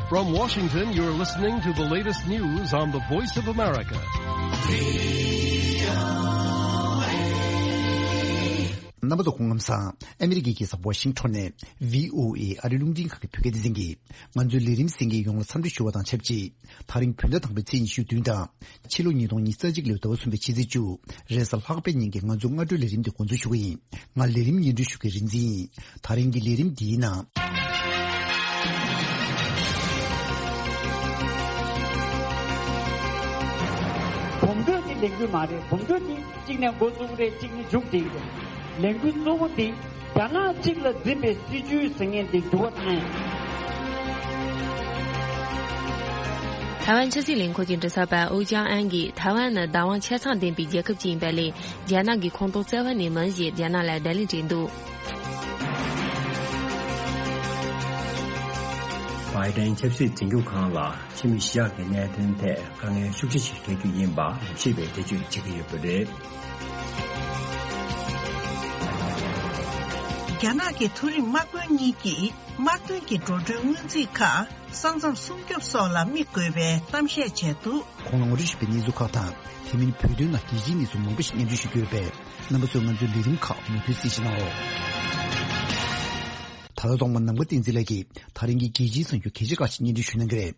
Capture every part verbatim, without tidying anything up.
From Washington, you're listening to the latest news on the Voice of America. རྣམ་པ་ཚོ་སྐུ་ཁམས་བཟང་། ཨ་མི་རི་ཀའི་རྒྱལ་ས་ཝ་ཤིང་ཊོན་ནས་བྷི་ཨོ་ཨེ་ཨ་རིའི་རླུང་འཕྲིན་ཁང་གི་བོད་སྐད་སྡེ་ཚན་གྱིས་ང་ཚོའི་ལས་རིམ་གསན་མཁན་ཡོངས་ལ་འཚམས་འདྲི་ཞུ་བ་དང་ཆབས་ཅིག་ད་རིང་བོད་ཟླ་དང་པོའི་ཚེས་ཉི་ཤུ་བདུན་དང་། ཕྱི་ལོ་ཉིས་སྟོང་ཉི་ཤུ་རྩ་གཅིག་ལོའི་ཟླ་བ་གསུམ་པའི་ཕྱི་ཚེས་བཅུ། རེས་གཟའ་ལྷག་པའི་ཉིན་གྱི་ང་ཚོའི་སྔ་དྲོའི་ལས་རིམ་འདི་འགོ་འཛུགས་ཞུ་གི་ཡིན། ང་ལས་རིམ་སྙན་སྒྲོན་ཞུ་མཁན་རིག་འཛིན་ཡིན། ད་རིང་གི་ལས་རིམ་འདིའི་ནང་། བོད་འགྲོ་འདི་ལས་འགུལ་མ་རེད། བོད་འགྲོ་འདི་གཅིག་ནས་འགོ་བཙུགས་རེད། གཅིག་ནས་མཇུག་སྒྲིལ་རེད། ལས་འགུལ་གཙོ་བོ་འདི་རྒྱ་ནག་གཅིག་ལ་འཛིན་པའི་སྲིད་བྱུས་ཟེར་མཁན་འདི་འགྱུར་བ་བཏང་ཡ། ཐའེ་ཝན་ཆབ་སྲིད་ལས་ཁུངས་ཀྱི་མགྲིན་ཚབ་པ་ཨུ་ཅང་ཨན་གྱིས་ཐའེ་ཝན་ནི་བདག་དབང་ཆ་ཚང་ལྡན་པའི་རྒྱལ་ཁབ་ཅིག་ཡིན་པ་ལས། རྒྱ་ནག་གི་ཁོངས་གཏོགས་རྩ་བ་ནས་མིན་ཞེས་རྒྱ་ནག་ལ་བརྡ་ལན་སྤྲད་འདུག། བྷའི་ཏན་ཆབ་སྲིད་འཛིན་སྐྱོང་ཁང་ལ་ཕྱི་མི་ཞི་དྲག་གི་གནད་དོན་ཐད་དཀའ་ངལ་ཤུགས་ཆེ་ཞིག་འཕྲད་རྒྱུ་ཡིན་པ་ཞིབ་པའི་འགྲེལ་བརྗོད་བྱེད་ཀྱི་ཡོད་པ་རེད། རྒྱ་ནག་གི་མཐོ་རིམ་དམག་དཔོན་གཉིས་ཀྱིས་དམག་དོན་གྱི་འགྲོ་གྲོན་སྔོན་རྩིས་ཁག་ས་མཚམས་སྲུང་སྐྱོབ་སོགས་ལ་དམིགས་དགོས་པའི་གཏམ་བཤད་བྱས་འདུག། གོང་ལ་ངོ་སྤྲོད་ཞུས་པའི་གནས་ཚུལ་ཁག་དང་། དེ་མིན་བོད་དོན་ནང་རྒྱལ་སྤྱིའི་གནས་ཚུལ་མང་པོ་ཞིག་སྙན་སྒྲོན་ཞུ་རྒྱུ་ཡོད་པས། རྣམ་པ་ཚོས་ང་ཚོའི་ལས་རིམ་ཁག་མུ་མཐུད་གསན་བཞེས་གནང་རོགས། ད་ལྟ་ཐོག་མར་ནམ་མཁའ་བསྟན་འཛིན་ལགས་ཀྱིས་ད་རིང་གི་རྒྱལ་སྤྱིའི་གསར་འགྱུར་གལ་ཆེ་ཁག་ཅིག་སྙན་སྒྲོན་ཞུ་གནང་གི་རེད།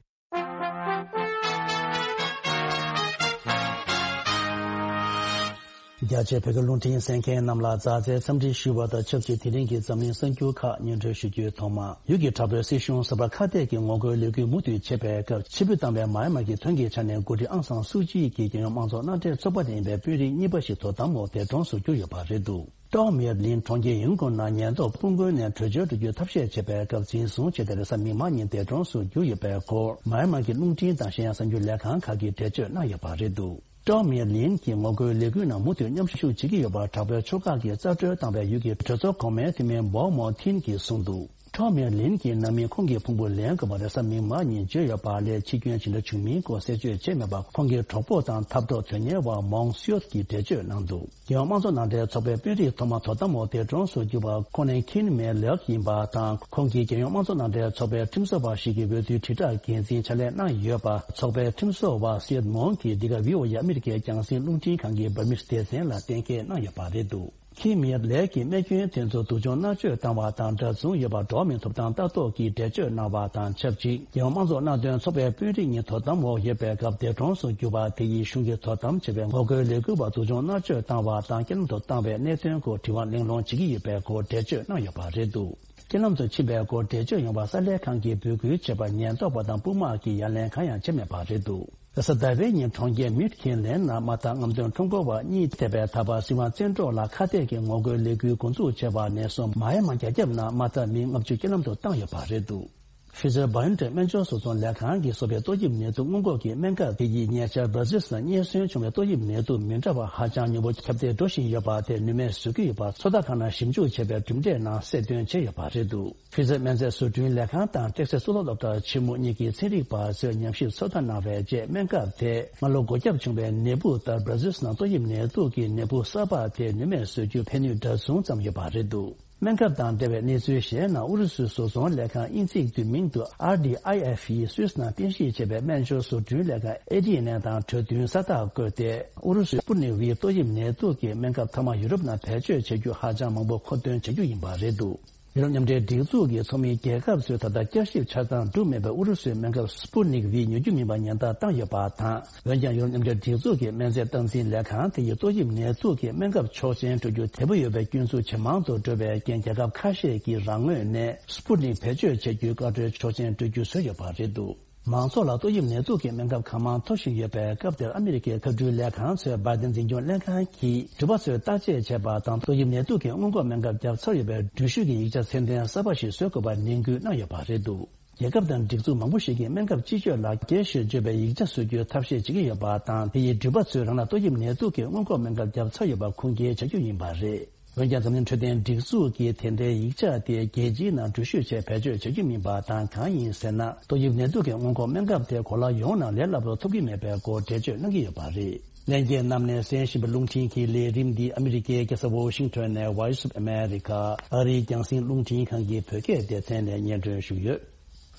རྒྱ་ཆེའི་བོད་སྐད་རླུང་འཕྲིན་གསན་མཁན་རྣམས་ལ་མཛའ་བརྩེའི་འཚམས་འདྲི་ཞུ་བ་དང་ཆབས་ཅིག་དེ་རིང་གི་འཛམ་གླིང་གསར་འགྱུར་ཁག་སྙན་སྒྲོན་ཞུ་རྒྱུའི་ཐོག་མ། ཡུལ་གྱི་དྲག་པོའི་སྲིད་གཞུང་གསར་པ་ཁ་གཏད་ཀྱིས་ངོ་རྒོལ་ལས་འགུལ་མུ་མཐུད་བྱེད་པའི་སྐབས། ཕྱིར་འབུད་བཏང་བའི་མཱ་ཡན་མར་གྱི་ཐོན་སྐྱེད་ཆ་ནས་འགོ་ཁྲིད་ཨང་སང་སུའུ་ཅི་ཡི་རྒྱལ་ཡོངས་དམངས་གཙོ་མནའ་འབྲེལ་ཚོགས་པ་ནས་ཡིན་པའི་དཔོན་རིགས་གཉིས་པ་ཞིག་དོ་དམ་འོག་འདས་གྲོངས་སུ་གྱུར་ཡོད་པ་རེད་འདུག། ཀྲོའུ་མེར་ལིན་གྲོང་ཁྱེར་ཡིན་ཀོང་ནང་ཉེན་རྟོག་དཔུང་རྒོལ་ནས་བྲོས་བྱོལ་འགྲོ་རྒྱུའི་ཐབས་ཤེས་བྱེད་པའི་སྐབས་འཛིན་བཟུང་བྱས་ཏེ། རེས་གཟའ་མིག་དམར་ཉིན་འདས་གྲོངས་སུ་གྱུར་ཡོད་པའི་སྐོར་མཱ་ཡན་མར་གྱི་རླུང་འཕྲིན་དང་གཞན་ཡང་གསར་འགྱུར་ལས་ཁང་ཁག་གིས་འགྲེལ་བརྗོད་གནང་ཡོད་པ་རེད་འདུག། ཀྲོའུ་མེར་ལིན་གྱིས་ངོ་རྒོལ་ལས་འགུལ་ནང་མུ་མཐུད་མཉམ་ཞུགས་བྱེད་ཀྱི་ཡོད་པར་དྲག་པོའི་ཕྱོགས་ཁག་གིས་རྩ་སྤྲོད་བཏང་བའི་ཡུལ་གྱི་གྲོས་ཚོགས་གོང་མའི་འཐུས་མི་བོ་མོ་ཐིན་གྱིས་གསུངས་འདུག། ཀྲོའུ་མེར་ལིན་གྱི་རྣམ་སྨིན་ཁོང་གི་ཕུང་པོ་ལེན་དགོས་པ་རེས་གཟའ་མིག་དམར་ཉིན་བརྗོད་ཡོད་པ་ལས། འཆི་སྐྱོན་ཇི་འདྲ་བྱུང་མིན་སྐོར་གསལ་བརྗོད་བྱས་མེད་པར། ཁོང་གི་གྲོགས་པོ་དང་འཐབ་གྲོགས་དོན་གཉེར་བ་མོང་སིའོ་གིས་འགྲེལ་བརྗོད་གནང་འདུག། རྒྱལ་ཡོངས་དམངས་གཙོ་མནའ་འབྲེལ་ཚོགས་པའི་དཔོན་རིགས་ཐོག་མ་དོ་དམ་འོག་འདས་གྲོངས་སུ་གྱུར་པ་ཁོང་ནི་ཁིན་མེ་ལགས་ཡིན་པ་དང་། ཁོང་གིས་རྒྱལ་ཡོངས་དམངས་གཙོ་མནའ་འབྲེལ་ཚོགས་པའི་ཁྲིམས་བཟོ་བ་ཞིག་གི་འོས་བསྡུའི་དྲིལ་བསྒྲགས་འགན་འཛིན་ཕྱག་ལས་གནང་ཡོད་པ། ཚོགས་པའི་ཁྲིམས་བཟོ་བ་སིའེ་མོང་གིས་འདི་ག་བྷི་ཨོ་ཨེ་ཨ་མི་རི་ཀའི་རྒྱང་སྲིང་རླུང་འཕྲིན་ཁང་གི་འབར་མིས་སྡེ་ཚན་ལ་གཏན་འཁེལ་གནང་ཡོད་པ་རེད་འདུག། ཁིན་མེ་ལགས་ཀྱིས་རྨས་སྐྱོན་དེ་ཚོ་སྡུག་སྦྱོང་མནར་གཅོད་བཏང་བ་དང་འདྲ་མཚུངས་ཡོད་པར་འགྲོ་བ་མིའི་ཐོབ་ཐང་ལྟ་རྟོག་གིས་འགྲེལ་བརྗོད་གནང་བ་དང་ཆབས་ཅིག། རྒྱལ་ཡོངས་དམངས་གཙོ་མནའ་འབྲེལ་ཚོགས་པའི་དཔོན་རིགས་གཉིས་དོ་དམ་འོག་ཡོད་པའི་སྐབས་འདས་གྲོངས་སུ་གྱུར་པ་དེ་ཡིས་གཞུང་གིས་དོ་དམ་བྱས་པའི་ངོ་རྒོལ་ལས་འགུལ་བ་སྡུག་སྦྱོང་མནར་གཅོད་བཏང་བ་དང་རྐྱེན་ལམ་དུ་བཏང་བའི་གནད་དོན་སྐོར་དྲི་བ་གླེང་སློང་བྱེད་ཀྱི་ཡོད་པའི་སྐོར་འགྲེལ་བརྗོད་གནང་ཡོད་པ་རེད་འདུག། རྐྱེན་ལམ་དུ་ཕྱིན་པའི་སྐོར་འགྲེལ་བརྗོད་ཡོང་བར་གསར་ལས་ཁང་གིས་འབོད་སྐུལ་བྱས་པར་ཉེན་རྟོག་པ་དང་དཔུང་དམག་གིས་ཡ་ལན་གང་ཡང་བྱས་མེད་པ་རེད་འདུག། རེས་གཟའ་ཟླ་བའི་ཉིན་གྲོང་ཁྱེར་མིད་ཁིན་ལན་ནང་དམག་འཐབ་རྔམ་སྟོན་ཁྲོམ་སྐོར་བ་གཉིས་ཐེ་བའི་ཐག་པ་སྲིད་དབང་བཙན་འཕྲོག་ལ་ཁ་གཏད་ཀྱི་ངོ་རྒོལ་ལས་འགུལ་འགོ་འཛུགས་བྱས་པ་ནས་བཟུང་མཱ་ཡན་མར་རྒྱ་ཁྱབ་ནང་དམག་འཐབ་མི་ལྔ་བཅུ་རྐྱེན་ལམ་དུ་བཏང་ཡོད་པ་རེད་འདུག། ཕི་ཛར་བྷའོ་ཨེན་ཊེག་སྨན་སྦྱོར་བཟོ་ཚོང་ལས་ཁང་གིས་བཟོ་བའི་ཏོག་དབྱིབས་ནད་དུག་སྔོན་འགོག་གི་སྨན་ཁབ་དེ་ཡིས་ཉེ་ཆར་བྷར་ཛིལ་ནང་རྙེད་སོན་བྱུང་བའི་ཏོག་དབྱིབས་ནད་དུག་མི་འདྲ་བ་ཧ་ཅང་ཉུང་པོ་ཁྱབ་གདལ་འགྲོ་བཞིན་ཡོད་པ་དེ་ནུས་མེད་བཟོ་གི་ཡོད་པ་ཚོད་ལྟ་ཁང་ནང་ཞིབ་འཇུག་བྱས་པའི་གྲུབ་འབྲས་ནང་གསལ་སྟོན་བྱས་ཡོད་པ་རེད་འདུག། ཕི་ཛར་སྨན་རྫས་བཟོ་སྐྲུན་ལས་ཁང་དང་ཏེག་སེ་གཙུག་ལག་སློབ་གྲྭ་ཆེན་མོ་གཉིས་ཀྱི་ཚན་རིག་པ་ཚོས་ཉམས་ཞིབ་ཚོད་ལྟ་གནང་བའི་རྗེས་སྨན་ཁབ་དེས་སྔ་ལོ་འགོས་ཁྱབ་བྱུང་བའི་ནད་འབུ་ལྟར་བྷར་ཛིལ་ནང་ཏོག་དབྱིབས་ནད་དུག་གི་ནད་འབུ་གསར་པ་དེ་ནུས་མེད་བཟོ་རྒྱུར་ཕན་ནུས་འདྲ་མཚུངས་ཙམ་ཡོད་པ་རེད་འདུག། སྨན་ཁབ་དང་འབྲེལ་བའི་གནས་ཚུལ་གཞན་ནང་ཨུ་རུ་སུའི་བཟོ་ཚོང་ལས་ཁང་དབྱིན་ཚིག་བསྡུས་མིང་དུ་ཨར་ཌི་ཨའི་ཨེཕ་ཡིས་སུད་སི་ནང་རྟེན་གཞི་བྱས་པའི་སྨན་སྦྱོར་བཟོ་སྐྲུན་ལས་ཁང་ཨེ་ཌི་ཨེན་ཨེ་དང་གྲོས་མཐུན་ས་རྟགས་བཀོད་དེ། ཨུ་རུ་སུའི་སྤུ་ནིག་ཝི་ཏོག་དབྱིབས་ནད་དུག་གི་སྨན་ཁབ་མཐའ་མ་ཡུ་རོབ་ནང་བེད་སྤྱོད་བྱ་རྒྱུ་ཧ་ཅང་མང་པོ་མཁོ་འདོན་བྱ་རྒྱུ་ཡིན་པ་རེད་འདུག། ཡུ་རོབ་མཉམ་འབྲེལ་སྒྲིག་འཛུགས་ཀྱི་ཚོགས་མིའི་རྒྱལ་ཁབ་ཚོས་ད་ལྟ་བསྐྱར་ཞིབ་ཆ་ཚང་གྲུབ་མེད་པའི་ཨུ་རུ་སུའི་སྨན་ཁབ་སྤུ་ནིག་ཝི་ཉོ་རྒྱུ་མིན་པ་ཉེན་བརྡ་བཏང་ཡོད་པ་དང་། འོན་ཀྱང་ཡུ་རོབ་མཉམ་འབྲེལ་སྒྲིག་འཛུགས་ཀྱི་སྨན་རྫས་སྟངས་འཛིན་ལས་ཁང་དེ་ཡིས་ཏོག་དབྱིབས་ནད་དུག་གི་སྨན་ཁབ་ཆོག་མཆན་སྤྲོད་རྒྱུ་དལ་པོ་ཡོད་པའི་སྐྱོན་འཛུགས་ཇེ་མང་དུ་འགྲོ་བའི་རྐྱེན། རྒྱལ་ཁབ་ཁ་ཤས་ཀྱིས་རང་ངོས་ནས་སྤུ་ནིག་བེད་སྤྱོད་བྱ་རྒྱུའི་བཀའ་འཁྲོལ་ཆོག་མཆན་སྤྲོད་རྒྱུ་བཟོས་ཡོད་པ་རེད་འདུག། མང་ཚོགས་ལ་ཏོག་དབྱིབས་ནད་དུག་གི་སྨན་ཁབ་གང་མང་ཐོབ་བཞིན་ཡོད་པའི་སྐབས་དེར། ཨ་མི་རི་ཀའི་ཁ་སྤྲུལ་ལས་ཁང་ཚོས་བྷའི་ཏན་འཛིན་སྐྱོང་ལྷན་ཁང་གིས་འགྲུལ་པ་ཚོས་བརྟག་དཔྱད་བྱས་པ་དང་། ཏོག་དབྱིབས་ནད་དུག་གི་སྔོན་འགོག་སྨན་ཁབ་བརྒྱབ་ཚར་ཡོད་པའི་འགྲུལ་བཞུད་ཀྱི་ཡིག་ཆ་ཚད་ལྡན་གསར་པ་ཞིག་བཟོ་དགོས་པར་ནན་སྐུལ་གནང་ཡོད་པ་རེད་འདུག། རྒྱལ་ཁབ་དང་སྒྲིག་འཛུགས་མང་པོ་ཞིག་གིས་སྨན་ཁབ་སྤྱི་སྤྱོད་ལ་རྒྱས་ཤིང་བརྗོད་པའི་ཡིག་ཆ་བཟོ་རྒྱུའི་ཐབས་ཤེས་བྱེད་ཀྱི་ཡོད་པ་དང་། དེ་ཡིས་འགྲུལ་པ་ཚོས་རང་ལ་ཏོག་དབྱིབས་ནད་དུག་གི་སྔོན་འགོག་སྨན་ཁབ་བརྒྱབ་ཚར་ཡོད་པ་ཁུངས་སྐྱེལ་བྱ་རྒྱུ་ཡིན་པ་རེད། འོན་ཀྱང་འཛམ་གླིང་འཕྲོད་བསྟེན་སྒྲིག་འཛུགས་ཀྱིས་དེ་འདྲའི་ཡིག་ཆ་དེ་རྒྱལ་སྤྱིའི་ནང་འགྲུལ་བཞུད་ཆེད་བེད་སྤྱོད་བྱ་རྒྱུ་མིན་པ་དང་། གང་ཡིན་ཟེར་ན། ཏོག་དབྱིབས་ནད་དུག་གི་སྔོན་འགོག་སྨན་ཁབ་དེ་གོ་ལ་ཡོངས་ནང་ལས་སླ་པོར་ཐོབ་ཀྱི་མེད་པའི་སྐོར་འགྲེལ་བརྗོད་གནང་གི་ཡོད་པ་རེད། ལྷན་རྒྱས་རྣམས་ནས་གསན་བཞིན་པའི་རླུང་འཕྲིན་གྱི་ལས་རིམ་འདི་ཨ་མི་རི་ཀའི་རྒྱལ་ས་ཝོ་ཤིང་ཊོན་ནས་Voice of America ཨ་རིའི་རྒྱང་སྲིང་རླུང་འཕྲིན་ཁང་གི་བོད་སྐད་སྡེ་ཚན་ནས་སྙན་སྒྲོན་ཞུས་ཡོད།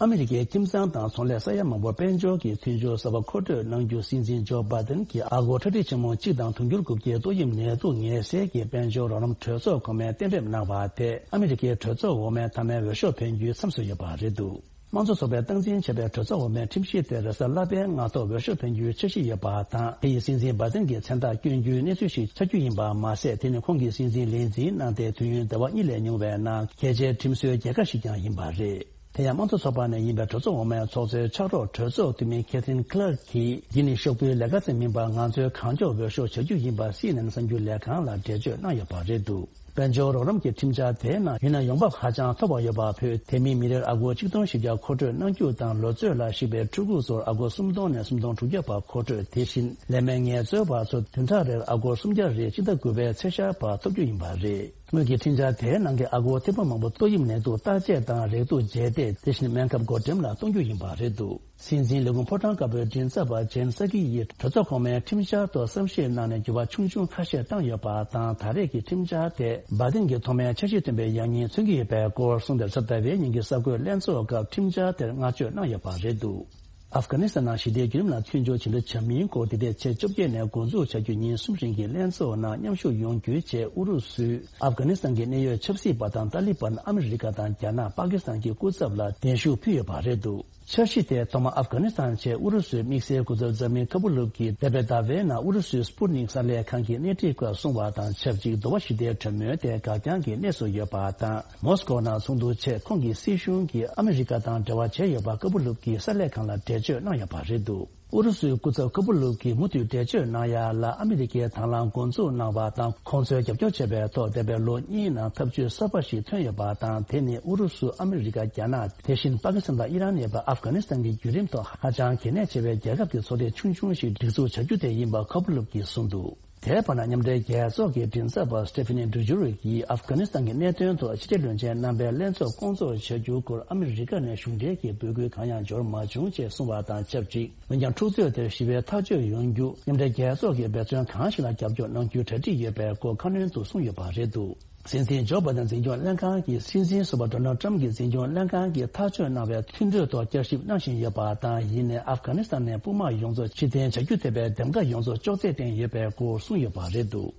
ཨ་མི་རི་ཀའི་ཁྱིམ་ཚང་དང་ཚོང་ལས་ས་ཡ་མང་པོར་དཔལ་འབྱོར་གྱི་མཐུན་སྦྱོར་གསར་པ་མཁོ་སྤྲོད་གནང་རྒྱུ་སྲིད་འཛིན་ཇོ་བྷ་དན་གྱིས་ཨ་སྒོར་ཁྲག་ཁྲིག་ཆེན་མོ་གཅིག་དང་དུང་ཕྱུར་དགུ་བརྒྱའི་ཏོག་དབྱིབས་ནད་དུག་ངལ་སེལ་གྱི་དཔལ་འབྱོར་རོགས་རམ་གྲོས་ཚོགས་ཁོངས་མིས་གཏན་འབེབས་གནང་བ་དེ་ཨ་མི་རི་ཀའི་གྲོས་ཚོགས་འོག་མའི་མཐའ་མའི་འོས་ཤོག་འཕེན་རྒྱུའི་མཚམས་སུ་ཡོད་པ་རེད་འདུག་དམངས་གཙོ་ཚོགས་པས་སྟངས་འཛིན་བྱས་པའི་གྲོས་ཚོགས་འོག་མའི་ཁྲིམས་གཞི་དེར་རེས་གཟའ་ལྷག་པའི་སྔ་ཐོག་འོས་ཤོག་འཕེན་རྒྱུའི་འཆར་གཞི་ཡོད་པ་དང་། དེ་ཡིས་སྲིད་འཛིན་བྷ་དན་གྱི་མཚན་རྟགས་བསྐྱོན་རྒྱུའི་གནས་ཚུལ་ཞིག་ཆགས་རྒྱུ་ཡིན་པ་མ་ཟད། དེ་ནི་ཁོང་གིས་སྲིད་འཛིན་ལས་འཛིན་གནང་སྟེ་དུས་ཡུན་ཟླ་བ་གཉིས་ལས་ཉུང་བའི་ནང་གལ་ཆེའི་ཁྲིམས་བཟོའི་རྒྱལ་ཁ་ཞིག་ཀྱང་ཡིན་པ་རེད། དེ་ཡང་དམངས་གཙོ་ཚོགས་པ་ནས་ཡིན་པའི་གྲོས་ཚོགས་འོག་མའི་ཚོགས་གཙོའི་ཕྱག་རོགས་གྲོས་ཚོགས་འཐུས་མི་Kathleen Clark གིས། འདི་ནི་ཤོག་བུའི་ལས་ཀ་ཙམ་མིན་པར་ང་ཚོའི་གང་ལྕོགས་འོས་ཤོག་བྱ་རྒྱུ་ཡིན་པ་སི་ཨེན་ཨེན་གསར་འགྱུར་ལས་ཁང་ལ་འགྲེལ་བརྗོད་གནང་ཡོད་པ་རེད་འདུག་དཔལ་འབྱོར་རོགས་རམ་གྱི་ཁྲིམས་འཆར་དེའི་ནང་ཡུན་ནན་ཡོང་འབབ་ཧ་ཅང་མཐོ་བ་ཡོད་པ་ཕུད། དེ་མིན་མི་རེར་ཨ་སྒོར་ཆིག་སྟོང་བཞི་བརྒྱ་མཁོ་སྤྲོད་གནང་རྒྱུ་དང་། ལོ་ཚོད་ལ་གཞིགས་པའི་ཕྲུ་གུ་ཚོར་ཨ་སྒོར་སུམ་སྟོང་ནས་སུམ་སྟོང་དྲུག་བརྒྱ་བར་མཁོ་སྤྲོད། དེ་བཞིན་ལས་མེད་ངལ་རྩོལ་བ་ཚོ་བདུན་ཕྲག་རེར་ཨ་སྒོར་སུམ་བརྒྱ་རེ་སྤྱི་ཟླ་དགུ་པའི་ཚེས་ཤར་བར་ཐོབ་རྒྱུ་ཡིན་པ་རེད། སྔོན་གྱི་ཁྲིམས་འཆར་དེའི་ནང་གི་ཨ་སྒོར་ཐེར་འབུམ་མང་པོ་ཏོག་དབྱིབས་ནད་དུག་བརྟག་དཔྱད་དང་རེག་དུག་རྗེས་འདེད། དེ་བཞིན་སྨན་ཁབ་བགོ་འགྲེམས་ལ་གཏོང་རྒྱུ་ཡིན་པ་རེད་འདུག་སྲིད་འཛིན་ལས་ཁུངས་ཕོ་བྲང་དཀར་པོའི་མགྲིན་ཚབ་པ་ཇེན་སཱ་ཀི་ཡིས་གྲོས་ཚོགས་གོང་མའི་ཁྲིམས་འཆར་ཐོག་བསམ་ཤེས་གནང་ནས་འགྱུར་བ་ཆུང་ཆུང་ཁ་ཤས་བཏང་ཡོད་པ་དང་། ད་རེས་ཀྱི་ཁྲིམས་འཆར་དེ་བྷ་དན་གྱི་ཐོག་མའི་འཆར་གཞི་ཐོན་པའི་ཡང་སྙིང་མཚོན་གྱི་ཡོད་པའི་སྐོར་གསུངས་ཏེ། གཟའ་ཟླ་བའི་ཉིན་གྱི་གསར་འགོད་ལྷན་ཚོགས་སྐབས་ཁྲིམས་འཆར་དེར་བསྔགས་བརྗོད་གནང་ཡོད་པ་རེད་འདུག་ཨབ་གྷ་ནི་སི་ཐན་ནང་ཞི་བདེའི་བརྒྱུད་རིམ་ལ་མཐུན་སྦྱོར་ཇི་འདྲ་བྱ་མིན་སྐོར། འདི་ཟླའི་ཚེས་བཅོ་བརྒྱད་ནས་འགོ་འཛུགས་བྱ་རྒྱུ། ཉིན་གསུམ་རིང་གི་ལྷན་ཚོགས་ནང་མཉམ་ཞུགས་ཡོང་རྒྱུའི་ཆེད་ཨུ་རུ་སུས་ཨབ་གྷ་ནི་སི་ཐན་གྱི་གནད་ཡོད་ཆབ་སྲིད་པ་དང་ཏཱ་ལི་བན། ཨ་མི་རི་ཀ་དང་རྒྱ་ནག་པ་ཀི་སི་ཐན་གྱི་སྐུ་ཚབ་ལ་གདན་ཞུ་ཕུལ་ཡོད་པ་རེད་འདུག་འཆར་གཞི་དེ་ཐོག་མར་ཨབ་གྷ་ནི་སི་ཐན་ཆེད་ཨུ་རུ་སུའི་དམིགས་བསལ་སྐུ་ཚབ་ཛ་མིར་ཀ་པུ་ལུབ་ཀྱིས་འདས་པའི་ཟླ་བའི་ནང་ཨུ་རུ་སུའི་སྤུ་ནིག་གསར་ལས་ཁང་གི་སྣེ་ཁྲིད་སྐབས་གསུངས་པ་དང་ཆབས་ཅིག་འདོ་བ་ཞི་བདེའི་གྲོས་མོལ་དེ་འགག་རྐྱང་གི་གནས་སུ་ཡོད་པ་དང་། མོ་སི་ཀོ་ནང་ཚོགས་འདུ་ཆེད་ཁོང་གི་སྲིད་གཞུང་གིས་ཨ་མི་རི་ཀ་དང་འབྲེལ་བ་བྱས་ཡོད་པ་ཀ་པུ་ལུབ་ཀྱིས་གསར་ལས་ཁང་ལ་འགྲེལ་བརྗོད་གནང་ཡོད་པ་རེད་འདུག་ཨུ་རུ་སུའི་སྐུ་ཚབ་ཀ་པུ་ལུབ་ཀྱིས་མུ་མཐུད་འགྲེལ་བརྗོད་གནང་ཡ་ལ། ཨ་མི་རི་ཀས་དང་བླངས་འགོ་འཛུགས་གནང་བ་དང་། ཁོང་ཚོས་རྒྱབ་སྐྱོར་བྱས་པའི་ཐོག་འདས་པའི་ལོ་གཉིས་ནང་ཐབས་ཇུས་གསར་པ་ཞིག་ཐོན་ཡོད་པ་དང་། དེ་ནི་ཨུ་རུ་སུ། ཨ་མི་རི་ཀ། རྒྱ་ནག་དེ་བཞིན་པ་ཀི་སི་ཐན་དང་ཨི་རན་ཡོད་པའི་ཨབ་གྷ་ནི་སི་ཐན་གྱི་བརྒྱུད་རིམ་ཐོག་ཧ་ཅང་གལ་གནད་ཆེ་བའི་རྒྱལ་ཁབ་ཀྱི་ཚོགས་སྡེ་ཆུང་ཆུང་ཞིག་སྒྲིག་འཛུགས་བྱ་རྒྱུ་དེ་ཡིན་པ་ཀ་པུ་ལུབ་ཀྱིས་གསུངས་འདུག་དེའི་བར་ན། མཉམ་འབྲེལ་རྒྱལ་ཚོགས་ཀྱི་མགྲིན་ཚབ་པ་སི་ཏེ་ཕི་ནི་ཌུ་ཇུ་རིག་གིས་ཨབ་གྷ་ནི་སི་ཐན་གྱི་གནད་དོན་ཐོག་ཕྱི་འབྲེལ་བློན་ཆེན་རྣམ་པའི་ལྷན་ཚོགས་སྐོང་ཚོགས་བྱ་རྒྱུའི་སྐོར་ཨ་མི་རི་ཀ་ནས་གཞུང་འབྲེལ་གྱི་འབོད་སྐུལ་གང་ཡང་འབྱོར་མ་བྱུང་ཅེས་གསུངས་པ་དང་ཆབས་ཅིག་འོན་ཀྱང་། འཁྲུག་རྩོད་དེར་ཞི་བའི་ཐག་གཅོད་ཡོང་རྒྱུ་མཉམ་འབྲེལ་རྒྱལ་ཚོགས་ཀྱིས་འབད་བརྩོན་གང་ཞིག་ལ་རྒྱབ་སྐྱོར་གནང་རྒྱུའི་གྲ་སྒྲིག་ཡོད་པའི་སྐོར་ཁ་སྣོན་དུ་གསུངས་ཡོད་པ་རེད་འདུག་སྲིད་འཛིན་ཇོ་བྷ་དན་འཛིན་སྐྱོང་ལྷན་ཁང་གིས། སྲིད་འཛིན་ཟུར་པ་ཌོ་ནལ་ཊམ་གྱིས་འཛིན་སྐྱོང་ལྷན་ཁང་གིས་ཐག་གཅོད་གནང་བའི་མཐུན་གྲོས་ཐོག་བསྐྱར་ཞིབ་གནང་བཞིན་ཡོད་པ་དང་། ཡིན་ནའི་ཨབ་གྷ་ནི་སི་ཐན་ནས་དཔུང་དམག་ཡོངས་རྫོགས་ཕྱིར་འཐེན་བྱ་རྒྱུ་ཐེ་བའི་འདེམས་ཀ་ཡོངས་རྫོགས་ཅོག་ཙེ་སྟེང་ཡོད་པའི་སྐོར་གསུངས་ཡོད་པ་རེད་འདུག་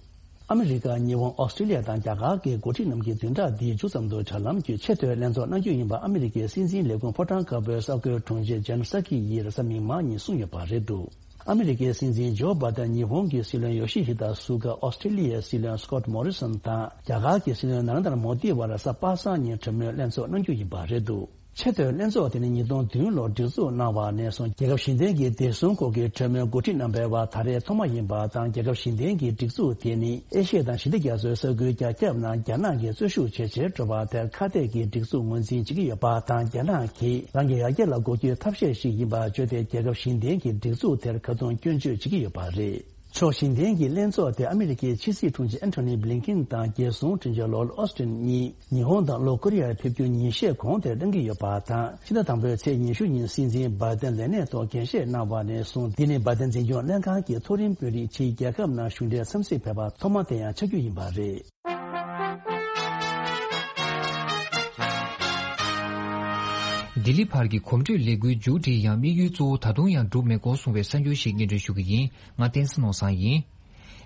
ཨ་མི་རི་ཀ། ཉི་ཧོང་། ཨོ་སི་ཀྲི་ལི་ཡ་དང་རྒྱ་གར་གྱི་འགོ་ཁྲིད་རྣམས་ཀྱིས་བདུན་ཕྲག་འདིའི་མཇུག་ཙམ་དུ་དྲ་ལམ་བརྒྱུད་ཆེས་མཐོའི་ལྷན་ཚོགས་གནང་རྒྱུ་ཡིན་པ་ཨ་མི་རི་ཀའི་སྲིད་འཛིན་ལས་ཁུངས་ཕོ་བྲང་དཀར་པོའི་གསར་འགོད་དྲུང་ཆེ་ཇེན་སཱ་ཀི་ཡིས་རེས་གཟའ་མིག་དམར་ཉིན་གསུངས་ཡོད་པ་རེད་འདུག་ཨ་མི་རི་ཀའི་སྲིད་འཛིན་ཇོ་བྷ་དན། ཉི་ཧོང་གི་སྲིད་བློན་ཡོ་ཤི་ཧི་ད་སུ་ག། ཨོ་སི་ཀྲི་ལི་ཡའི་སྲིད་བློན་སི་ཀོཊ་མོ་རི་སོན་དང་རྒྱ་གར་གྱི་སྲིད་བློན་ན་རེན་དྲ་མོ་དི་བར་གཟའ་པ་སངས་ཉིན་གྲོས་མོལ་ལྷན་ཚོགས་གནང་རྒྱུ་ཡིན་པ་རེད་འདུག་ཆེས་མཐོའི་ལྷན་ཚོགས་དེ་ནི་ཉིས་སྟོང་བདུན་ལོར་སྒྲིག་འཛུགས་གནང་བ་ནས་བཟུང་རྒྱལ་ཁབ་བཞི་ལྡན་གྱི་བདེ་སྲུང་སྐོར་གྱི་གྲོས་མོལ་འགོ་ཁྲིད་རྣམ་པའི་བར་ད་རེས་ཐོག་མ་ཡིན་པ་དང་། རྒྱལ་ཁབ་བཞི་ལྡན་གྱི་སྒྲིག་འཛུགས་དེ་ནི་ཨེ་ཤི་ཡ་དང་ཞི་བདེ་རྒྱ་མཚོའི་ས་ཁུལ་རྒྱ་ཁྱབ་ནང་རྒྱ་ནག་གིས་གཙོ་ཤུགས་ཇེ་ཆེར་འགྲོ་བ་དེར་ཁ་གཏད་ཀྱི་སྒྲིག་འཛུགས་ངོས་འཛིན་བྱེད་ཀྱི་ཡོད་པ་དང་། རྒྱ་ནག་གིས་རང་གི་ཡར་རྒྱས་ལ་སྒོ་སྐྱོད་ཐབས་ཤེས་ཤིག་ཡིན་པར་བརྗོད་དེ། རྒྱལ་ཁབ་བཞི་ལྡན་གྱི་སྒྲིག་འཛུགས་དེར་ཁ་རྡུང་སྐྱོན་བརྗོད་བྱེད་ཀྱི་ཡོད་པ་རེད། ཕྱོགས་བཞི་ལྡན་གྱི་ལྷན་ཚོགས་དེ་ཨ་མི་རི་ཀའི་ཕྱི་སྲིད་དྲུང་ཆེ་ཨན་ཐོ་ནི་བྷི་ལིན་ཀིན་དང་རྒྱལ་སྲུང་དྲུང་ཆེ་ལོར་ཨོ་སི་ཏིན་གཉིས་ཉི་ཧོང་དང་ལྷོ་ཀོ་རི་ཡར་ཕེབས་རྒྱུ་ཉིན་ཤས་གོང་དེར་གནང་གི་ཡོད་པ་དང་། ཕྱི་ཟླ་དང་པོའི་ཚེས་ཉི་ཤུ་ཉིན་སྲིད་འཛིན་བྷ་དན་ལས་གནས་ཐོག་འགན་བཞེས་གནང་བ་ནས་བཟུང་། འདི་ནི་བྷ་དན་འཛིན་སྐྱོང་ལྷན་ཁང་གི་མཐོ་རིམ་དཔོན་རིགས་ཕྱིའི་རྒྱལ་ཁབ་ནང་གཞུང་འབྲེལ་འཚམས་གཟིགས་ཕེབས་པ་ཐོག་མ་དེ་ཡང་ཆགས་རྒྱུ་ཡིན་པ་རེད། ལྡི་ལི་བར་གྱི་གོམ་བགྲོད་ལས་འགུལ་མཇུག་སྒྲིལ་ཡང་། དམིགས་ཡུལ་གཙོ་བོ་ད་དུང་ཡང་འགྲུབ་མེད་སྐོར་གསུངས་པའི་གསར་འགྱུར་ཞིག་སྙན་སྒྲོན་ཞུ་གི་ཡིན། ང་བསྟན་འཛིན་ནོར་བཟང་ཡིན།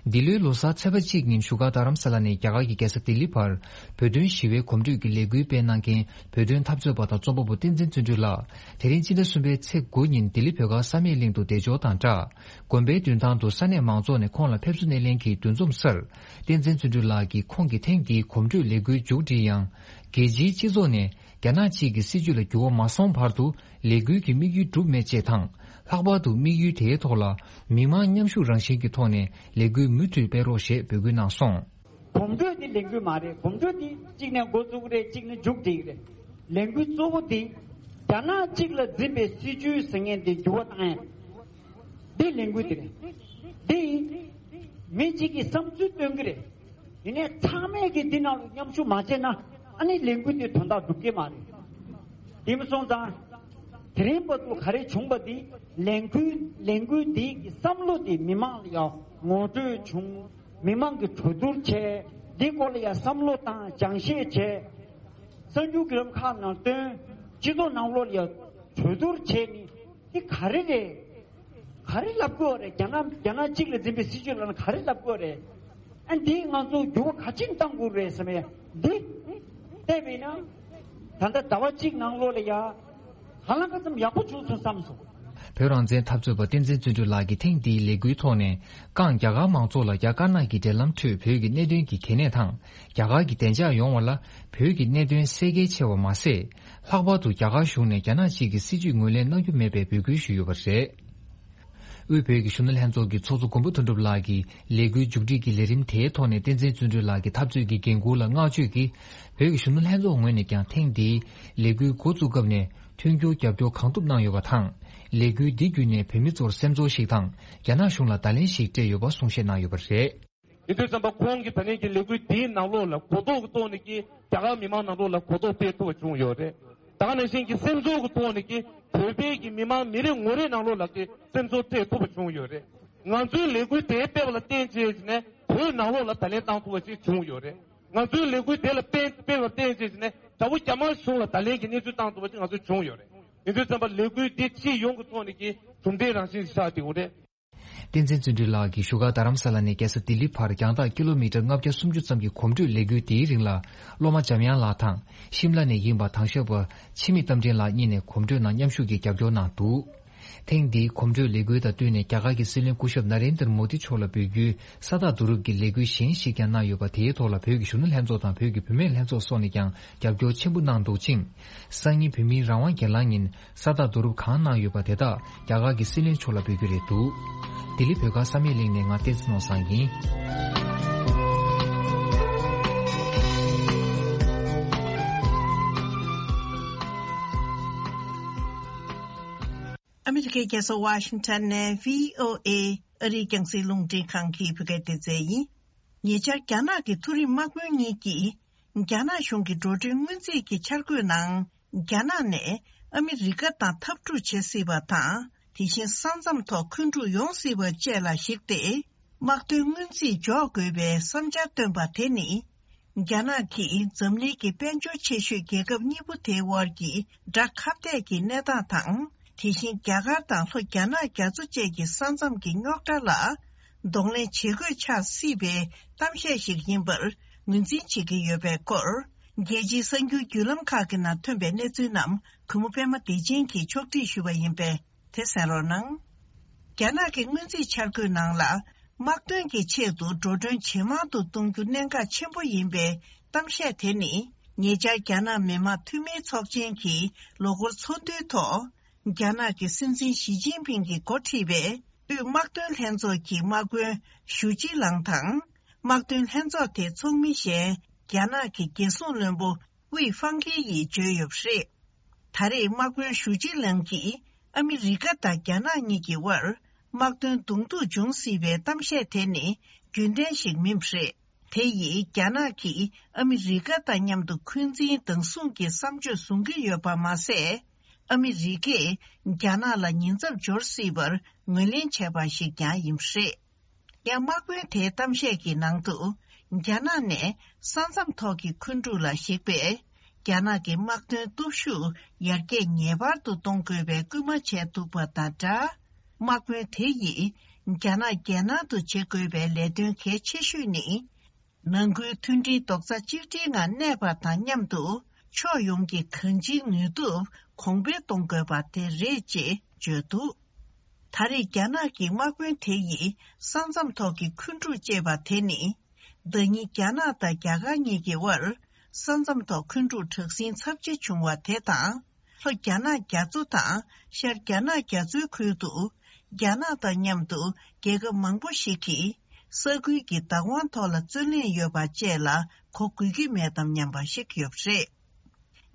འདི་ལོའི་ལོ་གསར་ཚེས་པ་གཅིག་ཉིན་བཞུགས་སྒར་རྡ་རམ་ས་ལ་ནས་རྒྱ་གར་གྱི་རྒྱལ་ས་ལྡི་ལི་བར་བོད་དོན་ཞི་བའི་གོམ་བགྲོད་ཀྱི་ལས་འགུལ་སྤེལ་གནང་མཁན་བོད་དོན་འཐབ་རྩོད་པ་དང་རྩོམ་པ་པོ་བསྟན་འཛིན་བརྩོན་འགྲུས་ལགས། དེ་རིང་སྤྱི་ཟླ་གསུམ་པའི་ཚེས་དགུ་ཉིན་ལྡི་ལི་བོད་སྒར་བསམ་ཡས་གླིང་དུ་བདེ་འབྱོར་དང་སྦྲགས། དགོན་པའི་མདུན་ཐང་དུ་ས་གནས་མང་ཚོགས་ནས་ཁོང་ལ་ཕེབས་བསུ་སྣེ་ལེན་གྱིས་འདུ་འཛོམས་སར། བསྟན་འཛིན་བརྩོན་འགྲུས་ལགས་ཀྱིས་ཁོང་གི་ཐེངས་འདིའི་གོམ་བགྲོད་ལས་འགུལ་མཇུག་སྒྲིལ་ཡང་། རྒྱལ་སྤྱིའི་སྤྱི་ཚོགས་ནས་རྒྱ་ནག་གཅིག་གི་སྲིད་བྱུས་ལ་འགྱུར་བ་མ་སོང་བར་དུ་ལས་འགུལ་གྱི་དམིགས་ཡུལ་འགྲུབ་མེད་ཅེས་དང་། ལྷག་པར་དུ་དམིགས་ཡུལ་དེའི་ཐོག་ལ་མི་མང་མཉམ་ཞུགས་རང་བཞིན་གྱི་ཐོག་ནས་ལས་འགུལ་མུ་མཐུད་སྤེལ་རོགས་ཞེས་འབོད་སྐུལ་གནང་སོང་། གོམ་བགྲོད་འདི་ལས་འགུལ་མ་རེད། གོམ་བགྲོད་འདི་གཅིག་ནས་འགོ་བཙུགས་རེད། གཅིག་ནས་མཇུག་སྒྲིལ་རེད། ལས་འགུལ་གཙོ་བོ་འདི་རྒྱ་ནག་གཅིག་ལ་འཛིན་པའི་སྲིད་བྱུས་ཟེར་མཁན་འདི་འགྱུར་བ་བཏང་ཡ། འདི་ལས་འགུལ་འདི་རེད། འདི་མི་གཅིག་གིས་བསམ་ཚུལ་སྟོན་གྱི་རེད། ཡིན་ནའི་ཚང་མས་ཀྱིས་འདི་ནང་ལ་མཉམ་ཞུགས་མ་བྱས་ན་ཨ་ནི་ལས་འགུལ་འདི་དོན་དག་འགྲུབ་ཀྱི་མ་རེད། དེ་མ་སོང་ཙང་དེ་རིང་བར་དུ་ག་རེ་བྱུང་བ་འདི་ལས་འགུལ་ལས་འགུལ་འདི་གི་བསམ་བློ་འདི་མི་མང་ལ་ཡང་ ངོ་སྤྲོད་བྱུང་། མི་མང་གིས་གྲོས་བསྡུར་བྱས། འདི་སྐོར་ལ་ཡང་བསམ་བློ་བཏང་། སྦྱང་བཤད་བྱས། གསར་འགྱུར་བརྒྱུད་ལམ་ཁག་ནང་བཏོན། སྤྱི་ཚོགས་ནང་ལོགས་ལ་ཡང་གྲོས་བསྡུར་བྱས་ནས། འདི་ག་རེ་རེད། ག་རེ་ལབ་དགོས་རེད། རྒྱ་ནག་རྒྱ་ནག་གཅིག་ལ་འཛིན་པའི་སྲིད་བྱུས་ལབ་ན་ག་རེ་ལབ་དགོས་རེད། ཨ། འདི་ང་ཚོ་འགྱུར་བ་ག་ཅིག་གཏང་དགོས་རེད་ཟེར་ནས། འདི་བལྟས་པས་ན། ད་ལྟ་ཟླ་བ་གཅིག་ནང་ལོགས་ལ་ཡ། ཧ་ལམ་ཁ་ཙམ་ཡག་པོ་བྱུང་སོང་བསམ་སོང་། བོད་རང་བཙན་འཐབ་རྩོད་པ་བསྟན་འཛིན་བརྩོན་འགྲུས་ལགས་ཀྱིས་ཐེངས་འདིའི་ལས་འགུལ་ཐོག་ནས། ཀང་རྒྱ་གར་མང་ཚོགས་ལ་རྒྱ་དཀར་ནག་གི་འབྲེལ་ལམ་ཁྲོད་བོད་ཀྱི་གནད་དོན་གྱི་གལ་གནད་དང་། རྒྱ་གར་གྱི་བདེ་འཇགས་ཡོང་བ་ལ་བོད་ཀྱི་གནད་དོན་གསལ་འགེལ་ཆེ་བ་མ་ཟད། ལྷག་པར་དུ་རྒྱ་གར་གཞུང་ནས་རྒྱ་ནག་གཅིག་གི་སྲིད་བྱུས་ངོས་ལེན་གནང་རྒྱུ་མེད་པའི་འབོད་སྐུལ་ཞུས་ཡོད་པ་རེད། དབུས་བོད་ཀྱི་གཞོན་ནུ་ལྷན་ཚོགས་ཀྱི་ཚོགས་གཙོ་མགོན་པོ་དོན་གྲུབ་ལགས་ཀྱིས་ལས་འགུལ་མཇུག་སྒྲིལ་གྱི་ལས་རིམ་དེའི་ཐོག་ནས་བསྟན་འཛིན་བརྩོན་འགྲུས་ལགས་ཀྱི་འཐབ་རྩོད་ཀྱི་འགན་འཁུར་ལ་བསྔགས་བརྗོད་ཀྱིས། བོད་ཀྱི་གཞོན་ནུ་ལྷན་ཚོགས་ངོས་ནས་ཀྱང་ཐེངས་འདིའི་ལས་འགུལ་འགོ་བཙུགས་སྐབས་ནས་མཐུན་འགྱུར་རྒྱབ་སྐྱོར་གང་ཐུབ་གནང་ཡོད་པ་དང་། ལས་འགུལ་འདི་བརྒྱུད་ནས་བོད་མི་ཚོར་སེམས་ཚོར་ཞིག་དང་། རྒྱ་ནག་གཞུང་ལ་བརྡ་ལན་ཞིག་སྤྲད་ཡོད་པ་གསུང་བཤད་གནང་ཡོད་པ་རེད། ཡིན་དུས་ཙམ་པ་ཁོང་གིས་ད་ལན་གྱི་ལས་འགུལ་འདིའི་ནང་ལོགས་ལ་གོ་རྟོགས་ཀྱི་ཐོག་ནས་ཀྱི་རྒྱ་གར་མི་མང་ནང་ལོགས་ལ་གོ་རྟོགས་སྤེལ་ཐུབ་པ་བྱུང་ཡོད་རེད། ད་ག་ནང་བཞིན་གྱི་སེམས་ཚོར་གྱི་ཐོག་ནས་ཀྱི་བོད་པའི་གི་མི་མང་མི་རེ་ངོ་རེ་ནང་ལོགས་ལ་ཀྱི་སེམས་ཚོར་སྤྲད་ཐུབ་པ་བྱུང་ཡོད་རེད། ང་ཚོའི་ལས་འགུལ་དེ་སྤེལ་བ་ལ་བརྟེན་བྱས་ནས་བོད་ནང་ལོགས་ལ་བརྡ་ལན་བཏང་ཐུབ་པ་ཞིག་བྱུང་ཡོད་རེད། ང་ཚོའི་ལས་འགུལ་དེ་ལ་སྤེལ་སྤེལ་བ་བརྟེན་བྱས་ནས་དགྲ་བོ་རྒྱ་དམར་གཞུང་ལ་བརྡ་ལན་གྱི་གནས་ཚུལ་བཏང་ཐུབ་པ་ཞིག་ང་ཚོ་བྱུང་ཡོད་རེད། ཡིན་དུས་ཙམ་པ་ལས་འགུལ་འདི་སྤྱི་ཡོངས་ཀྱི་ཐོག་ནས་ཀྱི་གྲུབ་འབྲས་རང་བཞིན་ཞིག་ཆགས་བསྡད་ཡོད་རེད། བསྟན་འཛིན་བརྩོན་འགྲུས་ལགས་ཀྱིས་བཞུགས་སྒར་རྡ་རམ་ས་ལ་ནས་རྒྱལ་ས་ལྡི་ལི་བར་རྒྱང་ཐག་ཀི་ལོ་མི་ཊར་ལྔ་བརྒྱ་སུམ་ཅུ་ཙམ་གྱི་གོམ་བགྲོད་ལས་འགུལ་འདིའི་རིང་ལ། སློབ་མ་འཇམ་དབྱངས་ལགས་དང་ཤིམ་ལ་ནས་ཡིན་པ་དྭང་ཞབས་པ་འཆི་མེད་རྟ་མགྲིན་ལགས་གཉིས་ནས་གོམ་བགྲོད་ནང་མཉམ་ཞུགས་ཀྱིས་རྒྱབ་སྐྱོར་གནང་འདུག། ཐེངས་འདིའི་གོམ་བགྲོད་ལས་འགུལ་དང་བསྟུན་ནས་རྒྱ་གར་གྱི་སྲིད་བློན་སྐུ་ཞབས་ན་རེན་དར་མོ་དི་མཆོག་ལ་འབོད་རྒྱུའི་ས་རྟགས་བསྡུ་རུབ་ཀྱི་ལས་འགུལ་གཞན་ཞིག་ཀྱང་གནང་ཡོད་པ། དེའི་ཐོག་ལ་བོད་ཀྱི་གཞོན་ནུ་ལྷན་ཚོགས་དང་བོད་ཀྱི་བུད་མེད་ལྷན་ཚོགས་སོགས་ནས་ཀྱང་རྒྱབ་སྐྱོར་ཆེན་པོ་གནང་འདུག་ཅིང་། སང་ཉིན་བོད་མིའི་རང་དབང་སྒེར་ལངས་ཉིན། ས་རྟགས་བསྡུ་རུབ་གང་གནང་ཡོད་པ་དེ་དག་རྒྱ་གར་གྱི་སྲིད་བློན་མཆོག་ལ་འབུལ་རྒྱུ་རེད་འདུག། ལྡི་ལི་བོད་ཁང་བསམ་ཡས་གླིང་ནས་ང་བསྟན་འཛིན་ནོར་བཟང་ཡིན། ཨ་མི་རི་ཀའི་རྒྱལ་ས་ཝ་ཤིང་ཊོན་ནས་བྷི་ཨོ་ཨེ་ཨ་རིའི་རྒྱང་སྲིང་རླུང་འཕྲིན་ཁང་གི་བོད་སྐད་སྡེ་ཚན་ཡིན། ཉེ་ཆར་རྒྱ་ནག་གི་མཐོ་རིམ་དམག་དཔོན་གཉིས་ཀྱིས་རྒྱ་ནག་གཞུང་གི་འགྲོ་གྲོན་སྔོན་རྩིས་ཀྱི་འཆར་འགོད་ནང་། རྒྱ་ནག་ནས་ཨ་མི་རི་ཀ་དང་འཐབ་འཁྲུག་བྱེད་སྲིད་པ་དང་། དེ་བཞིན་ས་མཚམས་ཐོག་འཁོན་འཁྲུག་ཡོང་སྲིད་པ་བཅས་ལ་གཞིགས་ཏེ། དམག་དོན་སྔོན་རྩིས་འཇོག་དགོས་པའི་བསམ་འཆར་བཏོན་པ་དེ་ནི། རྒྱ་ནག་གིས་འཛམ་གླིང་གི་དཔལ་འབྱོར་ཆེ་ཤོས་རྒྱལ་ཁབ་གཉིས་པོ་དེའི་དབར་གྱི་དགྲ་ཁ་གཏད་ཀྱི་གནས་སྟངས་དང་། དེ་བཞིན་རྒྱ་གར་དང་ལྷོ་རྒྱ་ནག་རྒྱ་མཚོ་བཅས་ཀྱི་ས་མཚམས་ཀྱི་རྙོག་དྲ་ལ་གདོང་ལེན་བྱེད་དགོས་ཆགས་སྲིད་པའི་གཏམ་བཤད་ཞིག་ཡིན་པར་ངོས་འཛིན་བྱེད་ཀྱི་ཡོད་པའི་སྐོར། རྒྱལ་སྤྱིའི་གསར་འགྱུར་བརྒྱུད་ལམ་ཁག་གི་ནང་ཐོན་པའི་གནས་ཚུལ་རྣམས་གུས་མོ་པད་མ་བདེ་ཆེན་གྱིས་ཕྱོགས་སྒྲིག་ཞུས་པ་ཡིན་པས། དེ་གསན་རོགས་གནང་། རྒྱ་ནག་གི་སྔོན་རྩིས་འཆར་འགོད་ནང་ལ། དམག་དོན་གྱི་ཆེད་དུ་འགྲོ་གྲོན་ཇེ་མང་དུ་གཏོང་རྒྱུ་གནད་འགག་ཆེན་པོ་ཡིན་པའི་གཏམ་བཤད་དེ་ནི། ཉེ་ཆར་རྒྱ་ནག་མི་དམངས་འཐུས་མིའི་ཚོགས་ཆེན་གྱི་ལོ་འཁོར་ཚོགས་འདུའི་ཐོག་རྒྱ་ནག་གི་སྲིད་འཛིན་ཞི་ཅིན་ཕིང་གིས་འགོ་ཁྲིད་པའི་དབུས་དམག་དོན་ལྷན་ཚོགས་ཀྱི་དམག་དཔོན་ཞུ་ཅི་ལང་དང་། དམག་དོན་ལྷན་ཚོགས་དེའི་ཚོགས་མི་གཞན་རྒྱ་ནག་གི་རྒྱལ་སྲུང་བློན་པོ་ཝེ་ཧྥང་ཁེ་ཡིས་བརྗོད་ཡོད་པ་རེད། ད་རེས་དམག་དཔོན་ཞུ་ཅི་ལང་གིས་ཨ་མི་རི་ཀ་དང་རྒྱ་ནག་གཉིས་ཀྱི་དབར་དམག་དོན་གདོང་ཐུག་འབྱུང་སྲིད་པའི་གཏམ་བཤད་དེ་ནི་རྒྱུན་ལྡན་ཞིག་མིན་པ་རེད། དེ་ཡིས་རྒྱ་ནག་གིས་ཨ་མི་རི་ཀ་དང་མཉམ་དུ་འཁོན་འཛིན་བདག་བཟུང་གི་བསམ་སྤྱོད་བཟུང་གི་ཡོད་པ་མ་ཟད། ཨ་མི་རི་ཀས་རྒྱ་ནག་ལ་ཉེན་ཚབས་འབྱོར་སྲིད་པར་ངོས་ལེན་བྱས་པ་ཞིག་ཀྱང་ཡིན་པ་རེད། ཡང་དམག་དཔོན་དེའི་གཏམ་བཤད་ཀྱི་ནང་དུ། རྒྱ་ནག་ནས་ས་མཚམས་ཐོག་གི་འཁོན་འཁྲུག་ལ་གཞིགས་པས། རྒྱ་ནག་གི་དམག་དོན་སྟོབས་ཤུགས་ཡར་རྒྱས་ངེས་པར་དུ་གཏོང་དགོས་པའི་སྐུལ་མ་བྱས་འདུག་པ་དང་སྦྲགས། དམག་དཔོན་དེ་ཡིས་རྒྱ་ནག་རྒྱལ་ནང་དུ་བྱེད་དགོས་པའི་ལས་དོན་གལ་ཆེ་ཤོས་ནི། ནང་ཁུལ་མཐུན་སྒྲིལ་རྡོག་རྩ་གཅིག་སྒྲིལ་ངང་གནས་པ་དང་མཉམ་དུ། ཕྱོགས་ཡོངས་ཀྱི་གང་ཅིའི་ནུས་སྟོབས་གོང་འཕེལ་གཏོང་དགོས་པ་དེ་རེད་ཅེས་བརྗོད་འདུག། ད་རེས་རྒྱ་ནག་གི་དམག་དཔོན་དེ་ཡིས་ས་མཚམས་ཐོག་གི་འཁོན་འཁྲུག་ཅེས་པ་དེ་ནི། ཟླ་ཉིན་རྒྱ་ནག་དང་རྒྱ་གར་གཉིས་ཀྱི་དབར་ས་མཚམས་ཐོག་འཁོན་འཁྲུག་དྲག་ཟིང་ཚབས་ཆེ་བྱུང་བ་དེ་དང་། ལྷོ་རྒྱ་ནག་རྒྱ་མཚོ་དང་ཤར་རྒྱ་ནག་རྒྱ་མཚོའི་ཁུལ་དུ། རྒྱ་ནག་དང་མཉམ་དུ་རྒྱལ་ཁབ་མང་པོ་ཞིག་གིས་ས་ཁུལ་གྱི་བདག་དབང་ཐོག་ལ་རྩོད་ལེན་ཡོད་པ་བཅས་ལ་གོ་དགོས་ཀྱི་མེད་དམ་སྙམ་པ་ཞིག་ཡོད་པ་རེད།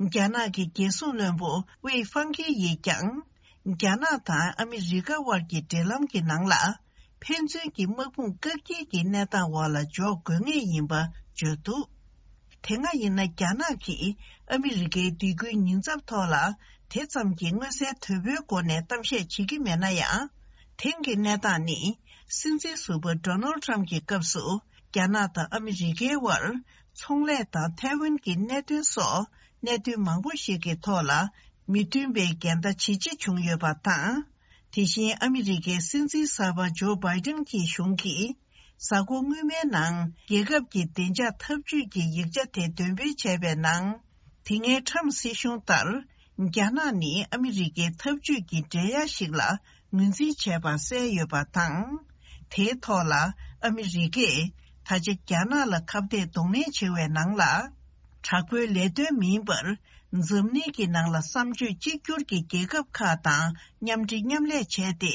རྒྱ་ནག་གི་རྒྱལ་སྲུང་བློན་པོ་ཝེ་ཧྥང་ཁེ་ཡིས་ཀྱང་། རྒྱ་ནག་དང་ཨ་མི་རི་ཀ་དབར་གྱི་འབྲེལ་ལམ་གྱི་ནང་ལ། ཕན་ཚུན་གྱི་དམག་དཔུང་བཀག་སྐྱིལ་གྱི་གནས་སྟངས་འོག་ལ་འཇོག་དགོས་ངེས་ཡིན་པ་བརྗོད་འདུག། དེ་སྔ་ཡིན་ན་རྒྱ་ནག་གིས་ཨ་མི་རི་ཀའི་སྡིགས་སྐུལ་ཉེན་ཚབས་ཐོག་ལ་དེ་ཙམ་གྱི་མངོན་གསལ་དོད་པོའི་སྒོ་ནས་གཏམ་བཤད་བྱེད་ཀྱི་མེད་ན་ཡང་། དེང་གི་གནས་སྟངས་ནི། སྲིད་འཛིན་ཟུར་པ་ཌོ་ནལ་ཊམ་གྱི་སྐབས་སུ། རྒྱ་ནག་དང་ཨ་མི་རི་ཀའི་དབར་ཚོང་ལས་དང་ཐའེ་ཝན་གྱི་གནད་དོན་སོགས་གནད་དོན་མང་པོ་ཞིག་གི་ཐོག་ལ་མི་མཐུན་པའི་འགལ་ཟླ་ཇེ་ཆེ་བྱུང་ཡོད་པ་དང་། དེ་བཞིན་ཨ་མི་རི་ཀའི་སྲིད་འཛིན་གསར་པ་ཇོ་བྷའི་ཏིན་གྱི་གཞུང་གིས་གཟའ་འཁོར་སྔོན་མའི་ནང་རྒྱལ་ཁབ་ཀྱི་བདེ་འཇགས་འཐབ་ཇུས་ཀྱི་ཡིག་ཆ་དེ་འདོན་སྤེལ་བྱས་པའི་ནང་། དེ་སྔའི་ཊམ་སྲིད་གཞུང་ལྟར། རྒྱ་ནག་ནི་ཨ་མི་རི་ཀའི་འཐབ་ཇུས་ཀྱི་འགྲན་ཡ་ཞིག་ལ་ངོས་འཛིན་བྱས་པ་གསལ་ཡོད་པ་དང་། དེའི་ཐོག་ལ་ཨ་མི་རི་ཀས་ད་ཆ་རྒྱ་ནག་ལ་ཁ་གཏད་གདོང་ལེན་བྱེད་པའི་ནང་ལ། དྲག་པོའི་ལས་དོན་མིན་པར། འཛམ་གླིང་གི་ནང་ལ་བསམ་སྤྱོད་གཅིག་གྱུར་གྱི་རྒྱལ་ཁབ་ཁག་དང་མཉམ་འབྲེལ་མཉམ་ལས་བྱས་ཏེ།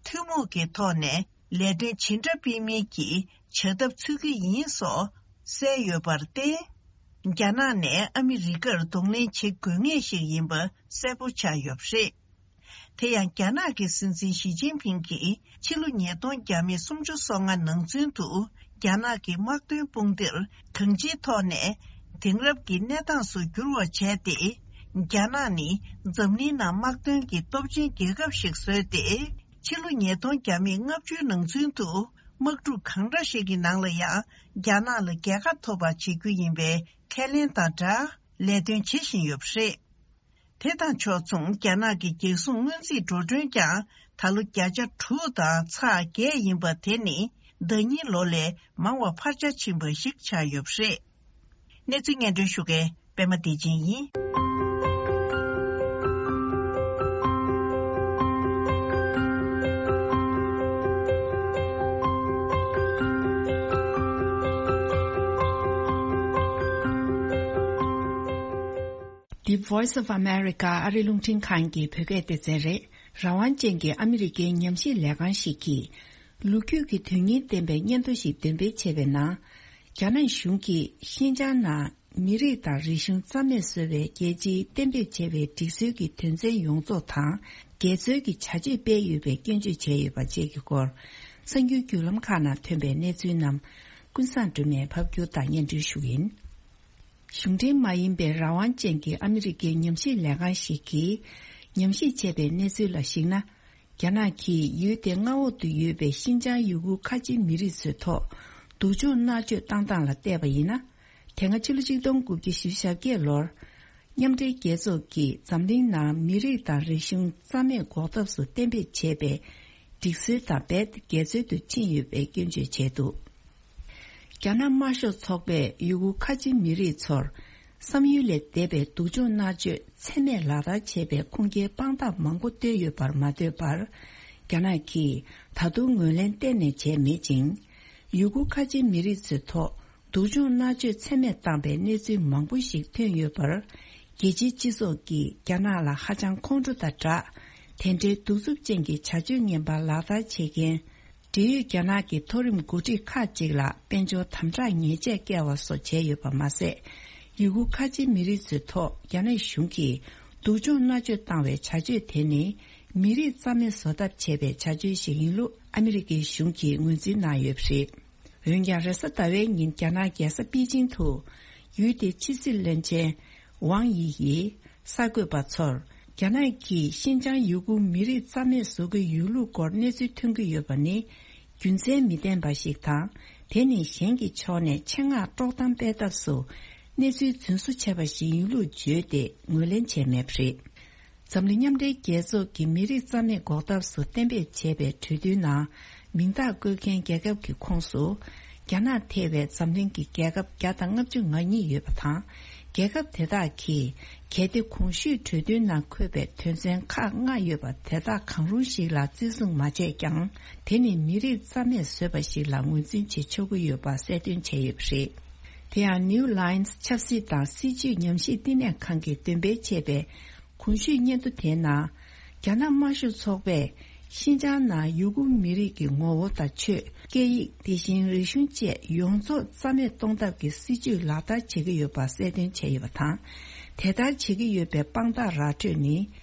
ཐུན་མོང་གི་ཐོག་ནས། ལས་དོན་ཇི་འདྲ་སྤེལ་མིན་གྱི་བྱ་ཐབས་འཚོལ་གྱི་ཡིན་སོགས་གསལ་ཡོད་པར་བརྟེན། རྒྱ་ནག་ནས་ཨ་མི་རི་ཀར་གདོང་ལེན་བྱེད་དགོས་ངེས་ཤིག་ཡིན་པ་གསལ་པོ་ཆགས་ཡོད་པ་རེད། དེ་ཡང་རྒྱ་ནག་གི་སྲིད་འཛིན་ཞི་ཅིན་ཕིང་གིས་ཕྱི་ལོ་ཉིས་སྟོང་བརྒྱ་མེད་སུམ་ཅུ་སོ་ལྔ་ནང་ཚུན་དུ་རྒྱ་ནག་གི་དམག་དོན་དཔུང་སྡེར་གང་ཅིའི་ཐོག་ནས་དེང་རབས་ཀྱི་གནས་སྟངས་སུ་འགྱུར་བ་བྱས་ཏེ། རྒྱ་ནག་ནི་འཛམ་གླིང་ནང་དམག་དོན་གྱི་སྟོབས་ཆེན་རྒྱལ་ཁབ་ཞིག་བཟོས་ཏེ། ཕྱི་ལོ་ཉིས་སྟོང་བརྒྱ་མེད་ལྔ་བཅུའི་ནང་ཚུན་དུ་དམག་འཁྲུག་གང་འདྲ་ཞིག་གི་ནང་ལ་ཡང་རྒྱ་ནག་ལ་རྒྱལ་ཁ་ཐོབ་པ་བྱེད་རྒྱུ་ཡིན་པའི་ཁས་ལེན་དང་སྦྲགས་ལས་དོན་བྱེད་བཞིན་ཡོད་པ་རེད། དེ་དང་ཕྱོགས་མཚུངས་རྒྱ་ནག་གི་རྒྱལ་སྲུང་སྔོན་རྩིས་འགྲོ་གྲོན་ཀྱང་ད་ལོ་བརྒྱ་ཆ་དྲུག་དང་ཚེག་བརྒྱད་ཡིན་པ་དེ་ནི་ཟླ་ཉིན་ལོ་ལས་མང་བ་འཕར་ཆ་ཕྱིན་པ་ཞིག་ཆགས་ཡོད་པ་རེད། གནས་ཚུལ་སྙན་སྒྲོན་ཞུ་མཁན་པད་མ་བདེ་ཆེན་ཡིན། The Voice of America ཨ་རི་རླུང་འཕྲིན་ཁང་གི་བོད་སྐད་སྡེ་ཚན་རེད། རང་དབང་ཅན་གྱི་ཨ་མི་རི་ཀའི་ཉམས་ཞིབ་ལས་ཁང་ཞིག་གིས། ལོ་རྒྱུས་ཀྱི་དོན་སྙིང་ལྡན་པའི་སྙན་ཐོ་ཞིག་འདོན་སྤེལ་བྱས་པའི་ནང་། རྒྱ་ནག་གཞུང་གིས་ཤིན་ཅང་ནང་མི་རིགས་དང་རིག་གཞུང་རྩ་མེད་བཟོ་བའི་རྒྱལ་སྤྱིའི་གཏན་འབེབས་བྱས་པའི་སྒྲིག་སྲོལ་གྱི་དོན་ཚན་ཡོངས་རྫོགས་དང་འགལ་འཛོལ་གྱི་བྱ་སྤྱོད་སྤེལ་ཡོད་པའི་སྐྱོན་བརྗོད་བྱས་ཡོད་པ་བཅས་ཀྱི་སྐོར། གསར་འགྱུར་བརྒྱུད་ལམ་ཁག་ནང་ཐོན་པའི་གནས་ཚུལ་རྣམས་ཀུན་བཟང་སྒྲོལ་མས་ཕབ་སྒྱུར་དང་སྙན་སྒྲོན་ཞུ་ཡིན། གཞུང་འབྲེལ་མ་ཡིན་པའི་རང་དབང་ཅན་གྱི་ཨ་མི་རི་ཀའི་ཉམས་ཞིབ་ལས་ཁང་ཞིག་གིས་ཉམས་ཞིབ་བྱས་པའི་གནས་ཚུལ་ལ་གཞིགས་ན། རྒྱ་ནག་གིས་ཡུལ་དེའི་མངའ་འོག་ཏུ་ཡོད་པའི་ཤིན་ཅང་ཡུ་གུར་ཁ་ཆེ་མི་རིགས་ཚོའི་ཐོག་སྡུག་སྦྱོང་མནར་གཅོད་བཏང་སྟངས་ལ་བལྟས་པ་ཡིན་ན། དེ་སྔ་ཕྱི་ལོ་ཆིག་སྟོང་དགུ་བརྒྱ་བཞི་བཅུ་ཞེ་བརྒྱད་ལོར། མཉམ་འབྲེལ་རྒྱལ་ཚོགས་ཀྱིས་འཛམ་གླིང་ནང་མི་རིགས་དང་རིག་གཞུང་རྩ་མེད་འགོག་ཐབས་སུ་གཏན་འབེབས་བྱས་པའི་སྒྲིག་སྲོལ་དང་རྦད་དེ་འགལ་འཛོལ་དུ་ཕྱིན་ཡོད་པའི་སྐྱོན་བརྗོད་བྱས་འདུག་རྒྱ་ནག་དམར་ཤོག་ཚོགས་པས་ཡུ་གུར་ཁ་ཆེ་མི་རིགས་ཚོར་བསམ་ཡུལ་ལས་འདས་པའི་སྡུག་སྦྱོང་མནར་གཅོད་ཚད་མེད་ལག་བསྟར་བྱས་པའི་ཁུངས་སྐྱེལ་དཔང་རྟགས་མང་པོ་བཏོན་ཡོད་པར་མ་ལྟོས་པར། རྒྱ་ནག་གིས་ད་དུང་ངོས་ལེན་གཏན་ནས་བྱས་མེད་ཅིང་། ཡུ་གུར་ཁ་ཆེ་མི་རིགས་ཚོའི་ཐོག་སྡུག་སྦྱོང་མནར་གཅོད་ཚད་མེད་བཏང་པའི་གནས་ཚུལ་མང་པོ་ཞིག་ཐོན་ཡོད་པར། རྒྱལ་སྤྱིའི་སྤྱི་ཚོགས་ཀྱིས་རྒྱ་ནག་ལ་ཧ་ཅང་ཁོང་ཁྲོ་དང་སྦྲགས། དེ་འདྲའི་གདུག་རྩུབ་ཅན་གྱི་བྱ་སྤྱོད་ངན་པ་ལག་བསྟར་བྱེད་མཁན། འབྲེལ་ཡོད་རྒྱ་ནག་གི་མཐོ་རིམ་འགོ་ཁྲིད་ཁག་ཅིག་ལ་དཔལ་འབྱོར་དམ་དྲག་ཉེས་ཆད་བཀལ་བ་སོགས་བྱས་ཡོད་པ་མ་ཟད། ཡུ་གུར་ཁ་ཆེ་མི་རིགས་ཚོའི་ཐོག་རྒྱ་ནག་གཞུང་གིས་སྡུག་སྦྱོང་མནར་གཅོད་བཏང་བའི་བྱ་སྤྱོད་དེ་ནི། མི་རིགས་རྩ་མེད་བཟོ་ཐབས་བྱས་པའི་བྱ་སྤྱོད་ཞིག་ཡིན་ལུགས་ཨ་མི་རི་ཀའི་གཞུང་གིས་ངོས་འཛིན་གནང་ཡོད་པ་རེད། འོན་ཀྱང་། རེས་གཟའ་ཟླ་བའི་ཉིན་རྒྱ་ནག་རྒྱལ་ས་པེ་ཅིང་དུ་ཡུལ་དེའི་ཕྱི་སྲིད་བློན་ཆེན་ཝང་དབྱི་ཡིས་གསར་འགོད་པ་ཚོར། རྒྱ་ནག་གིས་ཤིན་ཅང་ཡུ་གུར་མི་རིགས་རྩ་མེད་བཟོ་གི་ཡོད་ལུགས་སྐོར་གནས་ཚུལ་ཐོན་གྱི་ཡོད་པ་ནི་རྒྱུ་མཚན་མི་ལྡན་པ་ཞིག་དང་། དེ་ནི་གཞན་གྱི་ཕྱོགས་ནས་ཆེད་མངགས་དཀྲོག་གཏམ་སྤེལ་ཐབས་སུ་གནས་ཚུལ་རྫུན་བཟོ་བྱས་པ་ཞིག་ཡིན་ལུགས་བརྗོད་དེ་ངོས་ལེན་བྱས་མེད་པ་རེད། འཛམ་གླིང་མཉམ་འབྲེལ་རྒྱལ་ཚོགས་ཀྱིས་མི་རིགས་རྩ་མེད་འགོག་ཐབས་སུ་གཏན་འབེབས་བྱས་པའི་གྲོས་མཐུན་ནང་མིང་རྟགས་བཀོད་མཁན་རྒྱལ་ཁབ་ཀྱི་ཁོངས་སུ། རྒྱ་ནག་ཐེ་བའི་འཛམ་གླིང་གི་རྒྱལ་ཁབ་བརྒྱ་དང་ལྔ་བཅུ་ང་གཉིས་ཡོད་པ་དང་། རྒྱལ་ཁབ་དེ་དག་གིས་གལ་ཏེ་གོང་ཞུས་གྲོས་མཐུན་ནང་འཁོད་པའི་དོན་ཚན་ཁག་ལྔ་ཡོད་པ་དེ་དག་གང་རུང་ཞིག་ལ་བརྩི་སྲུང་མ་བྱས་ཀྱང་། དེ་ནི་མི་རིགས་རྩ་མེད་བཟོས་པ་ཞིག་ལ་ངོས་འཛིན་བྱེད་ཆོག་གི་ཡོད་པ་གསལ་སྟོན་བྱས་ཡོད་པ་རེད། དེ་ཡང་New Lines ཆབ་སྲིད་དང་སྲིད་བྱུས་ཉམས་ཞིབ་བསྟི་གནས་ཁང་གིས་འདོན་སྤེལ་བྱས་པའི་གོང་ཞུས་སྙན་ཐོ་དེའི་ནང་། རྒྱ་ནག་དམར་ཤོག་ཚོགས་པས་ཤིན་ཅང་ནང་ཡུ་གུར་མི་རིགས་ཀྱི་ངོ་བོ་དང་ཆོས། སྐད་ཡིག་དེ་བཞིན་རིག་གཞུང་བཅས་ཡོངས་རྫོགས་རྩ་མེད་གཏོང་ཐབས་ཀྱི་སྲིད་བྱུས་ལག་བསྟར་བྱེད་ཀྱི་ཡོད་པ་གསལ་སྟོན་བྱས་ཡོད་པ་དང་། དེ་ལྟར་བྱེད་ཀྱི་ཡོད་པའི་དཔང་རྟགས་ར་སྤྲོད་ནི།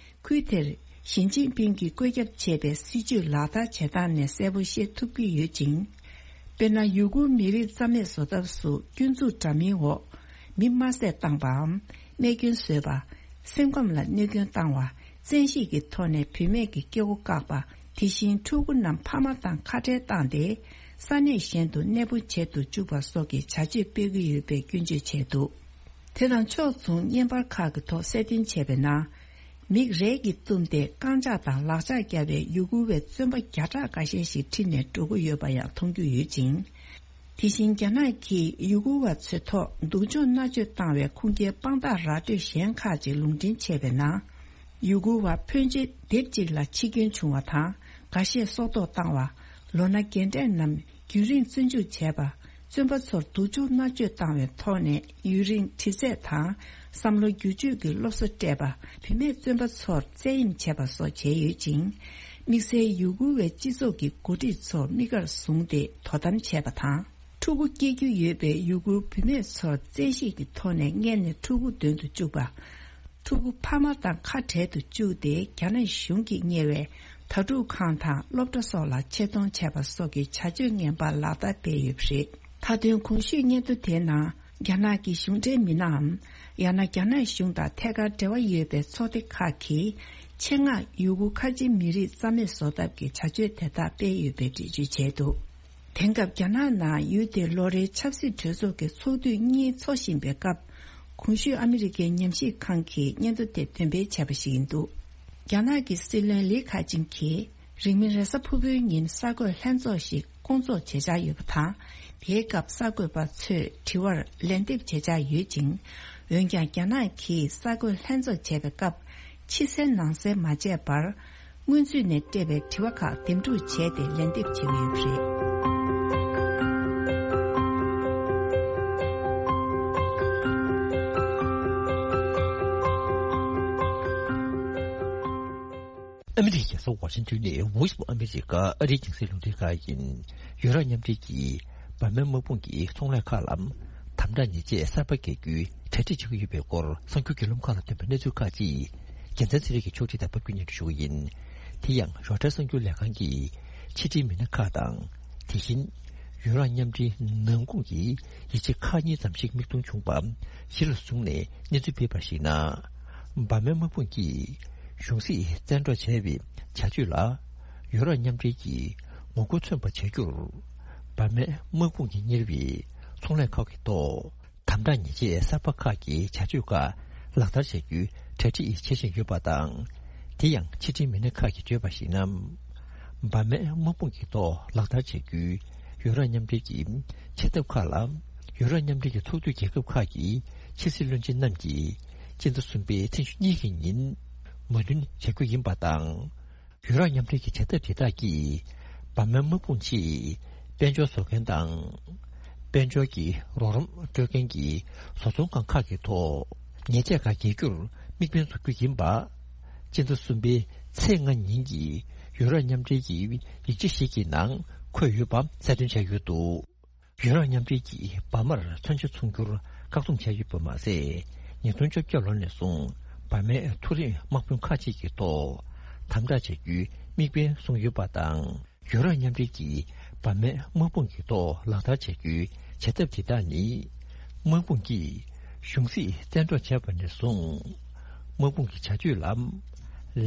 ཁུལ་དེར་ཞི་ཅིན་ཕིང་གིས་བཀོད་ཁྱབ་བྱས་པའི་སྲིད་བྱུས་ལག་བསྟར་བྱེད་སྟངས་ནས་གསལ་པོ་ཤེས་ཐུབ་ཀྱི་ཡོད་ཅིང་། དཔེར་ན། ཡུ་གུར་མི་རིགས་རྩ་མེད་བཟོ་ཐབས་སུ་སྐྱོན་འཛུགས་འདྲ་མིན་འོག་མི་དམར་བསད་བཏང་བའམ། རྨས་སྐྱོན་བཟོས་པ། སེམས་ཁམས་ལ་གནོད་སྐྱོན་བཏང་བ། བཙན་ཤེད་ཀྱི་ཐོག་ནས་བུད་མེད་ཀྱི་སྐྱེ་སྒོ་བཀག་པ། དེ་བཞིན་ཕྲུ་གུ་རྣམས་ཕ་མ་དང་ཁ་བྲལ་བཏང་སྟེ་ས་གནས་གཞན་དུ་གནས་སྤོ་བྱེད་དུ་བཅུག་པ་སོགས་ཀྱི་བྱ་སྤྱོད་སྤེལ་གྱི་ཡོད་པའི་སྐྱོན་བརྗོད་བྱས་འདུག་དེ་དང་ཕྱོགས་མཚུངས་བརྙན་པར་ཁག་གི་ཐོག་གསལ་སྟོན་བྱས་པའི་ནང་། མིག་རས་ཀྱིས་བཏུམས་ཏེ་རྐང་ལྕགས་དང་ལག་ལྕགས་བརྒྱབ་པའི་ཡུ་གུར་བའི་བཙོན་པ་བརྒྱ་ཕྲག་འགའ་ཤས་ཤིག་ཁྲིད་ནས་འགྲོ་གི་ཡོད་པ་ཡང་མཐོང་རྒྱུ་ཡོད་ཅིང་། དེ་བཞིན་རྒྱ་ནག་གིས་ཡུ་གུར་བ་ཚོའི་ཐོག་སྡུག་སྦྱོང་མནར་གཅོད་བཏང་བའི་ཁུངས་སྐྱེལ་དཔང་རྟགས་ར་སྤྲོད་གཞན་ཁག་ཅིག་ལུང་འདྲེན་བྱས་པའི་ནང་། ཡུ་གུར་བ་ཕོན་ཆེ་སྡེབ་གཅིག་ལ་འཆི་སྐྱོན་བྱུང་བ་དང་། འགའ་ཤས་སྲོག་ཐོག་བཏང་བ། ལོ་ན་རྒན་གྲས་རྣམས་རྒྱུན་རིང་བཙོན་འཇུག་བྱས་པ། བཙོན་པ་ཚོར་སྡུག་སྦྱོང་མནར་གཅོད་བཏང་བའི་ཐོག་ནས་ཡུན་རིང་དྲི་རྩད་དང་བསམ་བློ་བསྒྱུར་བཅོས་ཀྱི་སློབ་གསོ་སྤྲད་པ། བུད་མེད་བཙོན་པ་ཚོར་བཙན་གཡེམ་བྱས་པ་སོགས་བྱས་ཡོད་ཅིང་། དམིགས་བསལ་ཡུ་གུར་བའི་སྤྱི་ཚོགས་ཀྱི་འགོ་ཁྲིད་ཚོ་དམིགས་བཀར་བཟུང་སྟེ་དོ་དམ་བྱས་པ་དང་། ཕྲུ་གུ་སྐྱེ་རྒྱུ་ཡོད་པའི་ཡུ་གུར་བུད་མེད་ཚོར་བཙན་ཤེད་ཀྱི་ཐོག་ནས་མངལ་ནས་ཕྲུ་གུ་འདོན་དུ་བཅུག་པ། ཕྲུ་གུ་ཕ་མ་དང་ཁ་བྲལ་དུ་བཅུག་སྟེ་རྒྱ་ནག་གཞུང་གིས་གཉེར་བའི་དྭ་ཕྲུག་ཁང་དང་སློབ་གྲྭ་སོགས་ལ་ཆེད་གཏོང་བྱས་པ་སོགས་ཀྱི་བྱ་སྤྱོད་ངན་པ་ལག་བསྟར་སྤེལ་ཡོད་པ་རེད། མཐའ་དོན་གོང་ཞུས་སྙན་ཐོ་དེའི་ནང་རྒྱ་ནག་གི་གཞུང་འབྲེལ་མི་སྣའམ། ཡང་ན་རྒྱ་ནག་གཞུང་དང་ཐད་ཀར་འབྲེལ་བ་ཡོད་པའི་ཚོགས་སྡེ་ཁག་གིས་ཆེད་མངགས་ཡུ་གུར་ཁ་ཆེ་མི་རིགས་རྩ་མེད་བཟོ་ཐབས་ཀྱི་བྱ་སྤྱོད་དེ་དག་སྤེལ་ཡོད་པའི་འགྲེལ་བརྗོད་བྱས་འདུག་དེང་སྐབས་རྒྱ་ནག་ནང་ཡུལ་དེའི་ལོ་རེའི་ཆབ་སྲིད་གྲོས་ཚོགས་ཀྱི་ཚོགས་དུས་གཉིས་འཚོགས་བཞིན་པའི་སྐབས། གོང་ཞུས་ཨ་མི་རི་ཀའི་ཉམས་ཞིབ་ཁང་གིས་སྙན་ཐོ་དེ་འདོན་སྤེལ་བྱས་པ་ཞིག་ཡིན་འདུག་རྒྱ་ནག་གི་སྲིད་བློན་ལི་ཁེ་ཆིང་གིས་རིང་མིན་རེས་གཟའ་ཕུར་བུའི་ཉིན་གསར་འགོད་ལྷན་ཚོགས་ཤིག་བསྐོང་ཚོགས་བྱེད་འཆར་ཡོད་པ་དང་། དེའི་སྐབས་གསར་འགོད་པ་ཚོས་དྲི་བར་ལན་འདེབས་བྱེད་འཆར་ཡོད་ཅིང་། འོན་ཀྱང་རྒྱ་ནག་གིས་གསར་འགོད་ལྷན་ཚོགས་བྱས་པའི་སྐབས། ཕྱི་གསལ་ནང་གསལ་མ་བྱས་པར། སྔོན་ཚུད་ནས་སྤྲད་པའི་དྲི་བ་ཁག་འདེམས་སྒྲུག་བྱས་ཏེ་ལན་འདེབས་བྱེད་ཀྱི་ཡོད་པ་རེད། ཨ་མི་རི་ཀའི་རྒྱལ་ས་ཝ་ཤིང་ཏོན་ནས་Voice of America ཨ་རིའི་རྒྱང་སྲིང་རླུང་འཕྲིན་ཁང་ཡིན། ཡུ་རོབ་མཉམ་འབྲེལ་གྱིས་འབར་མའི་དམག་དཔུང་གི་ཚོང་ལས་ཁག་ལ་དམ་དྲག་ཉེས་ཆད་གསར་པ་འགེལ་རྒྱུའི་གྲ་སྒྲིག་བྱེད་ཀྱི་ཡོད་པའི་སྐོར་གསར་འགྱུར་བརྒྱུད་ལམ་ཁག་ལ་ཐོན་པའི་གནས་ཚུལ་ཁག་ཅིག་རྒྱལ་མཚན་ཚེ་རིང་གིས་ཕྱོགས་སྒྲིག་དང་ཕབ་སྒྱུར་སྙན་སྒྲོན་ཞུ་གི་ཡིན། དེ་ཡང་རོའི་ཊར་གསར་འགྱུར་ལས་ཁང་གིས་ཕྱི་འབྲེལ་མི་སྣ་ཁག་དང་། དེ་བཞིན་ཡུ་རོབ་མཉམ་འབྲེལ་ནང་ཁུལ་གྱི་ཡིག་ཆ་ཁག་གཉིས་ཙམ་ཞིག་མིག་མཐོང་བྱུང་བ་གཞི་ལ་བཟུང་ནས་གནས་ཚུལ་སྤེལ་བར་གཞིགས་ན། འབར་མའི་དམག་དཔུང་གིས་གཞུང་སྲིད་བཙན་འཕྲོག་བྱས་པའི་བྱ་སྤྱོད་ལ་ཡུ་རོབ་མཉམ་འབྲེལ་གྱིས་ངོ་རྒོལ་མཚོན་པ་བྱ་རྒྱུར། འབར་མའི་དམག་དཔུང་གིས་གཉེར་བའི་ཚོང་ལས་ཁག་གི་ཐོག་དམ་དྲག་ཉེས་ཆད་གསར་པ་ཁག་གི་བྱ་སྤྱོད་ཁག་ལག་བསྟར་བྱ་རྒྱུའི་གྲ་སྒྲིག་བྱེད་བཞིན་ཡོད་པ་དང་། དེ་ཡང་ཕྱི་འབྲེལ་མི་སྣ་ཁག་གིས་བརྗོད་པར་གཞིགས་ན། འབར་མའི་དམག་དཔུང་གི་ཐོག་ལག་བསྟར་བྱ་རྒྱུའི་ཡུ་རོབ་མཉམ་འབྲེལ་གྱི་བྱེད་ཐབས་ཁག་ལ། ཡུ་རོབ་མཉམ་འབྲེལ་གྱི་ཚོགས་འདུའི་རྒྱལ་ཁབ་ཁག་གི་ཕྱི་སྲིད་བློན་ཆེན་རྣམས་ཀྱིས་སྤྱི་ཟླ་གསུམ་པའི་ཚེས་ཉི་ཤུ་གཉིས་ཀྱི་ཉིན་མོས་མཐུན་བྱ་རྒྱུ་ཡིན་པ་དང་། ཡུ་རོབ་མཉམ་འབྲེལ་གྱི་བྱེད་ཐབས་དེ་དག་གིས་འབར་མའི་དམག་དཔུང་ཆེད་དཔལ་འབྱོར་བཟོ་མཁན་དང་། དཔལ་འབྱོར་གྱི་རོགས་རམ་སྤྲོད་མཁན་གྱི་བཟོ་ཚོང་ཁང་ཁག་གི་ཐོག་ཉེས་ཆད་ཁག་འགེལ་རྒྱུར་དམིགས་འབེན་བཟོ་རྒྱུ་ཡིན་པ། སྤྱི་ཟླ་གསུམ་པའི་ཚེས་ལྔ་ཉིན་གྱི་ཡུ་རོབ་མཉམ་འབྲེལ་གྱི་ཡིག་ཆ་ཞིག་གི་ནང་འཁོད་ཡོད་པ་གསལ་སྟོན་བྱས་ཡོད་འདུག་ཡུ་རོབ་མཉམ་འབྲེལ་གྱིས་འབར་མར་མཚོན་ཆ་འཚོང་རྒྱུར་བཀག་སྡོམ་བྱས་ཡོད་པ་མ་ཟད། ཉིས་སྟོང་བཅོ་བརྒྱད་ལོ་ནས་བཟུང་འབར་མའི་མཐོ་རིམ་དམག་དཔོན་ཁག་ཅིག་གི་ཐོག་དམ་དྲག་བྱ་རྒྱུའི་དམིགས་འབེན་བཟུང་ཡོད་པ་དང་། ཡུ་རོབ་མཉམ་འབྲེལ་གྱིས་འབར་མའི་དམག་དཔུང་གི་ཐོག་ལག་བསྟར་བྱ་རྒྱུའི་བྱ་ཐབས་དེ་དག་ནི། དམག་དཔུང་གིས་གཞུང་སྲིད་བཙན་འཕྲོག་བྱས་པ་ནས་བཟུང་། དམག་དཔུང་གི་བྱ་སྤྱོད་ལ་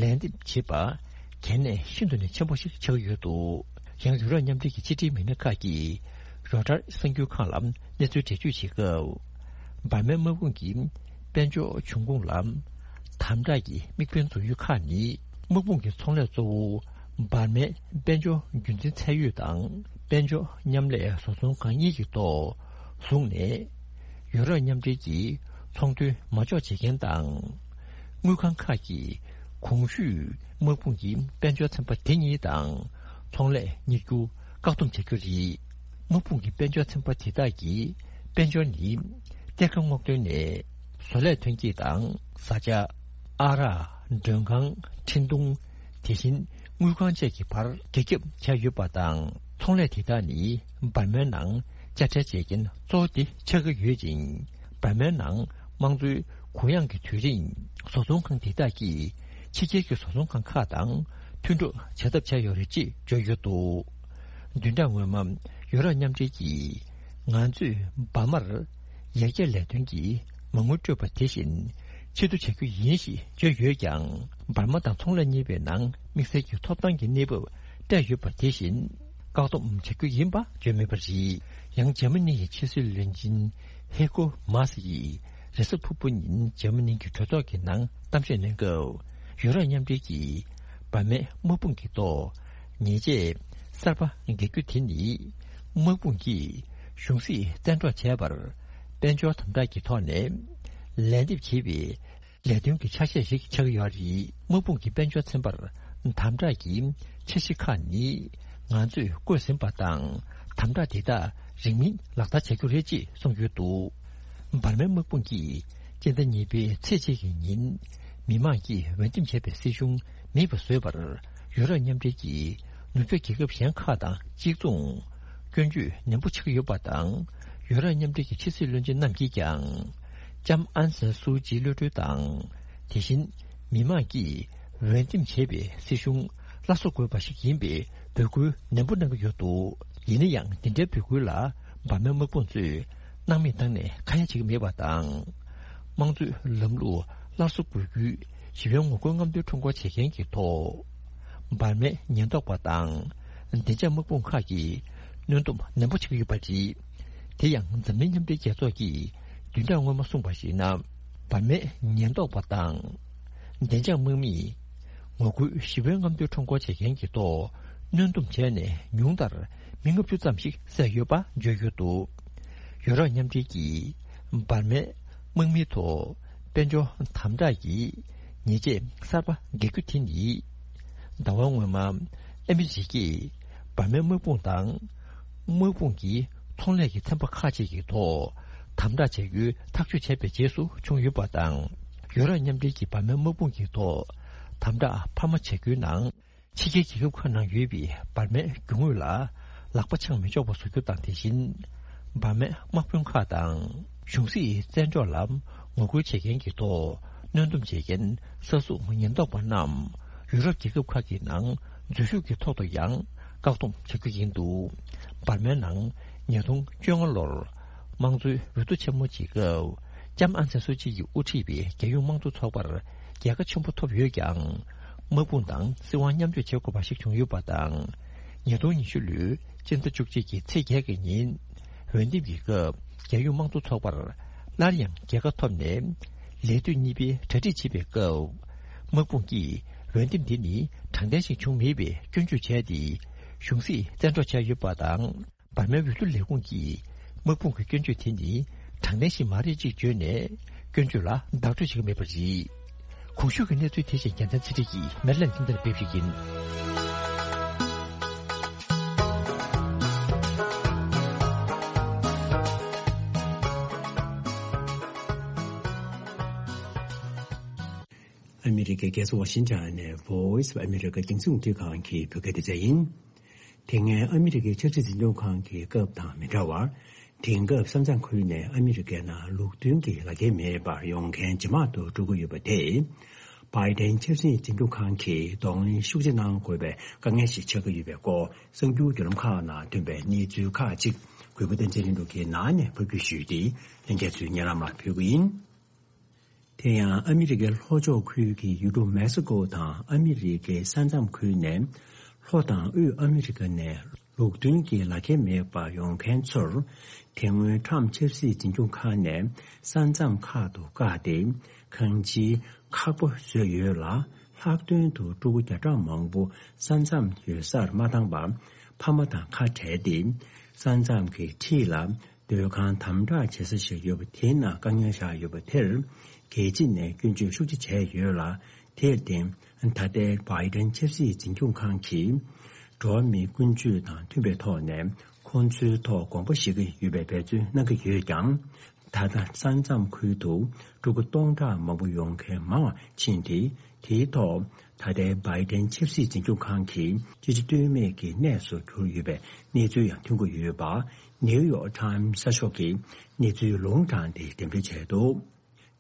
ལན་འདེབས་བྱེད་པ་གལ་གནད་ཤིན་ཏུ་ནས་ཆེན་པོ་ཞིག་ཆགས་ཡོད་འདུག་ཡང་ཡུ་རོབ་མཉམ་འབྲེལ་གྱི་ཕྱི་འབྲེལ་མི་སྣ་ཁག་གིས་རོའི་ཊར་གསར་འགྱུར་ཁང་ལ་གནས་ཚུལ་འགྲེལ་བརྗོད་བྱེད་སྐབས། འབར་མའི་དམག་དཔུང་གི་དཔལ་འབྱོར་འབྱུང་ཁུངས་ལ་དམ་དྲག་གི་དམིགས་འབེན་བཟོ་ཡུལ་ཁག་ནི། དམག་དཔུང་གི་ཚོང་ལས་གཙོ་བོ་འབར་མའི་དཔལ་འབྱོར་རྒྱུན་འཛིན་ཚད་ཡོད་དང་། དཔལ་འབྱོར་མཉམ་ལས་བཟོ་ཚོང་ཁང་གཉིས་ཀྱི་ཐོག་བཟུང་ནས། ཡུ་རོབ་མཉམ་འབྲེལ་གྱི་ཚོང་དོན་མ་འཇོག་བྱེད་མཁན་དང་། དངུལ་ཁང་ཁག་གིས་གོང་ཞུས་དམག་དཔུང་གི་དཔལ་འབྱོར་ཚན་པ་དེ་གཉིས་དང་ཚོང་ལས་གཉེར་རྒྱུ་བཀག་སྡོམ་བྱ་རྒྱུ་རེད། དམག་དཔུང་གི་དཔལ་འབྱོར་ཚན་པ་དེ་དག་གིས་དཔལ་འབྱོར་ནི་གཏེར་ཁ་སྔོག་འདོན་ནས་བཟོ་ལས་ཐོན་སྐྱེད་དང་བཟའ་བཅའ། ཨ་རག་མགྲོན་ཁང་། འཕྲིན་གཏོང་། དེ་བཞིན་དངུལ་ཁང་བཅས་ཀྱི་བར་རྒྱ་ཁྱབ་བྱས་ཡོད་པ་དང་། ཚོང་ལས་དེ་དག་ནི་འབར་མའི་ནང་དཔྱ་ཁྲལ་འཇལ་མཁན་གཙོ་བོ་དེ་ཆགས་ཀྱི་ཡོད་ཅིང་། འབར་མའི་ནང་དམངས་གཙོའི་གུ་ཡངས་ཀྱི་དུས་རིང་བཟོ་ཚོང་ཁང་དེ་དག་གིས་ཕྱི་རྒྱལ་གྱི་བཟོ་ཚོང་ཁང་ཁག་དང་མཐུན་གྲོགས་བྱ་ཐབས་བྱས་ཡོད་རེད་ཅེས་བརྗོད་ཡོད་འདུག་བདུན་ཕྲག་སྔོན་མ་ཡུ་རོབ་མཉམ་འབྲེལ་གྱིས་ང་ཚོས་འབར་མར་ཡར་རྒྱས་ལས་དོན་གྱི་མ་དངུལ་སྤྲོད་པ་དེ་བཞིན། ཕྱིར་བསྡུ་བྱ་རྒྱུ་ཡིན་ཞེས་བརྗོད་ཡོད་ཀྱང་། འབར་མ་དང་ཚོང་ལས་གཉིས་པའི་ནང་དམིགས་བསལ་གྱི་ཐོབ་ཐང་གི་གནས་བབ་སྤྲད་ཡོད་པ་དེ་བཞིན་བཀག་སྡོམ་བྱ་རྒྱུ་ཡིན་པ་བརྗོད་མེད་པ་རེད། ཡང་འཇར་མ་ནི་ཡི་ཕྱི་སྲིད་བློན་ཆེན་ཧེ་ཀོ་མཱ་སི་ཡིས་རེས་གཟའ་ཕུར་བུ་ཉིན་འཇར་མ་ནི་གི་གྲོས་ཚོགས་ཀྱི་ནང་གཏམ་བཤད་གནང་སྐབས། ཡུ་རོབ་མཉམ་འབྲེལ་གྱིས་འབར་མའི་དམག་དཔུང་གི་ཐོག་ཉེས་ཆད་གསར་པ་འགེལ་རྒྱུ་དེ་ནི། དམག་དཔུང་གིས་གཞུང་སྲིད་བཙན་འཕྲོག་བྱས་པར་དཔལ་འབྱོར་དམ་དྲག་གི་ཐོག་ནས་ལན་འདེབས་བྱེད་པའི་ལས་དོན་གྱི་ཆ་ཤས་ཤིག་ཆགས་ཀྱི་ཡོད་རེད། དམག་དཔུང་གིས་དཔལ་འབྱོར་ཚན་པར་དམ་དྲག་གི་འཆར་གཞི་ཁག་ནི། ང་ཚོས་བཀོད་ཟིན་པ་དང་། དམ་དྲག་དེ་དག་རིང་མིན་ལག་བསྟར་བྱ་རྒྱུ་རེད་ཅེས་གསུངས་ཡོད་འདུག་འབར་མའི་དམག་དཔུང་གིས་སྤྱི་ཟླ་གཉིས་པའི་ཚེས་གཅིག་གི་ཉིན། མི་མང་གིས་འོས་འདེམས་བྱས་པའི་སྲིད་གཞུང་མེད་པ་བཟོས་པར། ཡུ་རོབ་མཉམ་འབྲེལ་གྱི་ནུབ་ཕྱོགས་རྒྱལ་ཁབ་གཞན་ཁག་དང་གཅིག་མཚུངས། སྐྱོན་བརྗོད་ནན་པོ་བྱེད་ཀྱི་ཡོད་པ་དང་། ཡུ་རོབ་མཉམ་འབྲེལ་གྱི་ཕྱི་སྲིད་བློན་ཆེན་རྣམས་ཀྱིས་ཀྱང་། ལྕམ་ཨན་སན་སུའུ་ཅིའི་གློད་གྲོལ་དང་། དེ་བཞིན་མི་མང་གིས་འོས་འདེམས་བྱས་པའི་སྲིད་གཞུང་སླར་གསོ་དགོས་པ་ཞིག་ཡིན་པའི་འབོད་སྐུལ་ནན་པོ་གནང་གི་ཡོད་འདུག་ཡིན་ན་ཡང་། འདི་འདྲའི་འབོད་སྐུལ་ལ་འབར་མའི་དམག་དཔུང་ཚོས་སྣང་མེད་བཏང་ནས་ཁ་ཡ་བྱེད་ཀྱི་མེད་པ་དང་། དམངས་གཙོའི་ལམ་ལུགས་སླར་གསོ་དགོས་རྒྱུའི་ཞི་བའི་ངོ་རྒོལ་རྔམ་སྟོན་ཁྲོམ་སྐོར་བྱེད་མཁན་གྱི་ཐོག་འབར་མའི་ཉེན་རྟོག་པ་དང་བདེ་འཇགས་དམག་དཔུང་ཁག་གིས་གནོན་སྡོམ་ནན་པོ་བྱེད་ཀྱི་ཡོད་པ་རེད། དེ་ཡང་འཛམ་གླིང་མཉམ་འབྲེལ་རྒྱལ་ཚོགས་ཀྱིས་བདུན་ཕྲག་སྔོན་མ་གསུངས་པར་གཞིགས་ན། འབར་མའི་ཉེན་རྟོག་པ་དང་བདེ་འཇགས་དམག་མིས་ངོ་རྒོལ་ཞི་བའི་རྔམ་སྟོན་ཁྲོམ་སྐོར་བྱེད་མཁན་གྱི་ཐོག་གནོན་སྡོམ་བྱས་ནས་ཉུང་མཐར་མི་ལྔ་བཅུ་ཙམ་ཞིག་བསད་ཡོད་པ་བརྗོད་ཡོད་འདུག་ཡུ་རོབ་མཉམ་འབྲེལ་གྱིས་འབར་མའི་དམག་མིའི་ཐོག་དཔལ་འབྱོར་དམ་དྲག་གི་ཉེས་ཆད་གསར་པ་འགེལ་རྒྱུ་དེ་ནི། ཟླ་བ་སྔོན་མ་ཨ་མི་རི་ཀས་འབར་མའི་དམག་དཔུང་དང་། དམག་དཔུང་གི་ཚོང་ལས་ཀྱི་ཚན་པ་ཁག་ཅིག་གི་ཐོག་དམ་དྲག་བྱ་རྒྱུའི་ཐག་གཅོད་བྱས་པའི་རྗེས་སུ་བྱུང་ཡོད་པ་དང་། ཡུ་རོབ་མཉམ་འབྲེལ་གྱིས་འབར་མའི་དམག་དཔུང་གི་ཐོག་དམ་དྲག་འཕར་མ་བྱ་རྒྱུའི་ནང་། ཕྱི་རྒྱལ་རྒྱལ་ཁབ་ཁག་ནང་ཡོད་པའི་འབར་མའི་རྒྱུ་དངོས་ལ་ལག་པ་འཆང་མི་ཆོག་པ་བཟོ་རྒྱུ་དང་། དེ་བཞིན་འབར་མའི་དམག་དཔོན་ཁག་དང་གཞུང་སྲིད་བཙན་འཕྲོག་ལ་ངོ་རྒོལ་བྱེད་མཁན་གྱི་ཐོག་གནོན་སྡོམ་བྱེད་མཁན་ས་སྲུང་ཉེན་རྟོག་པ་རྣམས་ཡུ་རོབ་རྒྱལ་ཁབ་ཁག་གི་ནང་འཛུལ་ཞུགས་ཀྱི་ཐོག་ཏུ་ཡང་བཀག་སྡོམ་བྱ་རྒྱུ་ཡིན་འདུག་འབར་མའི་ནང་ཉིས་སྟོང་བཅོ་ལྔ་ལོར་དམངས་གཙོའི་འོས་བསྡུ་ཆེན་མོ་ཅིག་སྐབས། ལྕམ་ཨང་སན་སུའུ་ཅི་ཡིས་དབུ་ཁྲིད་པའི་རྒྱལ་ཡོངས་དམངས་གཙོ་ཚོགས་པར་རྒྱལ་ཁ་ཆེན་པོ་ཐོབ་ཡོད་ཀྱང་། དམག་དཔུང་དང་སྲིད་དབང་མཉམ་སྤྱོད་བྱེད་དགོས་པ་ཞིག་བྱུང་ཡོད་པ་དང་། ཉིས་སྟོང་ཉི་ཤུ་ལོའི་སྤྱི་ཟླ་བཅུ་གཅིག་གི་ཚེས་བརྒྱད་ཀྱི་ཉིན་འོས་འདེམས་ཀྱི་སྐབས་རྒྱལ་ཡོངས་དམངས་གཙོ་ཚོགས་པར་སླར་ཡང་རྒྱལ་ཁ་ཐོབ་ནས། ལས་དུས་གཉིས་པའི་གྲ་སྒྲིག་བྱེད་པའི་སྐབས། དམག་དཔུང་གིས་འོས་འདེམས་འདི་ནི་དྲང་བདེན་ཞིག་བྱུང་མེད་པའི་སྐྱོན་བརྗོད་བྱས་ཏེ། གཞུང་སྲིད་བཙན་འཕྲོག་བྱས་ཡོད་པ་དང་། འབར་མའི་འོས་བསྡུ་ལས་ཁུངས་ཀྱིས་དམག་དཔུང་གི་སྐྱོན་བརྗོད་དེ་ནི་དྲང་བདེན་ཞིག་མ་རེད་ཅེས་བརྗོད་ནས། སྐྱོན་བརྗོད་ལ་བདག་སྤྲོད་བྱེད་ཀྱི་མེད་པ་རེད། གོང་ཞུས་ཀྱི་གནས་ཚུལ་དེ་བཞིན་རྒྱལ་མཚན་ཚེ་རིང་གིས་མེ་ལན་ཐིང་ཐེར་སྤེལ་ཞིག་ཡིན། ཨ་མི་རི་ཀའི་རྒྱལ་ས་ཝ་ཤིང་ཊོན་ནས་Voice of America རྒྱང་སྲིང་རླུང་འཕྲིན་ཁང་གི་བོད་སྐད་སྡེ་ཚན་ཡིན། དེ་སྔའི་ཨ་མི་རི་ཀའི་ཆབ་སྲིད་འཛིན་སྐྱོང་ཁང་གི་སྐབས་དང་མི་འདྲ་བར། དེང་སྐབས་ས་མཚམས་ཁུལ་ནས་ཨ་མི་རི་ཀའི་ནང་ལུགས་མཐུན་གྱི་ལག་འཁྱེར་མེད་པར་ཡོང་མཁན་ཇེ་མང་དུ་འགྲོ་གི་ཡོད་པ་དེས། བྷའི་ཌེན་ཆབ་སྲིད་འཛིན་སྐྱོང་ཁང་གིས་གདོང་ལེན་ཤུགས་ཆེ་གནང་དགོས་པའི་དཀའ་ངལ་ཞིག་ཆགས་ཀྱི་ཡོད་པའི་སྐོར། གསར་འགྱུར་བརྒྱུད་ལམ་ཁག་ནང་ཐོན་པའི་གནས་ཚུལ་ཁག་ཅིག་གུས་པ་བསྟན་འཛིན་ལྷུན་གྲུབ་ཀྱིས་ནང་ནས་ཕབ་སྒྱུར་ཞུས་ཏེ། ལྷན་རྒྱས་ཚོའི་སྙན་ལམ་ལ་ཕུལ་གྱི་ཡིན། དེ་ཡང་ཨ་མི་རི་ཀའི་ལྷོ་ཕྱོགས་ཁུལ་གྱི་ཡུལ་གྲུ་མེག་སི་ཀོ་དང་ཨ་མི་རི་ཀའི་ས་མཚམས་ཁུལ་ནས་ལྷོ་དང་དབུས་ཨ་མི་རི་ཀ་ནས་ལུགས་མཐུན་གྱི་ལག་འཁྱེར་མེད་པར་ཡོང་མཁན་ཚོར། དེ་སྔོན་ཊམ་ཕྱི་སྲིད་འཛིན་སྐྱོང་ཁང་ནས་ས་མཚམས་ཁག་ཏུ་བཀག་སྟེ། ཁང་ཁྱིའི་ཁག་པ་བཟོས་ཡོད་ལ། ལྷག་དོན་དུ་ཕྲུ་གུ་བརྒྱ་ཕྲག་མང་པོ་ས་མཚམས་ཡོད་སར་མ་བཏང་བར། ཕ་མ་དང་ཁ་བྲལ་ཏེ། ས་མཚམས་ཀྱི་འཁྲིས་ལ། སྡོད་ཁང་དམ་དྲག་བྱེད་ས་ཞིག་ཡོད་པ་དེའི་ནང་དཀའ་ངལ་བཞག་ཡོད་པ་དེར། རྒྱལ་སྤྱི་ནས་སྐྱོན་བརྗོད་ཤུགས་ཆེ་བྱས་ཡོད་ལ། དེར་བརྟེན། ད་ལྟའི་བྷའི་ཌེན་ཆབ་སྲིད་འཛིན་སྐྱོང་ཁང་གིས། འགྲོ་བ་མིའི་ཀུན་སྤྱོད་དང་མཐུན་པའི་ཐོག་ནས། ཁོང་ཚོའི་ཐོག་དགོངས་པ་བཞེས་ཀྱི་ཡོད་པའི་འབད་བརྩོན་གནང་གི་ཡོད་ཀྱང་། ད་ལྟ་ས་མཚམས་ཁུལ་དུ་ཕྲུ་གུ་སྟོང་ཕྲག་མང་པོ་ཡོང་མཁན་མང་བ་ཕྱིན་ཏེ། དེའི་ཐོག་ད་ལྟའི་བྷའི་ཌེན་ཆབ་སྲིད་འཛིན་སྐྱོང་ཁང་གིས་ཅི་བྱ་གཏོལ་མེད་ཀྱི་གནས་སུ་གྱུར་ཡོད་པའི་གནས་ཚུལ་ཡང་ཐོན་གྱི་ཡོད་པ། ནེའུ་ཡོག་ཊའིམ་གསར་ཤོག་གིས་གནས་ཚུལ་ལུང་དྲངས་ཏེ་འགྲེམས་སྤེལ་བྱས་འདུག་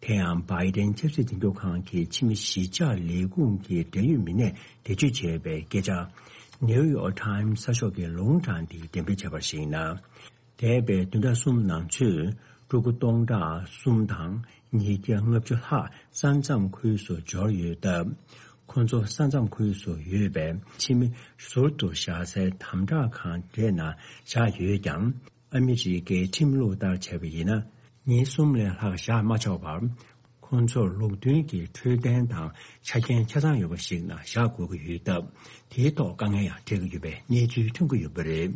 དེ་ཡང་བྷའི་ཌེན་ཆབ་སྲིད་འཛིན་སྐྱོང་ཁང་གི་ཕྱི་མི་གཞིས་ཆགས་ལས་ཁུངས་ཀྱི་འབྲེལ་ཡོད་མི་སྣས་འགྲེལ་བརྗོད་བྱས་པའི་སྐད་ཆ། ནེའུ་ཡོག་ཊའིམ་གསར་ཤོག་གིས་ལུང་དྲངས་ཏེ་འགྲེམས་སྤེལ་བྱས་པར་གཞིགས་ན། འདས་པའི་བདུན་ཕྲག་གསུམ་ནང་ཚུད། ཕྲུ་གུ་སྟོང་ཕྲག་གསུམ་དང་ཉིས་བརྒྱ་ལྔ་བཅུ་ལྷག་ས་མཚམས་ཁུལ་སུ་འབྱོར་ཡོད་སྟབས། ཁོ་ཚོ་ས་མཚམས་ཁུལ་སུ་ཡོད་པའི་ཕྱི་མི་ཟུར་དུ་བཞག་སའི་དམ་དྲག་ཁང་རེ་ནང་བཞག་ཡོད་ཀྱང་། ཨ་མི་རི་ཀའི་ཁྲིམས་ལུགས་ལྟར་བྱས་པ་ཡིན་ན། ཉིན་གསུམ་ལས་ལྷག་བཞག་མ་ཆོག་པར། ཁོང་ཚོར་ལུགས་མཐུན་གྱི་འཕྲོད་བསྟེན་དང་ཆ་རྐྱེན་ཆ་ཚང་ཡོད་པ་ཞིག་ནང་བཞག་དགོས་ཀྱི་ཡོད་སྟབས། དེའི་ཐོག་དཀའ་ངལ་ཡང་འཕྲད་ཀྱི་ཡོད་པའི་གནས་ཚུལ་ཐོན་གྱི་ཡོད་པ་རེད།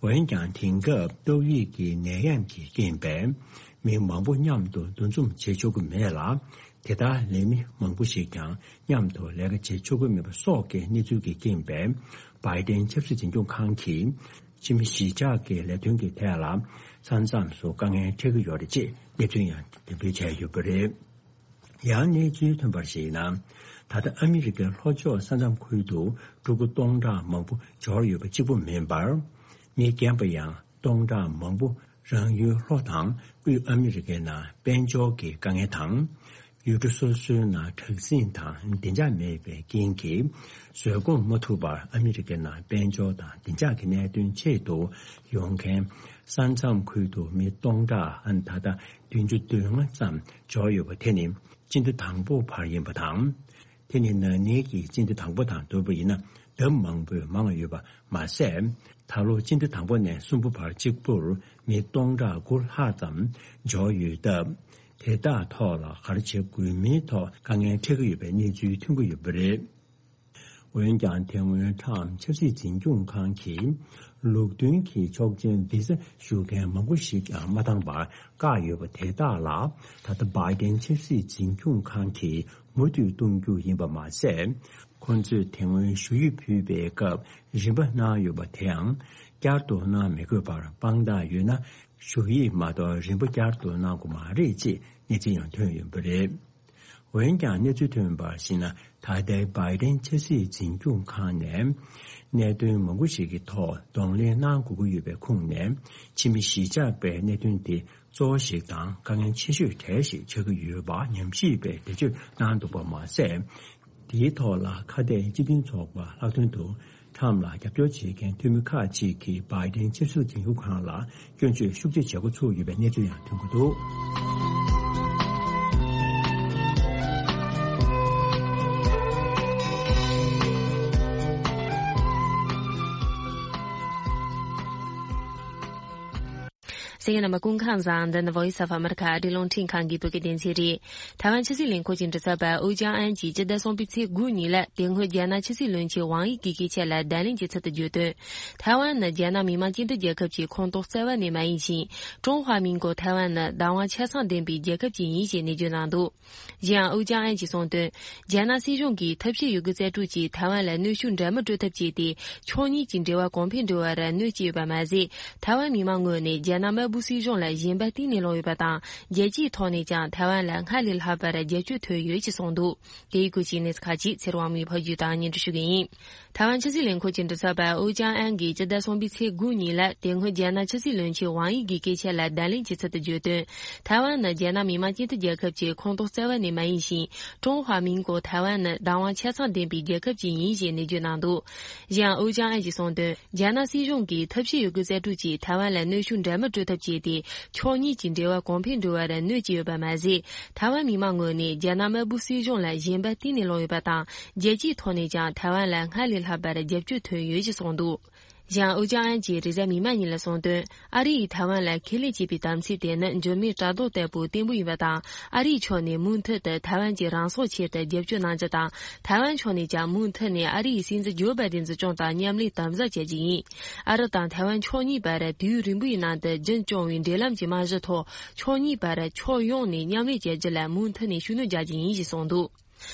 འོན་ཀྱང་། དེང་སྐབས་ཏོག་དབྱིབས་ཀྱི་ནད་ཡམས་ཀྱི་རྐྱེན་པས། མི་མང་པོ་མཉམ་དུ་འདུ་འཛོམས་བྱེད་ཆོག་གི་མེད་ལ། དེ་ལྟར་ལས་མི་མང་པོ་ཞིག་ཀྱང་མཉམ་དུ་ལས་ཀ་བྱེད་ཆོག་གི་མེད་པ་སོགས་ཀྱི་གནས་ཚུལ་གྱི་རྐྱེན་པས། བྷའི་ཌེན་ཆབ་སྲིད་འཛིན་སྐྱོང་ཁང་གིས། ཕྱི་མི་གཞིས་ཆགས་ཀྱི་ལས་དོན་གྱི་ཐད་ལ་ས་མཚམས་སུ་དཀའ་ངལ་འཕྲད་ཀྱི་ཡོད་རེད་ཅེས་གནས་ཚུལ་ཡང་འགྲེམས་སྤེལ་བྱས་ཡོད་པ་རེད། ཡང་གནས་ཚུལ་ཐོན་པར་གཞིགས་ན། ད་ལྟ་ཨ་མི་རི་ཀའི་ལྷོ་ཕྱོགས་ས་མཚམས་ཁུལ་དུ་ཕྲུ་གུ་སྟོང་ཕྲག་མང་པོ་འབྱོར་ཡོད་པ་གཅིག་པུ་མིན་པར། མི་རྒན་པ་ཡང་སྟོང་ཕྲག་མང་པོ་རང་ཡུལ་ལྷོ་དང་དབུས་ཨ་མི་རི་ཀའི་ནང་དཔལ་འབྱོར་གྱི་དཀའ་ངལ་དང་། ཡུལ་གྲུ་སོ་སོའི་ནང་དྲག་ཟིང་དང་བདེ་འཇགས་མེད་པའི་རྐྱེན་གྱིས། བཟོད་སྒོམ་མ་ཐུབ་པར་ཨ་མི་རི་ཀའི་ནང་དཔལ་འབྱོར་དང་བདེ་འཇགས་ཀྱི་གནད་དོན་ཆེད་དུ་ཡོང་མཁན། ས་མཚམས་ཁུལ་དུ་མི་སྟོང་ཕྲག་ད་ལྟ་བདུན་ཅུ་དོན་ལྔ་ཙམ་འབྱོར་ཡོད་པ་དེ་ནི་སྤྱི་ཟླ་དང་པོ་བར་ཡིན་པ་དང་། དེ་ནི་ན་ནིང་གི་སྤྱི་ཟླ་དང་པོ་དང་བསྡུར་བ་ཡིན་ན་ལྡབ་མང་པོས་མང་ཡོད་པ་མ་ཟད། ད་ལོ་སྤྱི་ཟླ་དང་པོ་ནས་གསུམ་པ་བར་གཅིག་པུར་མི་སྟོང་ཕྲག་དགུ་ལྷག་ཙམ་འབྱོར་ཡོད་སྟབས། དེ་དག་ཐོག་ལ་ག་རེ་བྱེད་དགོས་མིན་ཐོག་དཀའ་ངལ་འཕྲད་ཀྱི་ཡོད་པའི་གནས་ཚུལ་ཐོན་གྱི་ཡོད་པ་རེད། འོན་ཀྱང་། དེ་སྔོན་ཁྲམ་ཆབ་སྲིད་འཛིན་སྐྱོང་ཁང་གིས་ལུགས་མཐུན་གྱི་ཆོག་མཆན་བི་ཟ་ཞུ་མཁན་མང་པོ་ཞིག་ཀྱང་མ་བཏང་བར་བཀག་ཡོད་པ་དེ་དག་ལ། ད་ལྟ་བྷའི་ཌེན་ཆབ་སྲིད་འཛིན་སྐྱོང་ཁང་གིས་མུ་མཐུད་གཏོང་རྒྱུ་ཡིན་པ་མ་ཟད། ཁོང་ཚོས་དེ་སྔོན་ཞུ་ཡིག་ཕུལ་བའི་སྐབས་རིན་པ་གནང་ཡོད་པ་དེའང་བསྐྱར་དུ་གནང་མི་དགོས་པར་དཔང་རྟགས་ཡོད་ན། ཞུ་ཡིག་མ་གཏོགས་རིན་པ་བསྐྱར་དུ་གནང་དགོས་མ་རེད་ཅེས་གནས་ཚུལ་ཡང་ཐོན་ཡོད་པ་རེད། འོན་ཀྱང་། གནས་ཚུལ་ཐོན་པར་གཞིགས་ན། ད་ལྟའི་བྷའི་ཌེན་ཆབ་སྲིད་འཛིན་སྐྱོང་ཁང་ནས་གནད་དོན་མང་པོ་ཞིག་གི་ཐོག་གདོང་ལེན་གནང་དགོས་ཀྱི་ཡོད་པའི་ཁོངས་ནས། ཕྱི་མི་གཞིས་ཆགས་པའི་གནད་དོན་དེ་གཙོ་བོ་ཞིག་དང་དཀའ་ངལ་ཆེ་ཤོས་གྲས་ཤིག་ཆགས་ཀྱི་ཡོད་པ་ཉམས་ཞིབ་པས་འགྲེལ་བརྗོད་གནང་འདུག་པ་མ་ཟད། དེའི་ཐོག་ལ་ཁ་གཏད་སྤྱི་མཐུན་ཚོགས་པ་ལྷག་དོན་དུ། ཁྲམ་ལ་རྒྱབ་སྐྱོར་བྱེད་མཁན་འཐུས་མི་ཁག་ཅིག་གིས་བྷའི་ཌེན་ཆབ་སྲིད་འཛིན་སྐྱོང་ཁང་ལ་སྐྱོན་བརྗོད་ཤུགས་ཆེ་བྱེད་འགོ་ཚུགས་ཡོད་པའི་གནས་ཚུལ་ཡང་ཐོན་གྱི་འདུག། གསན་མཁན་རྣམ་པ་སྐུ་ཁམས་བཟང་། འདི་ནི་Voice of America ཨ་རིའི་རླུང་འཕྲིན་ཁང་གི་བོད་སྐད་སྡེ་ཚན་རེད། ཐའེ་ཝན་ཕྱི་སྲིད་ལས་ཁུངས་ཀྱི་མགྲིན་ཚབ་པ་ཨུ་ཅང་ཨན་གྱིས་སྤྱི་ཟླ་གསུམ་པའི་ཚེས་དགུ་ཉིན་ལ་དེ་སྔོན་རྒྱ་ནག་ཕྱི་སྲིད་བློན་ཆེན་ཝང་དབྱི་གི་སྐད་ཆ་ལ་བརྡ་ལན་གྱི་ཚུལ་དུ་བརྗོད་དོན། ཐའེ་ཝན་ནི་རྒྱ་ནག་མི་དམངས་སྤྱི་མཐུན་རྒྱལ་ཁབ་ཀྱི་ཁོངས་གཏོགས་རྩ་བ་ནས་མ་ཡིན་ཞིང་། ཀྲུང་ཧྭ་མིན་གོ་ཐའེ་ཝན་ནི་བདག་དབང་ཆ་ཚང་ལྡན་པའི་རྒྱལ་ཁབ་ཅིག་ཡིན་ཞེས་ནན་བརྗོད་གནང་འདུག། གཞན་ཡང་ཨུ་ཅང་ཨན་གྱིས་གསུངས་དོན། རྒྱ་ནག་སྲིད་གཞུང་གིས་ཐབས་ཤེས་ཡོད་རྒུ་རྩལ་སྤྲུགས་ཀྱིས་ཐའེ་ཝན་ལ་གནོད་ཤུགས་འདྲ་མིན་སྤྲོད་ཐབས་བྱས་ཏེ། ཕྱོགས་གཉིས་ཀྱི་འབྲེལ་བ་གོང་འཕེལ་འགྲོ་བར་གནོད་སྐྱེལ་ཡོད་པ་མ་ཟད། ཐའེ་ཝན་མི་མང་ངོས་ནས་རྒྱ་ནག་དམར་པོའི་སྲིད་གཞུང་ལ་ཞེན་པ་གཏིང་ནས་ལངས་ཡོད་པ་དང་། རྒྱལ་སྤྱིའི་ཐོག་ནས་ཀྱང་ཐའེ་ཝན་ལ་སྔར་ལས་ལྷག་པར་རྒྱབ་སྐྱོར་ཐོན་ཡོད་ཅེས་གསུངས་འདུག། དེ་ཡི་སྐོར་གྱི་གནས་ཚུལ་ཁག་ཅིག་ཚེ་རིང་དབང་མོས་ཕབ་སྒྱུར་དང་སྙན་སྒྲོན་ཞུ་གི་ཡིན། ཐའེ་ཝན་ཕྱི་སྲིད་ལས་ཁུངས་ཀྱི་མགྲིན་ཚབ་པ་ཨུ་ཅང་ཨན་གྱིས་སྤྱི་ཟླ་གསུམ་པའི་ཚེས་དགུ་ཉིན་ལ་དེ་སྔོན་རྒྱ་ནག་ཕྱི་སྲིད་བློན་ཆེན་ཝང་དབྱི་གི་སྐད་ཆ་ལ་བརྡ་ལན་གྱི་ཚུལ་དུ་བརྗོད་དོན། ཐའེ་ཝན་ནི་རྒྱ་ནག་མི་དམངས་སྤྱི་མཐུན་རྒྱལ་ཁབ་ཀྱི་ཁོངས་གཏོགས་རྩ་བ་ནས་མ་ཡིན་ཞིང་། ཀྲུང་ཧྭ་མིན་གོ་ཐའེ་ཝན་ནི་བདག་དབང་ཆ་ཚང་ལྡན་པའི་རྒྱལ་ཁབ་ཅིག་ཡིན་ཞེས་ནན་བརྗོད་གནང་འདུག། གཞན་ཡང་ཨུ་ཅང་ཨན་གྱིས་གསུངས་དོན། རྒྱ་ནག་སྲིད་གཞུང་གིས་ཐབས་ཤེས་ཡོད་རྒུ་རྩལ་སྤྲུགས་ཀྱིས་ཐའེ་ཝན་ལ་གནོད་ཤུགས་འདྲ་མིན་སྤྲོད་ཐབས་བྱས་ཏེ། ཕྱོགས་གཉིས་ཀྱི་འབྲེལ་བ་གོང་འཕེལ་འགྲོ་བར་གནོད་ཀྱི་ཡོད་པ་མ་ཟད། ཐའེ་ཝན་མི་མང་ངོས་ནས་རྒྱ་ནག་དམར་པོའི་སྲིད་གཞུང་ལ་ཞེན་པ་གཏིང་ནས་ལངས་ཡོད་པ་དང་། རྒྱལ་སྤྱིའི་ཐོག་ནས་ཀྱང་ཐའེ་ཝན་ལ་སྔར་ལས་ལྷག་པར་རྒྱབ་སྐྱོར་ཐོན་ཡོད་ཅེས་གསུངས་འདུག། གཞན་ཨུ་ཅང་ཨན་གྱིས་རེས་གཟའ་མིག་དམར་ཉིན་ལ་གསུངས་དོན། ཨ་རི་ཡིས་ཐའེ་ཝན་ལ་ཁས་ལེན་བྱས་པའི་དམ་ཚིག་དེ་ནི་འཇོལ་མོའི་བྲག་རྡོ་ལྟ་བུ་བརྟན་པོ་ཡིན་པ་དང་། ཨ་རིའི་ཕྱོགས་ནས་མུ་མཐུད་དུ་ཐའེ་ཝན་གྱི་རང་སྲོག་ཆེད་དུ་རྒྱབ་སྐྱོར་གནང་རྒྱུ་དང་། ཐའེ་ཝན་ཕྱོགས་ནས་ཀྱང་མུ་མཐུད་ནས་ཨ་རི་ཡི་སྲིད་འཛིན་ཇོ་བྷའི་ཌེན་འཛིན་སྐྱོང་དང་མཉམ་ལས་དམ་ཟབ་བྱ་རྒྱུ་ཡིན། ཨ་རི་དང་ཐའེ་ཝན་ཕྱོགས་གཉིས་བར་དུས་ཡུན་རིང་པོའི་ནང་དུ་རྒྱུན་སྐྱོང་བའི་འབྲེལ་ལམ་གྱི་རྨང་གཞིའི་ཐོག་ཕྱོགས་གཉིས་བར་ཕྱོགས་ཡོངས་ནས་མཉམ་ལས་བྱ་རྒྱུ་ལ་མུ་མཐུད་ནས་ཤུགས་སྣོན་རྒྱག་རྒྱུ་ཡིན་ཞེས་གསུངས་འདུག།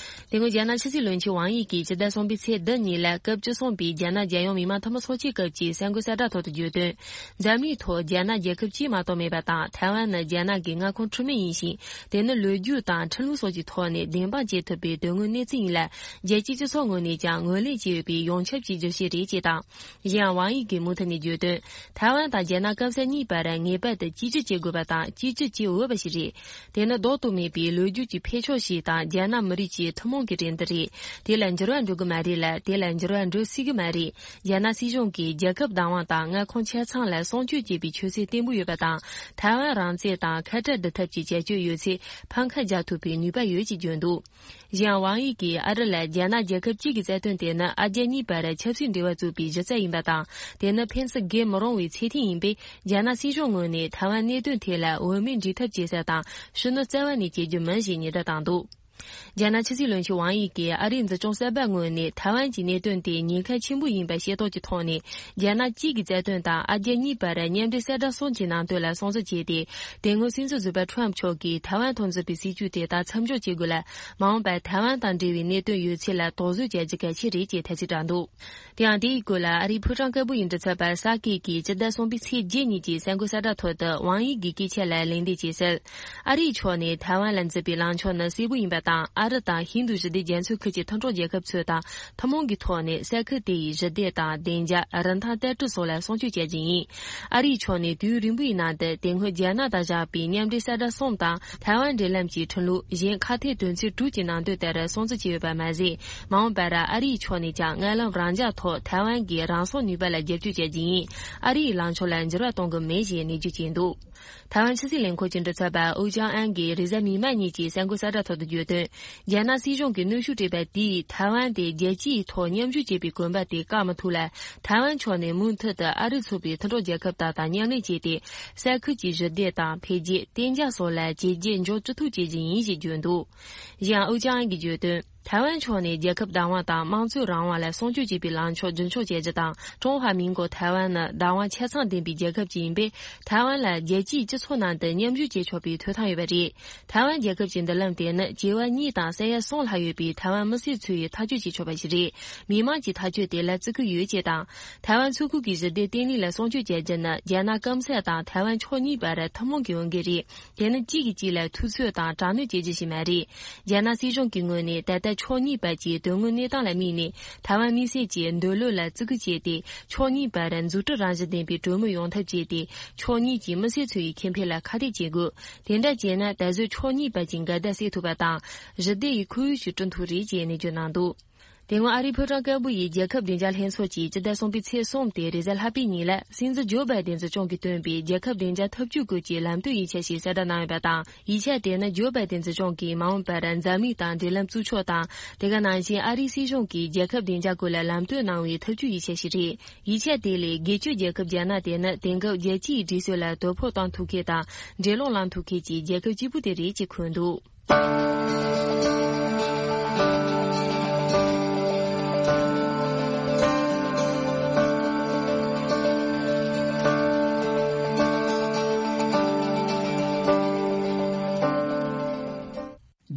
དེ་སྔོན་རྒྱ་ནག་ཕྱི་སྲིད་བློན་ཆེན་ཝང་དབྱི་གིས་སྤྱི་ཟླ་གསུམ་པའི་ཚེས་བདུན་ཉིན་ལ་སྐབས་བཅུ་གསུམ་པའི་རྒྱ་ནག་རྒྱལ་ཡོངས་མི་དམངས་འཐུས་མི་ཚོགས་ཆེན་སྐབས་ཀྱི་གསར་འགོད་གསལ་བསྒྲགས་ཐོག་ཏུ་བརྗོད་དོན། འཛམ་གླིང་ཐོག་རྒྱ་ནག་རྒྱལ་ཁབ་གཅིག་མ་གཏོགས་མེད་པ་དང་། ཐའེ་ཝན་ནི་རྒྱ་ནག་གི་མངའ་ཁོངས་འཁྲུལ་མེད་ཡིན་ཞིང་། དེ་ནི་ལོ་རྒྱུས་དང་ཁྲིམས་ལུགས་སོགས་ཀྱི་ཐོག་ནས་བདེན་དཔང་བྱེད་ཐུབ་པའི་དོན་དངོས་གནས་ཚུལ་ཡིན་ལ། རྒྱལ་སྤྱིའི་སྤྱི་ཚོགས་ངོས་ནས་ཀྱང་ངོས་ལེན་བྱས་ཡོད་པའི་ཡོངས་ཁྱབ་ཀྱི་བརྗོད་གཞི་རེད་ཅེས་དང་། གཞན་ཡང་ཝང་དབྱི་གིས་མུ་མཐུད་ནས་བརྗོད་དོན། ཐའེ་ཝན་དང་རྒྱ་ནག་སྐམ་ས་གཉིས་བར་ངེས་པར་དུ་གཅིག་གྱུར་བྱེད་དགོས་པ་དང་གཅིག་གྱུར་བྱེད་འོས་པ་ཞིག་རེད། དེ་ནི་ལྡོག་ཏུ་མེད་པའི་ལོ་རྒྱུས་ཀྱི་འཕེལ་ཕྱོགས་ཤིག་དང་། རྒྱ་ནག་མི་རིགས་ ཀྱི་ཐུན་མོང་གི་ཏྲེན་ཏི་རེད། དེ་ལ་འགྱུར་བ་འགྲོ་གི་མ་རེད་ལ། དེ་ལ་འགྱུར་བ་འགྲོ་སྲིད་ཀྱི་མ་རེད། རྒྱ་ནག་སྲིད་གཞུང་གིས་རྒྱལ་ཁབ་བདག་དབང་དང་མངའ་ཁོངས་ཆ་ཚང་ལ་སྲུང་སྐྱོབ་བྱེད་པའི་ཆོད་སེམས་བརྟན་པོ་ཡོད་པ་དང་། ཐའེ་ཝན་རང་བཙན་དང་ཁ་བྲལ་བསྡུར་ཐབས་ཀྱི་བྱ་སྤྱོད་ཡོད་ཚེ་ཕམ་ཁ་རྒྱག་ཐུབ་པའི་ནུས་པ་ཡོད་ཅེས་བརྗོད་འདུག། གཞན་ཝང་དབྱི་གིས་ཨ་རི་ལ་རྒྱ་ནག་རྒྱལ་ཁབ་གཅིག་གི་རྩ་དོན་དེ་ནི་ཨ་རྒྱ་གཉིས་བར་ཆབ་སྲིད་འབྲེལ་བ་བཙུགས་པའི་གཞི་རྩ་ཡིན་པ་དང་། དེ་ནི་ཕན་སེམས་རྒྱས་མི་རུང་བའི་ཚད་ལྡན་ཡིན་པས། རྒྱ་ནག་སྲིད་གཞུང་ངོས་ནས་ཐའེ་ཝན་གནད་དོན་ཐད་ལ་འོས་མིན་འབྲི་ཐབས་བྱེད་ས་དང་ཤུགས་སྣོན་རྩ་བ་ནས་བྱེད་རྒྱུ་མིན་ཞེས་ཉེན་བརྡ་བཏང་འདུག། རྒྱ་ནག་ཕྱི་སྲིད་བློན་ཆེན་ཝང་དབྱི་གིས་ཨ་རིའི་འཛིན་སྐྱོང་གསར་པ་ངོས་ནས་ཐའེ་ཝན་གྱི་གནད་དོན་དེ་ཉེན་ཁ་ཆེན་པོ་ཡིན་པ་ཤེས་རྟོགས་ཀྱི་ཐོག་ནས། རྒྱ་ནག་གཅིག་གི་རྩ་དོན་དང་ཨ་རྒྱ་གཉིས་བར་མཉམ་འབྲེལ་གསལ་བསྒྲགས་གསུམ་གྱི་ནང་དོན་ལ་སྲུང་བརྩི་བྱས་ཏེ། དེ་སྔོན་སྲིད་འཛིན་ཟུར་པ་ཁྲོམ་མཆོག་གིས་ཐའེ་ཝན་ཐོག་མཛད་པའི་སྲིད་ཇུས་དེ་དག་མཚམས་འཇོག་བྱེད་དགོས་ལ། མ་འོངས་པར་ཐའེ་ཝན་དང་འབྲེལ་བའི་གནད་དོན་ཡོད་ཚད་ལ་དོགས་ཟོན་བྱ་རྒྱུ་གལ་ཆེ་རེད་ཅེས་ཐེ་ཚོམ་བསྒྲགས་འདུག། དེ་ཡང་དེའི་སྐོར་ལ་ཨ་རིའི་ཕོ་བྲང་དཀར་པོ་ཡི་མགྲིན་ཚབ་པ་ས་ཀེ་གིས་སྤྱི་ཟླ་གསུམ་པའི་ཚེས་བརྒྱད་ཉིན་གྱི་གསར་འགོད་གསལ་བསྒྲགས་ཐོག་ཏུ་ཝང་དབྱི་གི་སྐད་ཆ་ལ་ལན་འདེབས་བྱས་གསལ། ཨ་རིའི་ཕྱོགས་ནས་ཐའེ་ཝན་ལ་མཛད་པའི་ལངས་ཕྱོགས་ནི་གསལ་པོ་ཡིན་པ་དང་། ཨ་རི་དང་ཧིན་རྡུ་ཞི་བདེ་རྒྱ་མཚོའི་ཁུལ་གྱི་མཐུན་གྲོགས་རྒྱལ་ཁབ་ཚོས་དང་ཐུན་མོང་གི་ཐོག་ནས་ས་ཁུལ་དེ་ཡི་ཞི་བདེ་དང་བདེ་འཇགས། རིན་ཐང་བརྟན་པོ་སོགས་ལ་སྲུང་སྐྱོབ་བྱ་རྒྱུ་ཡིན། ཨ་རིའི་ཕྱོགས་ནས་དུས་ཡུན་རིང་པོའི་ནང་དུ་དེ་སྔོན་རྒྱ་ནག་དང་བཞག་པའི་མཉམ་འབྲེལ་གསལ་བསྒྲགས་གསུམ་དང་ཐའེ་ཝན་འབྲེལ་ལམ་གྱི་ཁྲིམས་ལུགས། གཞན་ཁ་གཏད་དོན་ཚན་དྲུག་གི་ནང་དོན་ལྟར་སྲུང་བརྩི་བྱས་ཡོད་པ་མ་ཟད། མ་འོངས་པར་ཨ་རིའི་ཕྱོགས་ནས་ཀྱང་མངའ་ལམ་རང་འཇགས་ཐོག་ཐའེ་ཝན་གྱི་རང་སྲུང་ནུས་པ་ལ་རྒྱབ་སྐྱོར་བྱ་རྒྱུ་ཡིན། ཨ་རིའི་ལངས་ཕྱོགས་ལ་འགྱུར་བ་གཏོང་གི་མེད་ཞེས་ནན་བརྗོད་བྱས་འདུག། ཐའེ་ཝན་ཕྱི་སྲིད་ལས་ཁུངས་ཀྱི་མགྲིན་ཚབ་པ་ཨུ་ཅང་ཨན་གྱིས་རེས་གཟའ་མིག་དམར་ཉིན་གྱི་གསར་འགོད་གསལ་བསྒྲགས་ཐོག་ཏུ་བརྗོད་དོན། རྒྱ་ནག་སྲིད་གཞུང་གིས་གནོན་ཤུགས་སྤྲད་པ་དེས་ཐའེ་ཝན་དེ་རྒྱལ་སྤྱིའི་ཐོག་མཉམ་ཞུགས་བྱེད་པའི་གོམ་པ་དེ་བཀག་མི་ཐུབ་ལ། ཐའེ་ཝན་ཕྱོགས་ནས་མུ་མཐུད་དུ་ཨ་རི་ཚུགས་པའི་མཐུན་གྲོགས་རྒྱལ་ཁབ་དག་དང་མཉམ་ལས་བྱས་ཏེ། ས་ཁུལ་གྱི་ཞི་བདེ་དང་འཕེལ་རྒྱས། གཏན་འཇགས་སོགས་ལ་བྱས་རྗེས་འཇོག་ཅི་ཐུབ་བྱེད་ཀྱི་ཡིན་ཞེས་བརྗོད་འདུག། གཞན་ཨུ་ཅང་ཨན་གྱིས་བརྗོད་དོན། ཐའེ་ཝན་ཕྱོགས་ནས་རྒྱལ་ཁབ་བདག་དབང་དང་དམངས་གཙོའི་རང་དབང་ལ་སྲུང་སྐྱོབ་བྱེད་པའི་ལངས་ཕྱོགས་རྒྱུན་འཁྱོངས་བྱེད་རྒྱུ་དང་། ཀྲུང་ཧྭ་མིང་གོ་ཐའེ་ཝན་ནི་བདག་དབང་ཆ་ཚང་ལྡན་པའི་རྒྱལ་ཁབ་ཅིག་ཡིན་པས། ཐའེ་ཝན་ལ་རྒྱལ་སྤྱིའི་སྤྱི་ཚོགས་ནང་དུ་མཉམ་ཞུགས་བྱེད་ཆོག་པའི་ཐོབ་ཐང་ཡོད་པ་རེད། ཐའེ་ཝན་རྒྱལ་ཁབ་ཀྱི་མདུན་ལམ་དེ་ནི་བྱེ་བ་གཉིས་དང་ས་ཡ་གསུམ་ལྷག་ཡོད་པའི་ཐའེ་ཝན་མི་སེར་ཚོས་ཐག་གཅོད་བྱེད་ཆོག་པ་ཞིག་རེད། མི་དམངས་ཀྱི་ཐག་གཅོད་དེ་ལ་བརྩི་བཀུར་ཡོད་ཅེས་དང་། ཐའེ་ཝན་མཚོ་ཁུལ་གྱི་ཞི་བདེ་བརྟན་ལྷིང་ལ་སྲུང་སྐྱོབ་བྱ་རྒྱུ་ནི་རྒྱ་ནག་སྐམ་ས་དང་ཐའེ་ཝན་ཕྱོགས་གཉིས་བར་ཐུན་མོང་གི་འོས་འགན་རེད། དེ་ནི་གཅིག་གིས་གཅིག་ལ་ཐུབ་ཚོད་དང་དྲག་གནོན་བྱེད་རྒྱུ་ཞིག་མ་རེད། རྒྱ་ནག་སྲིད་གཞུང་གི་ངོས་ནས་ད་ལྟ་ཕྱོགས་གཉིས་བར་གྱི་དོན་དངོས་གནས་སྟངས་ལ་དམིགས་ནས། ཐའེ་ཝན་མི་སེར་གྱི་འདོད་བློ་ལ་བརྩི་བཀུར་བྱས་ཏེ། ཕྱོགས་གཉིས་བར་འཛུགས་སྐྲུན་རང་བཞིན་ལྡན་པའི་གྲོས་མོལ་ཡོང་ཐབས་བྱས་ཏེ། ཕྱོགས་གཉིས་ཀྱི་མི་སེར་ཚོ་ཡི་ཁེ་ཕན་ལ་ཁ་གཏད་བྱེད་དགོས། དེ་འདྲ་བྱས་ན། ད་གཟོད་ཕྱོགས་གཉིས་བར་གྱི་འགལ་ཟླ་སེལ་ཐུབ་པ་དང་། ཞི་བདེ་ཡི་ཁོར་ཡུག་ཞིག་བསྐྲུན་ཐུབ་རེད་ཅེས་ནན་བརྗོད་གནང་འདུག། དེ་སྔོན་ཨ་རིའི་ཕོ་བྲང་དཀར་པོ་ཡི་རྒྱལ་ཁབ་བདེ་འཇགས་ལྷན་ཚོགས་ཀྱིས་སྤྱི་ཟླ་གསུམ་པའི་ཚེས་གསུམ་སྟེ། རེས་གཟའ་ལྷག་པའི་ཉིན་ལ། སྲིད་འཛིན་ཇོ་བྷའི་ཏན་གྱིས་བསྐྱོན་པའི་རྒྱལ་ཁབ་བདེ་འཇགས་ཐབས་ཇུས་སྐོར་གྱི་ལམ་སྟོན་ཡིག་ཆ་ཞིག་གསལ་བསྒྲགས་གནང་ཡོད་པ་དང་། ཡིག་ཆ་དེ་ནི་ཇོ་བྷའི་ཏན་གྱིས་བསྐྱོན་གྱིས་མ་འོངས་པར་འཛམ་གླིང་དང་འབྲེལ་ལམ་བཙུགས་ཕྱོགས་དང་། དེ་ག་ནང་བཞིན་ཨ་རིའི་སྲིད་གཞུང་གིས་རྒྱལ་ཁབ་བདེ་འཇགས་སྐོར་ལ་ལམ་སྟོན་གནང་བའི་ཐབས་ཇུས་ཡིག་ཆ་ཞིག་རེད། ཡིག་ཆ་དེ་ལས། སྒེར་གཅོད་རྒྱལ་ཁབ་རྒྱ་ནག་དེ་ནི་དེང་སྐབས་རྒྱལ་སྤྱིའི་སྒྲིག་སྲོལ་ལ་དོ་ཕོག་གཏོང་ཐུབ་མཁན་དང་། འགྲན་སློང་ལངས་ཐུབ་མཁན་གྱི་རྒྱལ་ཁབ་གཅིག་པུ་དེ་རེད་ཅེས་འཁོད་འདུག།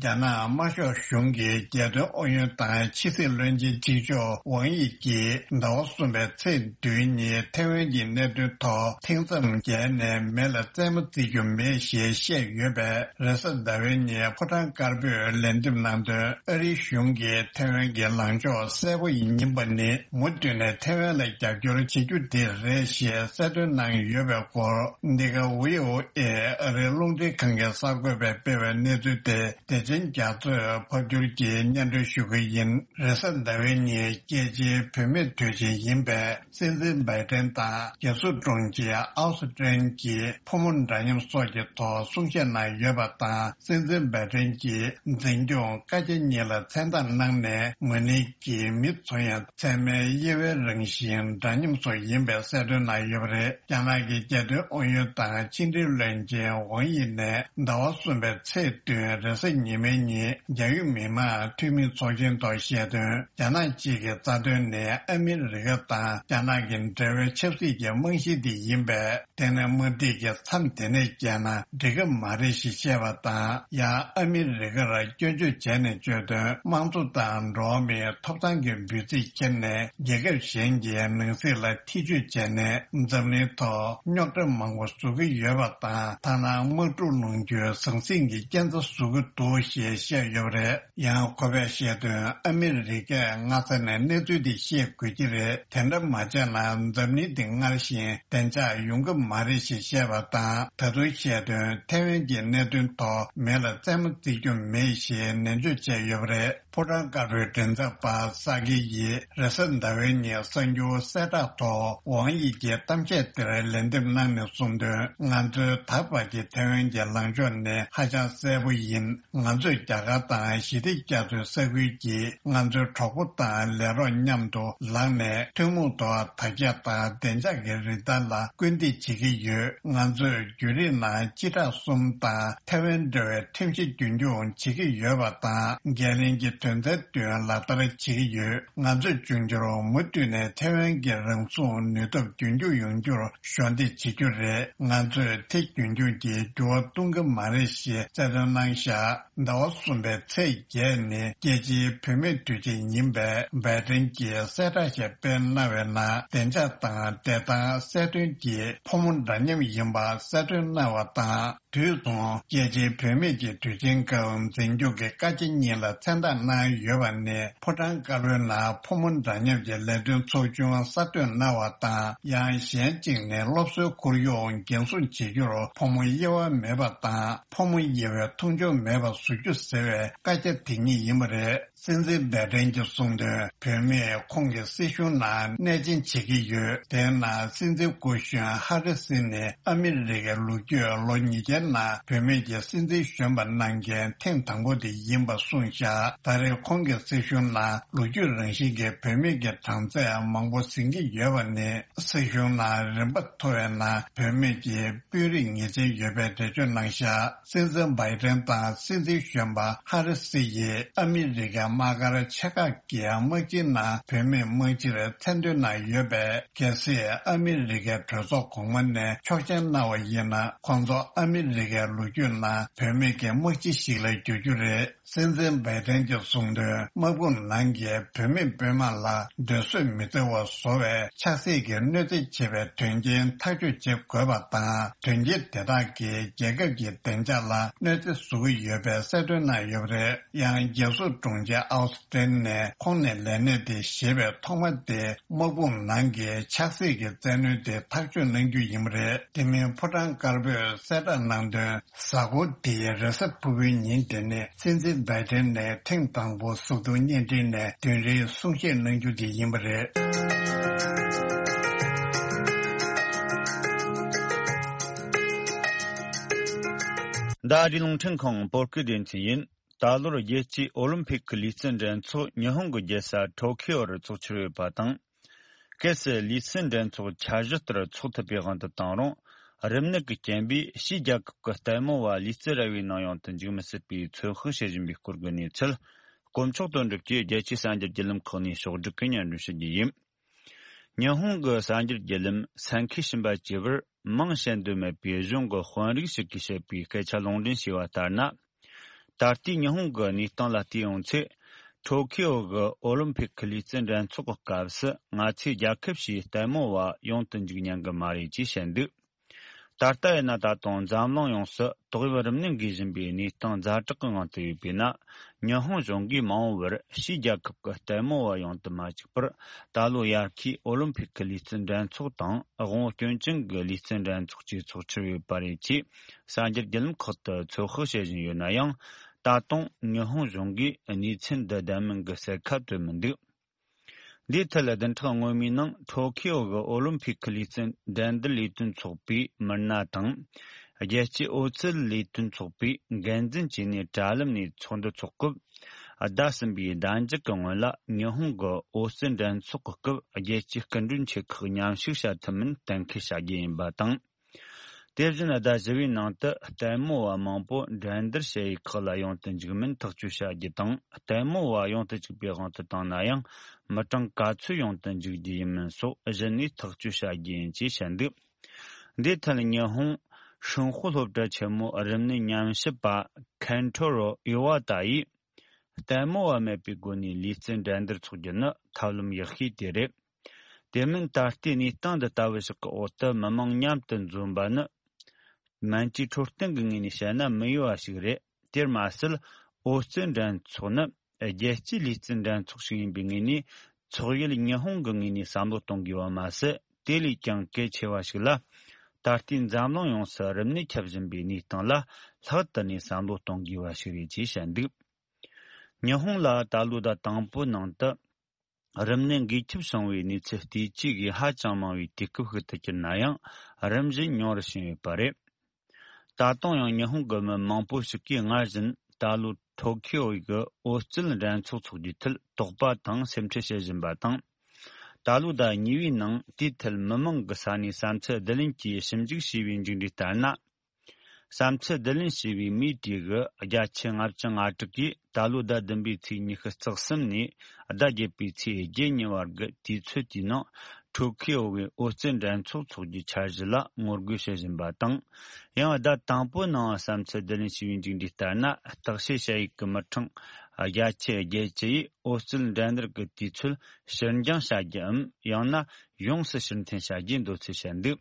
རྒྱ་ནག་དམར་ཤོག་གཞུང་གི་རྒྱལ་དོན་ཨུ་ཡོན་དང་ཕྱི་སྲིད་བློན་ཆེན་གཅིག་ལྕོགས་ཝང་དབྱི་ཡིས་ཟླ་བ་གསུམ་པའི་ཚེས་བདུན་ཉིན་ཐའེ་ཝན་གྱི་གནད་དོན་ཐོག་ཐེངས་མཚམས་བརྒལ་ནས་མེ་ལ་རྩེད་མོ་རྩེ་རྒྱུ་མེད་ཞེས་བཤད་ཡོད་པས། རེས་གཟའ་ཟླ་བའི་ཉིན་ཕོ་བྲང་དཀར་པོས་ལན་འདེབས་གནང་དོན། ཨ་རིའི་གཞུང་གིས་ཐའེ་ཝན་གྱི་ལངས་ཕྱོགས་གསལ་པོ་ཡིན་པ་ནི། མུ་མཐུད་ནས་ཐའེ་ཝན་ལ་རྒྱབ་སྐྱོར་བྱེད་རྒྱུ་དེ་རེད་ཞེས་གསལ་སྟོན་གནང་ཡོད་པའི་སྐོར། འདི་ག་ཝི་ཨོ་ཨེ་ཨ་རིའི་རླུང་འཕྲིན་ཁང་གི་གསར་འགོད་པས་སྤེལ་བའི་གནས་ཚུལ་དེ། བདེ་ཆེན་རྒྱ་མཚོས་ཕབ་སྒྱུར་གྱིས་སྙན་སྒྲོན་ཞུ་གི་ཡིན། རེས་གཟའ་ཟླ་བའི་ཉིན་རྒྱལ་སྤྱིའི་བུད་མེད་དུས་ཆེན་ཡིན་པས། སྲིད་འཛིན་བྷའི་ཏན་དང་རྒྱལ་སྲུང་དྲུང་ཆེ་ཨའོ་སི་ཀྲེན་གྱིས་ཕོ་མོ་འདྲ་མཉམ་སོགས་ཀྱི་ཐོག་གསུང་བཤད་གནང་ཡོད་པ་དང་། སྲིད་འཛིན་བྷའི་ཏན་གྱིས་འཛིན་སྐྱོང་བཀའ་རྒྱ་གཉིས་ལ་མཚན་རྟགས་གནང་ནས། མ་ཎི་གིས་མི་ཚོ་ཡང་ཚད་མའི་དབྱེ་བའི་རང་བཞིན་འདྲ་མཉམ་སོགས་ཡིན་པའི་གསལ་སྟོན་གནང་ཡོད་པ་རེད། རྒྱ་ནག་གི་རྒྱལ་དོན་ཨུ་ཡོན་དང་ཕྱི་འབྲེལ་བློན་ཆེན་ཝང་དབྱི་ནས་ཟླ་བ་གསུམ་པའི་ཚེས་བདུན་རེས་གཟའ་ཉི་མའི་ཉིན། རྒྱ་ཡུལ་མི་དམངས་འཐུས་མི་ཚོགས་ཆེན་ཐོག་བཤད་དོན། རྒྱ་ནག་གཅིག་གི་རྩ་དོན་ནི་ཨ་མི་རི་ཀ་དང་རྒྱ་ནག་གི་འབྲེལ་བའི་ཆབ་སྲིད་ཀྱི་རྨང་གཞི་དེ་ཡིན་པས། དེ་ནི་དམག་འཁྲུག་གི་མཚམས་དེ་ནས་བསྐྱལ་ན་འགྲིག་གི་མ་རེད་ཞེས་བཤད་པ་དང་། ཡང་ཨ་མི་རི་ཀར་སྐྱོན་བརྗོད་བྱས་ནས་བརྗོད་དོན། དམངས་གཙོ་དང་འགྲོ་བ་མིའི་ཐོབ་ཐང་གི་འབོད་ཚིག་འཁྱེར་ནས། རྒྱལ་ཁབ་གཞན་གྱི་ནང་སྲིད་ལ་ཐེ་བྱུས་བྱས་ནས། འཛམ་གླིང་ཐོག་རྙོག་དྲ་མང་པོ་བཟོ་གི་ཡོད་པ་དང་། ཐ་ན་དམག་འཁྲུག་སློང་རྒྱུའི་ཟང་ཟིང་གི་རྐྱེན་རྩ་བཟོ་གི་འདུག་ ཞེས་བཤད་ཡོད་པ་རེད། ཡང་ཁོ་པས་བཤད་དོན། ཨ་མི་རི་ཀས་སྔ་ས་ནས་གནས་ཚུལ་འདི་ཤེས་དགོས་ཀྱི་རེད། དེ་འདྲ་མ་བྱས་ན་འཛམ་གླིང་འདི་སྔར་བཞིན་བདེ་འཇགས་ཡོང་གི་མ་རེད་ཞེས་བཤད་པ་དང་། ད་དུང་བཤད་དོན། ཐའེ་ཝན་གྱི་གནད་དོན་ཐོག་མེ་ལ་རྩེད་མོ་རྩེ་རྒྱུ་མེད་ཞེས་ནན་བརྗོད་བྱས་ཡོད་པ་རེད། ཕོ་བྲང་དཀར་པོའི་མགྲིན་ཚབ་པ་ས་ཀི་ཡིས་རེས་གཟའ་ཟླ་བའི་ཉིན་གསར་འགྱུར་གསལ་བསྒྲགས་ཐོག་ཝང་ཡི་གི་གཏམ་བཤད་དེར་ལན་འདེབས་གནང་ནས་གསུངས་དོན། ང་ཚོའི་ད་བར་གྱི་ཐའེ་ཝན་གྱི་ལངས་ཕྱོགས་ནི་ཧ་ཅང་གསལ་པོ་ཡིན། ང་ཚོས་རྒྱ་གར་དང་ཞི་བདེ་རྒྱ་མཚོའི་ས་ཁུལ་གྱི་ང་ཚོའི་གྲོགས་པོ་དང་ལས་རོགས་མཉམ་དུ་ལངས་ནས་ཐུན་མོང་ཐོག་དར་རྒྱས་དང་བདེ་འཇགས་ཀྱི་རིན་ཐང་ལ་སྐུལ་འདེད་བྱེད་ཀྱི་ཡོད། ང་ཚོས་བརྒྱུད་རིམ་ནང་སྤྱི་ཁྲག་གསུམ་དང་ཐའེ་ཝན་འབྲེལ་བའི་ཁྲིམས་གཞི་རྒྱུན་འཁྱོངས་བྱེད་ཀྱི་ཡོད་པ་དང་། འགན་ལེན་གྱི་དོན་ཚན་བདུན་ལག་བསྟར་བྱེད་ཀྱི་ཡོད། ང་ཚོས་འབྱུང་འགྱུར་མུ་མཐུད་ནས་ཐའེ་ཝན་གྱི་རང་སྲུང་ནུས་སྟོབས་རྒྱུན་འཁྱོངས་ཡོང་རྒྱུར་གཞོགས་འདེགས་བྱེད་རྒྱུ་རེད། ང་ཚོས་དེ་རྒྱུན་འཁྱོངས་ཀྱིས་འགྱུར་བ་གཏོང་གི་མ་རེད་ཞེས་རྩ་དོན་གནང་བཞག་ཟླ་བ་གསུམ་པའི་ཚེས་བརྒྱད་ནི་རྒྱལ་སྤྱིའི་བུད་མེད་དུས་ཆེན་ཡིན་པས། བའི་ཏིན་གྱིས་གསལ་བསྒྲགས་ཤིག་སྤེལ་གནང་བའི་ནང་། བདེ་འཇགས་དང་བདེ་ཐང་གསལ་སྟོན་གྱི་ཕོ་མོ་འདྲ་མཉམ་ཡིན་པ་གསལ་སྟོན་གནང་བ་དང་། དུས་མཚུངས། རྒྱལ་སྤྱིའི་བུད་མེད་ཀྱི་དུས་ཆེན་སྐབས་འཛིན་སྐྱོང་གི་བཀའ་རྒྱ་གཉིས་ལ་མཚན་རྟགས་གནང་ཡོད་པ་ནི། ཕོ་བྲང་དཀར་པོའི་ནང་ཕོ་མོ་འདྲ་མཉམ་གྱི་ལས་དོན་ཚོགས་ཆུང་གསར་གཏོད་གནང་བ་དང་། ཡང་གཞན་གཅིག་ནི་སློབ་གསོའི་ཁོར་ཡུག་འགན་སྲུང་བྱེད་རྒྱུར་ཕོ་མོ་དབྱེ་བ་མེད་པ་དང་། ཕོ་མོ་དབྱེ་བའི་མཐོང་ཆུང་མེད་པ་བཟོ་རྒྱུ་ཟེར་བའི་བཀའ་རྒྱ་དེ་ཉིད་ཡིན་པ་རེད། སྲིད་འཛིན་བའི་ཏིན་གྱིས་གསུངས་དོན། བུད་མེད་ཁོང་གི་སྲིད་གཞུང་ནང་གནས་ཆེན་བྱེད་ཀྱི་ཡོད། དེའི་ནང་སྲིད་འཛིན་སྐུ་གཞོན་ཧ་རི་སི་ནི་ཨ་མི་རི་ཀའི་ལོ་རྒྱུས་ལོ་ཉིས་བརྒྱའི་ནང་བུད་མེད་ཀྱི་སྲིད་འཛིན་གཞོན་པ་གནང་མཁན་ཐེངས་དང་པོ་དེ་ཡིན་པ་གསུངས་བཞག་ད་རེས་ཁོང་གི་སྲིད་གཞུང་ནང་ལོ་རྒྱུས་རང་བཞིན་གྱི་བུད་མེད་ཀྱི་གྲངས་ཚད་མང་པོ་ཟིན་གྱི་ཡོད་པ་ནི། སྲིད་གཞུང་ནང་རིམ་པ་མཐོ་བའི་ནང་བུད་མེད་ཀྱི་དཔོན་རིགས་ངེས་ཅན་ཡོད་པའི་འགྲེལ་བརྗོད་གནང་བཞག་སྲིད་འཛིན་བའི་ཏིན་དང་སྲིད་འཛིན་གཞོན་པ་ཧ་རི་སི་ཡིས་ཨ་མི་རི་ཀའི་དམག་སྒར་ཆེ་ཁག་གི་དམག་སྤྱིའི་ནང་བུད་མེད་དམག་སྤྱིར་མཚན་འདོན་གནང་ཡོད་པས། གལ་སྲིད་ཨ་མི་རི་ཀའི་གྲོས་ཚོགས་གོང་མ་ནས་ཆོག་མཆན་གནང་བ་ཡིན་ན། ཁོང་ཚོ་ཨ་མི་རི་ཀའི་ལོ་རྒྱུས་ནང་བུད་མེད་ཀྱི་དམག་སྤྱི་ཞིག་ལ་འགྱུར་རྒྱུ་རེད། སྲིད་འཛིན་བའི་ཏིན་གྱིས་གསུངས་དོན། དམག་དཔུང་ནང་གི་བུད་མེད་དཔོན་དམག་ལ་སྡོད་གསོད་མི་བྱེད་པ་བཟོ་བའི་ཆབ་སྲིད་ཀྱི་གནོད་འཚེ་བྱེད་པའི་དོན་རྐྱེན་ཐག་གཅོད་བྱེད་དགོས་པ་དང་། དོན་རྐྱེན་དེ་དག་གིས་རྒྱལ་ཁབ་ཀྱི་བདེ་འཇགས་ལ་གནོད་འཚེ་བཟོ་གི་ཡོད་པའི་གསལ་སྟོན་གནང་ཡོད་པ་རེད། ཡང་རྒྱལ་སྲུང་དྲུང་ཆེ་ཨའོ་སི་ཏིན་ནས་ཁོང་ནས་ལས་གནས་དེ་བཞེས་པའི་ཐོག་མ་དེ་དམག་དཔུང་ནང་གི་ཆབ་སྲིད་ཀྱི་བཙན་གནོན་དེ་ཐག་གཅོད་གནང་རྒྱུ་ཡིན་པ་རེད། དེ་མིན་ཕོ་བྲང་དཀར་པོས་གསལ་བསྒྲགས་གནང་དོན། གཟའ་འཁོར་འདིའི་རེས་གཟའ་ཕུར་བུའི་ཉིན་དེ་ནི་སྲིད་འཛིན་བའི་ཏིན་ནས་ཐེངས་དང་པོ་གཟུགས་མཐོང་བརྙན་འཕྲིན་ནས་བདུན་རེའི་གསུང་བཤད་གནང་རྒྱུ་དེ་ཡིན་པ་རེད། ཟླ་འདིའི་རླུང་འཕྲིན་ཁང་བོད་སྐད་སྡེ་ཚན་ཡིན། ད་ལོར་རྒྱལ་སྤྱིའི་ཨོ་ལིམ་ཕིག་གི་ལུས་རྩལ་འགྲན་ཚོགས་ཉི་ཧོང་གི་རྒྱལ་ས་ཊོ་ཁི་ཨོ་རུ་འཚོགས་འཆར་ཡོད་པ་དང་། གལ་སྲིད་ལུས་རྩལ་འགྲན་ཚོགས་འཆར་གཞི་ལྟར་འཚོགས་ཐུབ་པའི་དབང་དུ་བཏང་རུང་། རིམས་ནད་ཀྱི་རྐྱེན་པས་ཕྱིའི་རྒྱལ་ཁབ་ཀྱི་ལྟད་མོ་བ་ལུས་རྩལ་ར་བའི་ནང་ཡོང་དུ་འཇུག་མི་སྲིད་པའི་ཚོད་དཔག་བྱེད་བཞིན་པའི་སྐོར་གྱི་གནས་ཚུལ། དཀོན་མཆོག་དོན་གྲུབ་ཀྱིས་རྒྱལ་སྤྱིའི་གསར་འགྱུར་བརྒྱུད་ལམ་ཁག་ནས་ཕྱོགས་བསྒྲིགས་ཀྱིས་སྙན་སྒྲོན་ཞུ་རྒྱུ་ཡིན། ཉི་ཧོང་གི་གསར་འགྱུར་བརྒྱུད་ལམ་སན་ཁི་ཤིན་པ་ཅེས་པར་མིང་བཤད་འདོད་མེད་པའི་གཞུང་གི་དཔོན་རིགས་ཤིག་གིས་བཤད་པའི་སྐད་ཆ་ལུང་འདྲེན་བྱས་པ་ལྟར་ན། ད་ལྟའི་ཉི་ཧོང་གི་གནས་སྟངས་ལ་བལྟས་ཡོང་ཚེ། ཊོ་ཁི་ཨོ་གི་ཨོ་ལིམ་ཕིག་གི་ལུས་རྩལ་འགྲན་ཚོགས་ཀྱི་སྐབས་སུ་ང་ཚོའི་རྒྱལ་ཁབ་ཕྱིའི་ལྟད་མོ་བ་ཡོང་དུ་འཇུག་ཉན་གི་མ་རེད་ཅེས་བཤད་འདུག་ད་ལྟ་ཡིན་ན་ད་དུང་འཛམ་གླིང་ཡོངས་སུ་ཏོག་དབྱིབས་རིམས་ནད་འགོས་བཞིན་པའི་གནས་སྟངས་ཛ་དྲག་གི་ངང་དུ་ཡོད་པས་ན། ཉི་ཧོང་གཞུང་གིས་མ་འོངས་པར་ཕྱིའི་རྒྱལ་ཁབ་ཀྱི་ལྟད་མོ་བ་ཡོང་དུ་མ་བཅུག་པར། ད་ལོ་དབྱར་ཁའི་ཨོ་ལིམ་ཕིག་གི་ལུས་རྩལ་འགྲན་ཚོགས་དང་དབང་པོ་སྐྱོན་ཅན་གྱི་ལུས་རྩལ་འགྲན་ཚོགས་བཅས་འཚོགས་འཆར་ཡོད་པ་རེད་ཅེས་གསར་འགྱུར་བརྒྱུད་ལམ་ཁག་ཏུ་ཚོད་དཔག་བྱེད་བཞིན་ཡོད་ན་ཡང་། ད་དུང་ཉི་ཧོང་གཞུང་གིས་གནས་ཚུལ་འདི་བདེན་མིན་གྱི་གསལ་ཁ་བཏོན་མི་འདུག་འདིའི་ཐད་བདུན་ཕྲག་སྔོན་མའི་ནང་ཊོ་ཁི་ཨོ་གི་ཨོ་ལིམ་ཕིག་གི་ལུས་རྩལ་འགྲན་བསྡུར་ལས་དོན་ཚོགས་པའི་མི་སྣ་དང་། རྒྱལ་སྤྱིའི་ཨོ་རྩལ་ལས་དོན་ཚོགས་པའི་འགན་འཛིན་བཅས་ནས་དྲ་ལམ་ནས་ཚོགས་འདུ་འཚོགས་སྐབས། ཟླ་གསུམ་པའི་ཟླ་མཇུག་གི་སྔོན་ལ་ཉི་ཧོང་གི་ཨོ་རྩལ་འགྲན་ཚོགས་ཀྱི་སྐབས་རྒྱལ་སྤྱིའི་སྐུ་མགྲོན་ཆེ་ཁག་མཉམ་ཞུགས་བྱ་ཐུབ་མིན་གཏན་འཁེལ་བྱ་རྒྱུ་ཡིན་པ་དང་། དེ་བཞིན་ཟླ་བཞི་པའི་ནང་དུ་ལྟད་མོ་བ་མང་པོ་འགྲན་བསྡུར་བྱེད་ཡུལ་ཁག་ལ་ཡོང་དུ་འཇུག་མིན་ཐག་གཅོད་བྱ་རྒྱུ་དང་། ལྟད་མོ་བ་ཡོང་དུ་བཅུག་པའི་དབང་དུ་བཏང་ན་ཡང་མི་གྲངས་ག་ཚོད་ཡོང་དུ་འཇུག་རྒྱུ་ཡིན་མིན་སོགས་གཞི་ནས་ཐག་གཅོད་བྱ་རྒྱུ་ཡིན་ཅེས་བཤད་འདུག་འདིའི་ཐད་ཉི་ཧོང་ཧྲིན་ཧྭ་སློབ་གྲྭ་ཆེན་མོའི་རིམས་ནད་ཉམས་ཞིབ་པ་ཁན་ཐོ་རོ་ཨི་ཝ་ཏ་ཡིས། ལྟད་མོ་བ་མེད་པའི་སྒོ་ནས་ལུས་རྩལ་འགྲན་བསྡུར་འཚོགས་རྒྱུ་ནི་ཐབས་ལམ་ཡག་ཤོས་དེ་རེད། དེ་མིན་ད་ལྟའི་གནས་སྟངས་འདི་ལྟ་བུ་ཞིག་གི་འོག་ཏུ་མི་མང་མཉམ་དུ་འཛོམས་པ་ནི། སྨན་བཅོས་འཕྲོད་བསྟེན་གྱི་ངོས་ནས་བཤད་ན་མི་འོས་པ་ཞིག་རེད། དེར་མ་ཟད། ཨོ་རྩལ་འགྲན་ཚོགས་ནི་རྒྱལ་སྤྱིའི་ལུས་རྩལ་འགྲན་ཚོགས་ཤིག་ཡིན་པའི་ངོས་ནས། ཚོགས་ཡུལ་ཉི་ཧོང་གི་ངོས་ནས་བསམ་བློ་གཏོང་དགོས་པ་མ་ཟད། དེ་ལས་ཀྱང་གལ་ཆེ་བ་ཞིག་ལ། ད་ལྟའི་འཛམ་གླིང་ཡོངས་སུ་རིམས་ནད་ཁྱབ་བཞིན་པའི་གནས་སྟངས་ལ་ལྷག་ཏུ་ནས་བསམ་བློ་གཏོང་དགོས་པ་ཞིག་རེད་ཅེས་བཤད་འདུག། ཉི་ཧོང་ལ་ད་ལོའི་ཟླ་དང་པོའི་ནང་དུ། རིམས་ནད་འགོས་ཁྱབ་བྱུང་བའི་གནས་ཚུལ་བལྟས་ཚེ་གིས་ཧ་ཅང་མང་བའི་དུས་སྐབས་ཤིག་ཏུ་གྱུར་ན་ཡང་། རིམ་བཞིན་ཉུང་རུ་ཕྱིན་ཡོད་པ་རེད། ད་དུང་ཡང་ཉི་ཧོང་གི་མི་མང་པོ་ཞིག་གིས་སྔར་བཞིན་ད་ལོའི་ཐོ་ཁི་ཡོ་གི་ཨོ་རྩལ་འགྲན་ཚོགས་འཚོགས་རྒྱུའི་ཐད་དོགས་པ་དང་སེམས་ཁྲལ་བྱེད་བཞིན་པ་དང་། ད་ལོའི་ཟླ་གཉིས་པའི་ནང་དེའི་ཐད་མི་མང་གི་ས་ནས་བསམ་ཚུལ་བསྡུ་ལེན་གྱིས་ཞིབ་འཇུག་བྱས་པའི་མཇུག་འབྲས་ལྟར་ན། བསམ་ཚུལ་བསྡུ་ལེན་བྱས་པའི་མིའི་གྲས་ཀྱི་བརྒྱ་ཆ་ལྔ་བཅུ་ང་དྲུག་གིས་ད་ལོའི་ཟླ་བདུན་པའི་ཚེས་ཉི་ཤུ་རྩ་གསུམ་ནས་ཟླ་བརྒྱད་པའི་ཚེས་བརྒྱད་ཉིན་བར་གྱི་དུས་ཚོད་དེའི་ནང་ཐོ་ཁི་ཡོ་བའི་ཨོ་རྩལ་འགྲན་ཚོགས་འཚོགས་རྒྱུའི་འཆར་གཞི་ལ་ངོ་རྒོལ་བྱེད་བཞིན་པ་དང་། ཡང་ཟླ་དང་པོའི་ནང་བསམ་ཚུལ་བསྡུ་ལེན་བྱས་པའི་མཇུག་འབྲས་ལྟར་ན། བརྟག་དཔྱད་བྱ་ཡུལ་གྱི་མི་གྲངས་བརྒྱ་ཆ་བརྒྱད་ཅུ་ཡིས་ཨོ་རྩལ་འགྲན་བསྡུར་གྱི་དུས་ཚོད་ཕྱིར་འགྱངས་བྱ་རྒྱུའམ། ཡང་ན་ཡོངས་སུ་ཕྱིར་འཐེན་བྱ་རྒྱུའི་འདོད་ཚུལ་བཤད་འདུག།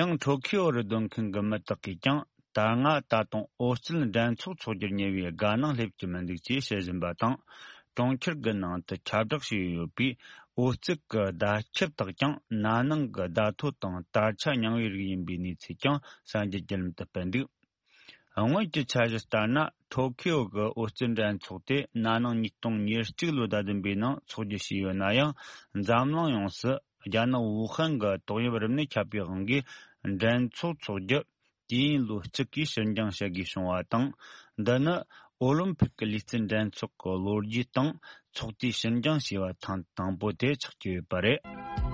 ཡང་ཐོ་ཁི་ཡོ་རུ་སྡོད་མཁན་གྱི་མི་དག་གིས་ཀྱང་ད་སྔ་ད་དུང་ཨོ་རྩལ་འགྲན་ཚོགས་འཚོགས་རྒྱུར་ཉེ་བའི་དགའ་སྣང་སླེབས་ཀྱི་མི་འདུག་ཅེས་བཤད་བཞིན་པ་དང་། གྲོང་ཁྱེར་གྱི་ནང་དུ་ཁྱབ་བསྒྲགས་བྱས་ཡོད་པའི་ཨོ་རྩལ་གྱི་བརྡ་ཁྱབ་དག་ཀྱང་ན་ནིང་གི་བརྡ་ཐོ་དང་དར་ཆ་མཉམ་པའི་རིགས་ཡིན་པའི་གནས་ཚུལ་ཀྱང་གསར་འགྱུར་བརྒྱུད་ལམ་དུ་སྤེལ་འདུག། སྔོན་གྱི་འཆར་གཞི་ལྟར་ན། ཐོ་ཁི་ཡོ་གི་ཨོ་རྩལ་འགྲན་ཚོགས་དེ་ན་ནིང་ཉིས་སྟོང་ཉེར་གཅིག་ལོའི་ཟླ་བདུན་པའི་ནང་འཚོགས་རྒྱུ་བྱས་ཡོད་ན་ཡང་། འཛམ་གླིང་ཡོངས་སུ་རྒྱ་ནག་ཝུ་ཧན་གྱི་ཏོག་དབྱིབས་རིམས་ནད་ཁྱབ་པའི་དབང་གིས་འགྲན་ཚོགས་འཚོགས་རྒྱུ་དུས་ཡུན་ལོ་གཅིག་གིས་ཕྱིར་འགྱངས་བྱ་དགོས་བྱུང་བ་དང་། འདི་ནི་ཨོ་ལིམ་ཕིག་གི་ལུས་རྩལ་འགྲན་ཚོགས་ཀྱི་ལོ་རྒྱུས་སྟེང་ཚོགས་དུས་ཕྱིར་འགྱངས་བྱས་པ་ཐེངས་དང་པོ་དེ་ཆགས་ཀྱི་ཡོད་པ་རེད།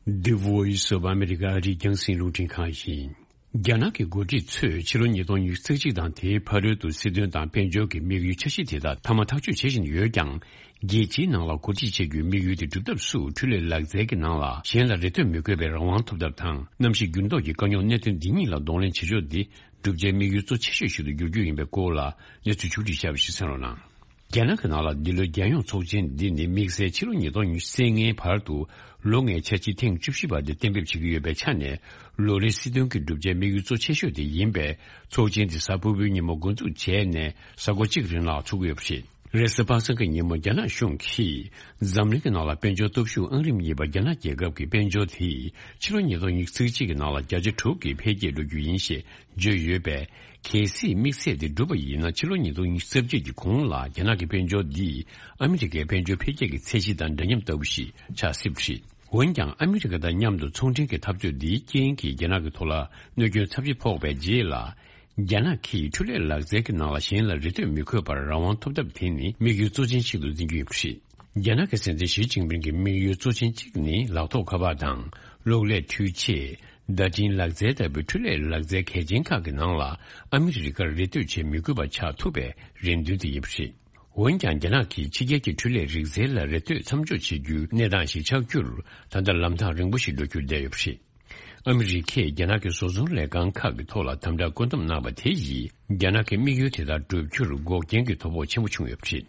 The Voice of America ཨ་རིའི་རྒྱང་སྲིང་རླུང་འཕྲིན་ཁང་ཡིན། རྒྱ་ནག་གི་འགོ་ཁྲིད་ཚོས་ཕྱི་ལོ་ཉིས་སྟོང་ཉི་ཤུ་རྩ་གཅིག་དང་དེའི་ཕ་རོལ་ཏུ་སྲིད་དོན་དང་དཔལ་འབྱོར་གྱི་དམིགས་ཡུལ་འཆར་གཞི་དེ་དག་མཐའ་མ་ཐག་གཅོད་བྱེད་བཞིན་ཡོད་ཀྱང་། རྒྱལ་སྤྱིའི་ནང་ལ་འགོ་ཁྲིད་བྱེད་རྒྱུའི་དམིགས་ཡུལ་དེ་སྒྲུབ་ཐབས་སུ་འཕྲུལ་ལས་ལག་རྩལ་གྱི་ནང་ལ་གཞན་ལ་རེ་ལྟོས་མི་དགོས་པའི་རང་དབང་ཐོབ་ཐབས་དང་། གནམ་གཤིས་འགྱུར་ལྡོག་གི་དཀའ་རྙོག་གནད་དོན་འདི་གཉིས་ལ་གདོང་ལེན་བྱེད་ཕྱོགས་འདི་བསྒྲུབ་བྱའི་དམིགས་ཡུལ་གཙོ་ཆེ་ཤོས་ཤིག་ཏུ་འགྱུར་རྒྱུ་ཡིན་པའི་སྐོར་ལ་གནས་ཚུལ་ཕྱོགས་སྒྲིག་བྱས་པ་ཞིག་གསན་རོགས་གནང་། རྒྱ་ནག་གི་ནང་ལ་འདི་ལོའི་རྒྱལ་ཡོངས་ཚོགས་ཆེན་འདི་ནི་དམིགས་བསལ་ཕྱི་ལོ་ཉིས་སྟོང་ཉི་ཤུ་རྩ་ལྔའི་བར་དུ་ལོ་ལྔའི་འཆར་གཞི་ཐེངས་བཅུ་བཞི་པ་དེ་གཏན་འབེབས་བྱེད་ཀྱི་ཡོད་པའི་ཆ་ནས། ལོ་རེའི་སྲིད་དོན་གྱི་བསྒྲུབ་བྱའི་དམིགས་ཡུལ་གཙོ་ཆེ་ཤོས་དེ་ཡིན་པས། ཚོགས་ཆེན་འདི་གཟའ་ཕུར་བུའི་ཉིན་མོ་འགོ་འཛུགས་བྱས་ནས་གཟའ་འཁོར་གཅིག་རིང་ལ་ཚོགས་ཀྱི་ཡོད་པ་རེད། རེས་གཟའ་པ་སངས་ཀྱི་ཉིན་མོ་རྒྱ་ནག་གཞུང་གིས་འཛམ་གླིང་གི་ནང་ལ་དཔལ་འབྱོར་སྟོབས་ཤུགས་ཨང་རིམ་གཉིས་པ་རྒྱ་ནག་རྒྱལ་ཁབ་ཀྱི་དཔལ་འབྱོར་དེ་ཕྱི་ལོ་ཉིས་སྟོང་ཉི་ཤུ་རྩ་གཅིག་གི་ནང་ལ་བརྒྱ་ཆ་དྲུག་གི་འཕེལ་རྒྱས་འགྲོ་རྒྱུ་ཡིན་ཞེས་བརྗོད་ཡོད་པས། གལ་སྲིད་དམིགས་ཚད་དེ་འགྲུབ་པ་ཡིན་ན། ཕྱི་ལོ་ཉིས་སྟོང་ཉི་ཤུ་རྩ་བརྒྱད་ཀྱི་གོང་ལ་རྒྱ་ནག་གི་དཔལ་འབྱོར་འདིས་ཨ་མི་རི་ཀའི་དཔལ་འབྱོར་འཕེལ་རྒྱས་ཀྱི་ཚད་གཞི་དང་འདྲ་མཉམ་ལྟ་བུ་ཞིག་ཆགས་སྲིད་པ་རེད། འོན་ཀྱང་། ཨ་མི་རི་ཀ་དང་མཉམ་དུ་ཚོང་འབྲེལ་གྱི་འཐབ་རྩོད་འདིའི་རྐྱེན་གྱིས་རྒྱ་ནག་གི་ཐོག་ལ་གནོད་སྐྱོན་ཚབས་ཆེ་ཕོག་པའི་རྗེས་ལ། རྒྱ་ནག་གིས་འཕྲུལ་ལས་ལག་རྩལ་གྱི་ནང་ལ་གཞན་ལ་རེ་ལྟོས་མི་དགོས་པར་རང་དབང་ཐོབ་ཐབས་དེ་ནི་དམིགས་ཡུལ་གཙོ་ཆེན་ཞིག་ཏུ་འཛིན་གྱི་ཡོད་པ་རེད། རྒྱ་ནག་གི་སྲིད་འཛིན་ཞི་ཅིན་ཕིང་གི་དམིགས་ཡུལ་གཙོ་ཆེན་གཅིག་ནི་ལག་ཐོགས་ཁ་པར་དང་། གློག་ཀླད་འཕྲུལ་ཆས། བརྡ་འཕྲིན་ལག་རྩལ་ལྟ་བུའི་འཕྲུལ་ལས་ལག་རྩལ་གལ་ཆེན་ཁག་གི་ནང་ལ་ཨ་མི་རི་ཀར་རེ་ལྟོས་བྱེད་མི་དགོས་པ་ཆགས་ཐུབ་པའི་རེ་འདུན་དེ་ཡིན་པ་རེད། འོན་ཀྱང་། རྒྱ་ནག་གིས་ཕྱི་རྒྱལ་གྱི་འཕྲུལ་ལས་རིག་རྩལ་ལ་རེ་ལྟོས་མཚམས་འཇོག་བྱེད་རྒྱུའི་གནས་སྟངས་ཤིག་ཆགས་རྒྱུར་ད་ལྟ་ལམ་ཐག་རིང་པོ་ཞིག་འགྲོ་རྒྱུར་བསྡད་ཡོད་པ་རེད། ཨ་མི་རི་ཀས་རྒྱ་ནག་གི་བཟོ་ཚོང་ལས་ཁང་ཁག་གི་ཐོག་ལ་དམ་དྲག་བཀོད་འདོམས་གནང་བ་དེ་ཡིས་རྒྱ་ནག་གི་དམིགས་ཡུལ་དེ་དག་བསྒྲུབ་རྒྱུར་འགོག་རྐྱེན་གྱི་ཐོ་ཕོག་ཆེན་པོ་བྱུང་ཡོད་པ་རེད།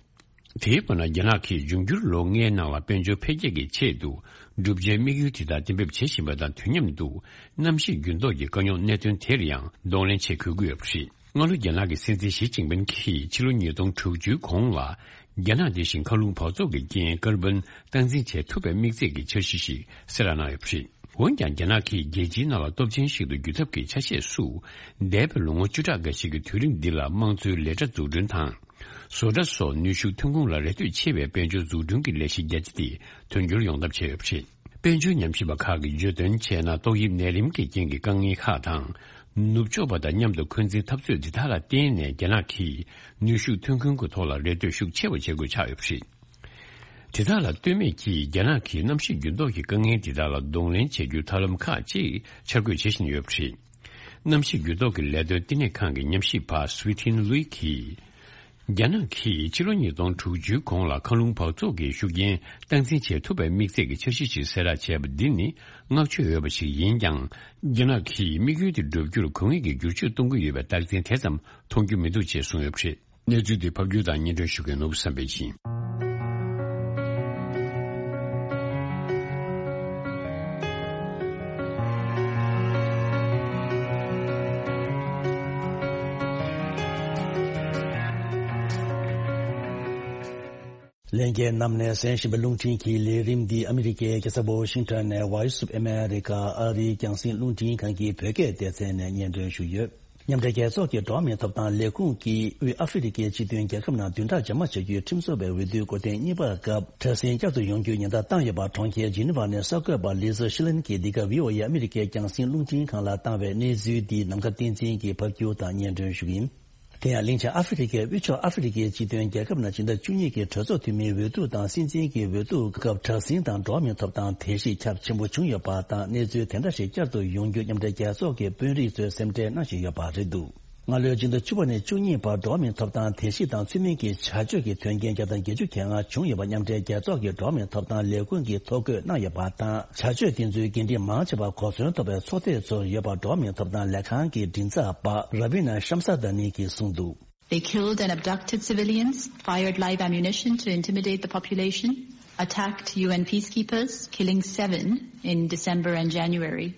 དེའི་བར་ན། རྒྱ་ནག་གིས་འབྱུང་འགྱུར་ལོ་ལྔའི་ནང་ལ་དཔལ་འབྱོར་འཕེལ་རྒྱས་ཀྱི་ཆེད་དུ་བསྒྲུབ་བྱའི་དམིགས་ཡུལ་དེ་དག་གཏན་འབེབས་བྱེད་བཞིན་པ་དང་དུས་མཉམ་དུ། གནམ་གཤིས་འགྱུར་ལྡོག་གི་དཀའ་རྙོག་གནད་དོན་དེར་ཡང་གདོང་ལེན་བྱེད་དགོས་ཀྱི་ཡོད་པ་རེད། སྔ་ལོ་རྒྱ་ནག་གི་སྲིད་འཛིན་ཞི་ཅིན་ཕིང་གིས་ཕྱི་ལོ་ཉིས་སྟོང་དྲུག་ཅུའི་གོང་ལ། རྒྱ་ནག་དེ་བཞིན་མཁའ་རླུང་འབག་བཙོག་གི་རྐྱེན་ཀར་བོན་སྟངས་འཛིན་བྱེད་ཐུབ་པའི་དམིགས་ཚད་ཀྱི་འཆར་གཞི་ཞིག་གསལ་བསྒྲགས་གནང་ཡོད་པ་རེད། འོན་ཀྱང་། རྒྱ་ནག་གིས་རྒྱལ་སྤྱིའི་ནང་ལ་སྟོབས་ཆེན་ཞིག་ཏུ་འགྱུར་ཐབས་ཀྱི་ཆ་ཤས་སུ། འདས་པའི་ལོ་ངོ་བཅུ་ཕྲག་འགའ་ཞིག་གི་དུས་རིང་འདི་ལ་དམངས་འཚོའི་ལས་གྲྭ་འཛུགས་སྐྲུན་དང་། བཟོ་གྲྭ་སོགས་ནུས་ཤུགས་ཐོན་ཁུངས་ལ་རེ་ལྟོས་ཆེ་བའི་དཔལ་འབྱོར་འཛུགས་སྐྲུན་གྱི་ལས་གཞི་རྒྱ་ཆེ་དེ་དོན་འཁྱོལ་ཡོང་ཐབས་བྱས་ཡོད་པ་རེད། དཔལ་འབྱོར་ཉམས་ཞིབ་པ་ཁག་གིས་བརྗོད་དོན་བྱས་ན། ཏོག་དབྱིབས་ནད་རིམས་ཀྱི་རྐྱེན་གྱིས་དཀའ་ངལ་ཁག་དང་། ནུབ་ཕྱོགས་པ་དང་མཉམ་དུ་འཁོན་འཛིན་འཐབ་རྩོད་འདི་དག་ལ་བརྟེན་ནས། རྒྱ་ནག་གིས་ནུས་ཤུགས་ཐོན་ཁུངས་ཀྱི་ཐོག་ལ་རེ་ལྟོས་ཤུགས་ཆེ་བ་བྱེད་དགོས་ཆགས་ཡོད་པ་རེད། དེ་དག་ལ་ལྟོས་མེད་ཀྱིས། རྒྱ་ནག་གིས་གནམ་གཤིས་འགྱུར་ལྡོག་གི་དཀའ་ངལ་འདི་དག་ལ་གདོང་ལེན་བྱེད་རྒྱུའི་ཐབས་ལམ་ཁག་ཅིག་འཆར་འགོད་བྱེད་བཞིན་ཡོད་པ་རེད། གནམ་གཤིས་འགྱུར་ལྡོག་གི་ལས་དོན་བསྟི་གནས་ཁང་གི་ཉམས་ཞིབ་པ་སུའི་ཐིན་ལུའི་གིས། རྒྱ་ནག་གིས་ཕྱི་ལོ་ཉིས་སྟོང་དྲུག་ཅུའི་གོང་ལ་མཁའ་རླུང་འབག་བཙོག་གི་ཤུགས་རྐྱེན་སྟངས་འཛིན་བྱེད་ཐུབ་པའི་དམིགས་ཚད་ཀྱི་འཆར་གཞི་ཞིག་གསལ་བསྒྲགས་བྱས་པ་འདི་ནི་བསྔགས་བརྗོད་འོས་པ་ཞིག་ཡིན་ཀྱང་། རྒྱ་ནག་གིས་དམིགས་ཡུལ་དེ་བསྒྲུབ་རྒྱུར་དགོས་ངེས་ཀྱི་བསྒྱུར་བཅོས་གཏོང་གི་ཡོད་པའི་རྟགས་མཚན་དེ་ཙམ་མཐོང་རྒྱུ་མི་འདུག་ཅེས་གསུངས་ཡོད་པ་རེད། གནས་ཚུལ་འདི་ཕབ་སྒྱུར་དང་སྙན་སྒྲོན་ཞུ་མཁན་ནོར་བུ་བསམ་འཕེལ་ཡིན། ལྷན་རྒྱས་རྣམས་ནས་གསན་བཞིན་པའི་རླུང་འཕྲིན་གྱི་ལས་རིམ་འདི་ཨ་མི་རི་ཀའི་རྒྱལ་ས་ཝ་ཤིང་ཊོན་ནས་Voice of America ཨ་རིའི་རྒྱང་སྲིང་རླུང་འཕྲིན་ཁང་གི་བོད་སྐད་སྡེ་ཚན་ནས་སྙན་སྒྲོན་ཞུ་ཡོད། མཉམ་འབྲེལ་རྒྱལ་ཚོགས་ཀྱི་འགྲོ་བ་མིའི་ཐོབ་ཐང་ལས་ཁུངས་ཀྱིས་དབུས་ཨ་ཧྥེ་རི་ཁའི་སྤྱི་མཐུན་རྒྱལ་ཁབ་ནང་བདུན་ཕྲག་རྗེས་མ་བྱ་རྒྱུའི་ཁྲིམས་བཟོ་བའི་འོས་བསྡུའི་འགོ་ཐེངས་གཉིས་པའི་སྐབས་དྲག་ཟིང་བསྐྱར་དུ་ཡོང་རྒྱུའི་ཉེན་བརྡ་བཏང་ཡོད་པ་གྲོང་ཁྱེར་ཇི་ནི་ཝ་ནས་གསར་འགོད་པ་ལི་ཛ་ཤི་ལིན་གྱིས་འདི་ག་ཝི་ཨོ་ཨེ་ཨ་མི་རི་ཀའི་རྒྱང་སྲིང་རླུང་འཕྲིན་ཁང་ལ་བཏང་བའི་གནས་ཚུལ་འདི་ནམ་མཁའ་བསྟན་འཛིན་གྱིས་ཕབ་སྒྱུར་དང་སྙན་སྒྲོན་ཞུ་གི་ཡིན། དེ་ཡང་གླིང་ཆེན་ཨ་ཧྥེ་རི་ཁའི་དབུས་ཕྱོགས་ཨ་ཧྥེ་རི་ཁའི་སྤྱི་མཐུན་རྒྱལ་ཁབ་ནང་སྤྱི་ཟླ་བཅུ་གཉིས་ཀྱི་གྲོས་ཚོགས་འཐུས་མིའི་འོས་བསྡུ་དང་སྲིད་འཛིན་གྱི་འོས་བསྡུ་སྐབས་དྲག་ཟིང་དང་འགྲོ་བ་མིའི་ཐོབ་ཐང་དེ་བཞིན་ཁྱབ་ཆེན་པོ་བྱུང་ཡོད་པ་དང་གནས་ཚུལ་དེ་འདྲ་ཞིག་བསྐྱར་དུ་ཡོང་རྒྱུ་མཉམ་འབྲེལ་རྒྱལ་ཚོགས་ཀྱི་དཔོན་རིགས་ཚོས་སེམས་ཁྲལ་གནང་བཞིན་ཡོད་པ་རེད་འདུག་སྔ་ལོའི་སྤྱི་ཟླ་བཅུ་པ་ནས་བཅུ་གཉིས་བར་འགྲོ་བ་མིའི་ཐོབ་ཐང་དེ་བཞིན་དང་ཚུལ་མིན་གྱི་བྱ་སྤྱོད་ཀྱི་དོན་རྐྱེན་བརྒྱ་དང་བརྒྱད་ཅུ་གྱ་ལྔ་བྱུང་ཡོད་པ་མཉམ་འབྲེལ་རྒྱལ་ཚོགས་ཀྱི་འགྲོ་བ་མིའི་ཐོབ་ཐང་ལས་ཁུངས་ཀྱིས་ཐོ་འགོད་གནང་ཡོད་པ་དང་བྱ་སྤྱོད་དེ་ཚོའི་འགན་འཁྲི་མང་ཆེ་བ་གོ་མཚོན་ཐོབ་པའི་ཚོགས་སྡེ་ཚོར་ཡོད་པ་འགྲོ་བ་མིའི་ཐོབ་ཐང་ལས་ཁང་གི་མགྲིན་ཚབ་པ་ར་བི་ན་ཤམ་ས་དཱ་ནི་གིས་གསུངས་འདུག They killed and abducted civilians, fired live ammunition to intimidate the population, attacked U N peacekeepers, killing seven in December and January.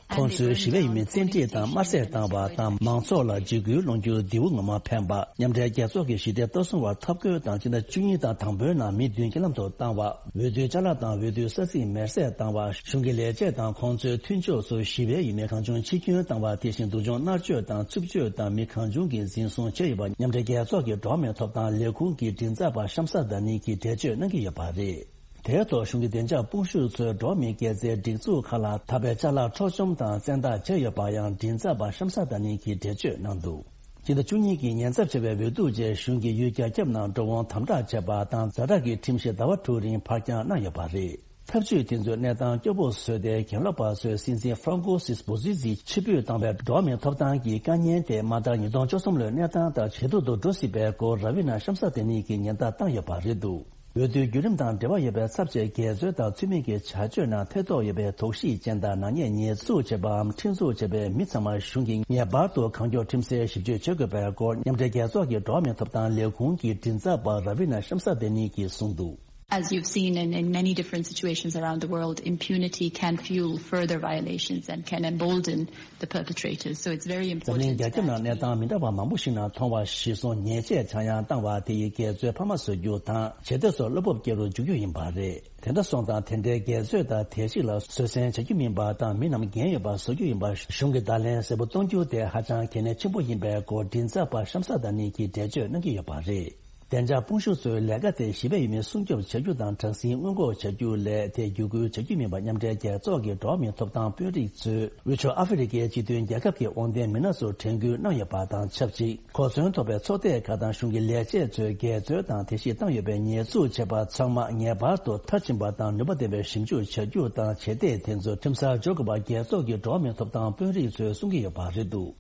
ཁོང་ཚོས་ཞི་བའི་ཡུལ་མི་བཙན་ཁྲིད་དང་དམར་གསོད་བཏང་བ་དང་མང་ཚོགས་ལ་འཇིགས་སྐུལ་སློང་རྒྱུ་འདི་འོ་ངོ་མ་ཕན་པ་མཉམ་འབྲེལ་རྒྱལ་ཚོགས་ཀྱི་ཞི་བདེ་ལྟ་སྲུང་བར་འཐབ་རྒོལ་དང་སྤྱི་ཟླ་བཅུ་གཉིས་དང་དང་པོའི་ནང་མི་བདུན་རྐྱེན་ལམ་དུ་བཏང་བ། འོས་བསྡུའི་ཅ་ལག་དང་འོས་བསྡུའི་ས་ཚིགས་མེར་སྲེག་བཏང་བ། གཞུང་གི་ལས་བྱེད་དང་ཁོང་ཚོའི་མཐུན་ཕྱོགས་ཚོས་ཞི་བའི་ཡུལ་མི་གང་བྱུང་འཆི་སྐྱོན་བཏང་བ་དེ་བཞིན་སྡུག་སྦྱོང་མནར་གཅོད་དང་རྩུབ་སྤྱོད་དང་མི་གང་བྱུང་གིས་འཛིན་བཟུང་བྱས་ཡོད་པ་མཉམ་འབྲེལ་རྒྱལ་ཚོགས་ཀྱི་འགྲོ་བ་མིའི་ཐོབ་ཐང་ལས་ཁུངས་ཀྱི་མགྲིན་ཚབ་པ་ཤམ་ས་དཱ་ནི་གིས་འགྲེལ་བརྗོད་གནང་གི་ཡོད་པ་རེད། དེའི་ཐོག་གཞུང་གི་བདེ་འཇགས་དཔུང་ཤུགས་ཚོས་འགྲོ་བ་མིའི་དཀྱིལ་རྩེའི་སྒྲིག་འཛུགས་ཁག་ལ་ཐག་པའི་ཅ་ལག་འཕྲོག་བཅོམ་དང་བཙན་བདག་བྱས་ཡོད་པ་ཡང་མགྲིན་ཚབ་པ་ཤམ་ས་དཱ་ནི་གིས་འགྲེལ་བརྗོད་གནང་འདུག་སྤྱི་ཟླ་བཅུ་གཉིས་ཀྱི་ཉེན་ཚབས་ཆེ་བའི་འོས་བསྡུ་རྗེས་གཞུང་གིས་ཡུལ་རྒྱ་ཁྱབ་ནང་འགྲོ་འོང་དམ་དྲག་བྱས་པ་དང་ཛ་དྲག་གི་ཁྲིམས་གཞི་ཟླ་བ་དྲུག་རིང་ཕར་འགྱངས་གནང་ཡོད་པ་རེད། ཐབས་ཇུས་དེ་ཚོས་གནས་སྟངས་སྐྱོ་པོ་བཟོས་ཏེ་གྱེན་ལོག་པ་ཚོས་སྲིད་འཛིན་ཧྥ་རན་ཀོ་སིས་བོ་ཟི་ཛི་ཕྱིར་འབུད་བཏང་བའི་འགྲོ་བ་མིའི་ཐོབ་ཐང་གི་དཀའ་ངལ་དེ་མ་མཐར་ཉིས་སྟོང་བཅུ་གསུམ་ལོའི་གནས་སྟངས་ལྟར་ཇེ་སྡུག་ཏུ་འགྲོ་སྲིད་པའི་སྐོར་ར་བི་ན་ཤམ་ས་དཱ་ནི་གིས་ཉེན་བརྡ་བཏང་ཡོད་པ་རེད་འདུག་འོས་བསྡུའི་བརྒྱུད་རིམ་དང་འབྲེལ་བ་ཡོད་པའི་ཚབས་ཆེའི་འགལ་འཛོལ་དང་ཚུལ་མིན་གྱི་བྱ་སྤྱོད་ནང་ཐེ་གཏོགས་ཡོད་པའི་དོགས་གཞི་ཅན་དང་ནག་ཉེས་ཉེས་འཛུགས་བྱས་པའམ་ཁྲིམས་འཛུགས་བྱས་པའི་མི་ཚང་མར་གཞུང་གིས་ངེས་པར་དུ་གང་མགྱོགས་ཁྲིམས་སེལ་ཞིབ་དཔྱོད་བྱེད་དགོས་པའི་སྐོར་མཉམ་འབྲེལ་རྒྱལ་ཚོགས་ཀྱི་འགྲོ་བ་མིའི་ཐོབ་ཐང་ལས་ཁུངས་ཀྱི་མགྲིན་ཚབ་པ་ར་བི་ན་ཤམ་ས་དཱ་ནི་གིས་གསུངས་འདུག As you've seen in, in many different situations around the world, impunity can fuel further violations and can embolden the perpetrators. So it's very འཛམ་གླིང་རྒྱལ་ཁབ་ནང་གནས་སྟངས་མི་འདྲ་བ་མང་པོ་ཞིག་ནང་མཐོང་བར་གཞི་བཟུང་ཉེས་ཆད་ཆག་ཡང་བཏང་བ་དེ་ཡིས་འགལ་འཛོལ་འཕར་མ་བཟོ་རྒྱུ་དང་ཇེ་བདེ་སོགས་བློ་སྤོབས་སྐྱེ་རུ་འཇུག་རྒྱུ་ཡིན་པ་རེད། དེ་འདྲ་སོང་ཙང་དེ་འདྲའི་འགལ་འཛོལ་དང་དེ་ཞིག་ལ་བཟོད་བསྲན་བྱ་རྒྱུ་མིན་པ་དང་མི་རྣམས་འགན་ཡོད་པ་བཟོ་རྒྱུ་ཡིན་པ་གཞུང་གི་བརྡ་ལན་གསལ་པོ་གཏོང་རྒྱུ་དེ་ཧ་ཅང་གལ་གནད་ཆེན་པོ་ཡིན་པའི་སྐོར་མགྲིན་ཚབ་པ་ཤམ་ས་དཱ་ནི་གིས་འགྲེལ་བརྗོད་གནང་གི་ཡོད་པ་རེད། བདེ་འཇགས་དཔུང་ཤུགས་ཚོའི་ལས་ཀ་དེ་ཞི་བའི་ཡུལ་མི་སྲུང་སྐྱོབ་བྱ་རྒྱུ་དང་དྲག་ཟིང་སྔོན་འགོག་བྱ་རྒྱུ་ལས་དེ་བརྒྱུད་སྐུལ་བྱ་རྒྱུ་མིན་པ་མཉམ་འབྲེལ་རྒྱལ་ཚོགས་ཀྱི་འགྲོ་བ་མིའི་ཐོབ་ཐང་དཔོན་རིགས་ཚོས་དབུས་ཕྱོགས་ཨ་ཧྥེ་རི་ཁའི་སྤྱི་མཐུན་རྒྱལ་ཁབ་ཀྱི་དབང་ལྡན་མི་སྣ་ཚོར་དྲན་སྐུལ་གནང་ཡོད་པ་དང་ཆབས་ཅིག་གོ་མཚོན་ཐོབ་པའི་ཚོགས་སྡེ་ཁག་དང་གཞུང་གི་ལས་བྱེད་ཚོས་འགལ་འཛོལ་དང་དེ་བཞིན་བཏང་ཡོད་པའི་ཉེས་འཛུགས་བྱས་པ་ཚང་མ་ངེས་པར་དུ་མཐར་ཕྱིན་པ་དང་ནུས་པ་ལྡན་པའི་ཞིབ་འཇུག་བྱ་རྒྱུ་དང་བྱེད་གཏེ་དེ་ཚོ་ཁྲིམས་སར་འཇོག་དགོས་པ་རྒྱལ་ཚོགས་ཀྱི་འགྲོ་བ་མིའི་ཐོབ་ཐང་དཔོན་རིགས་ཚོས་གསུང་གི་ཡོད་པ་རེད་འདུག་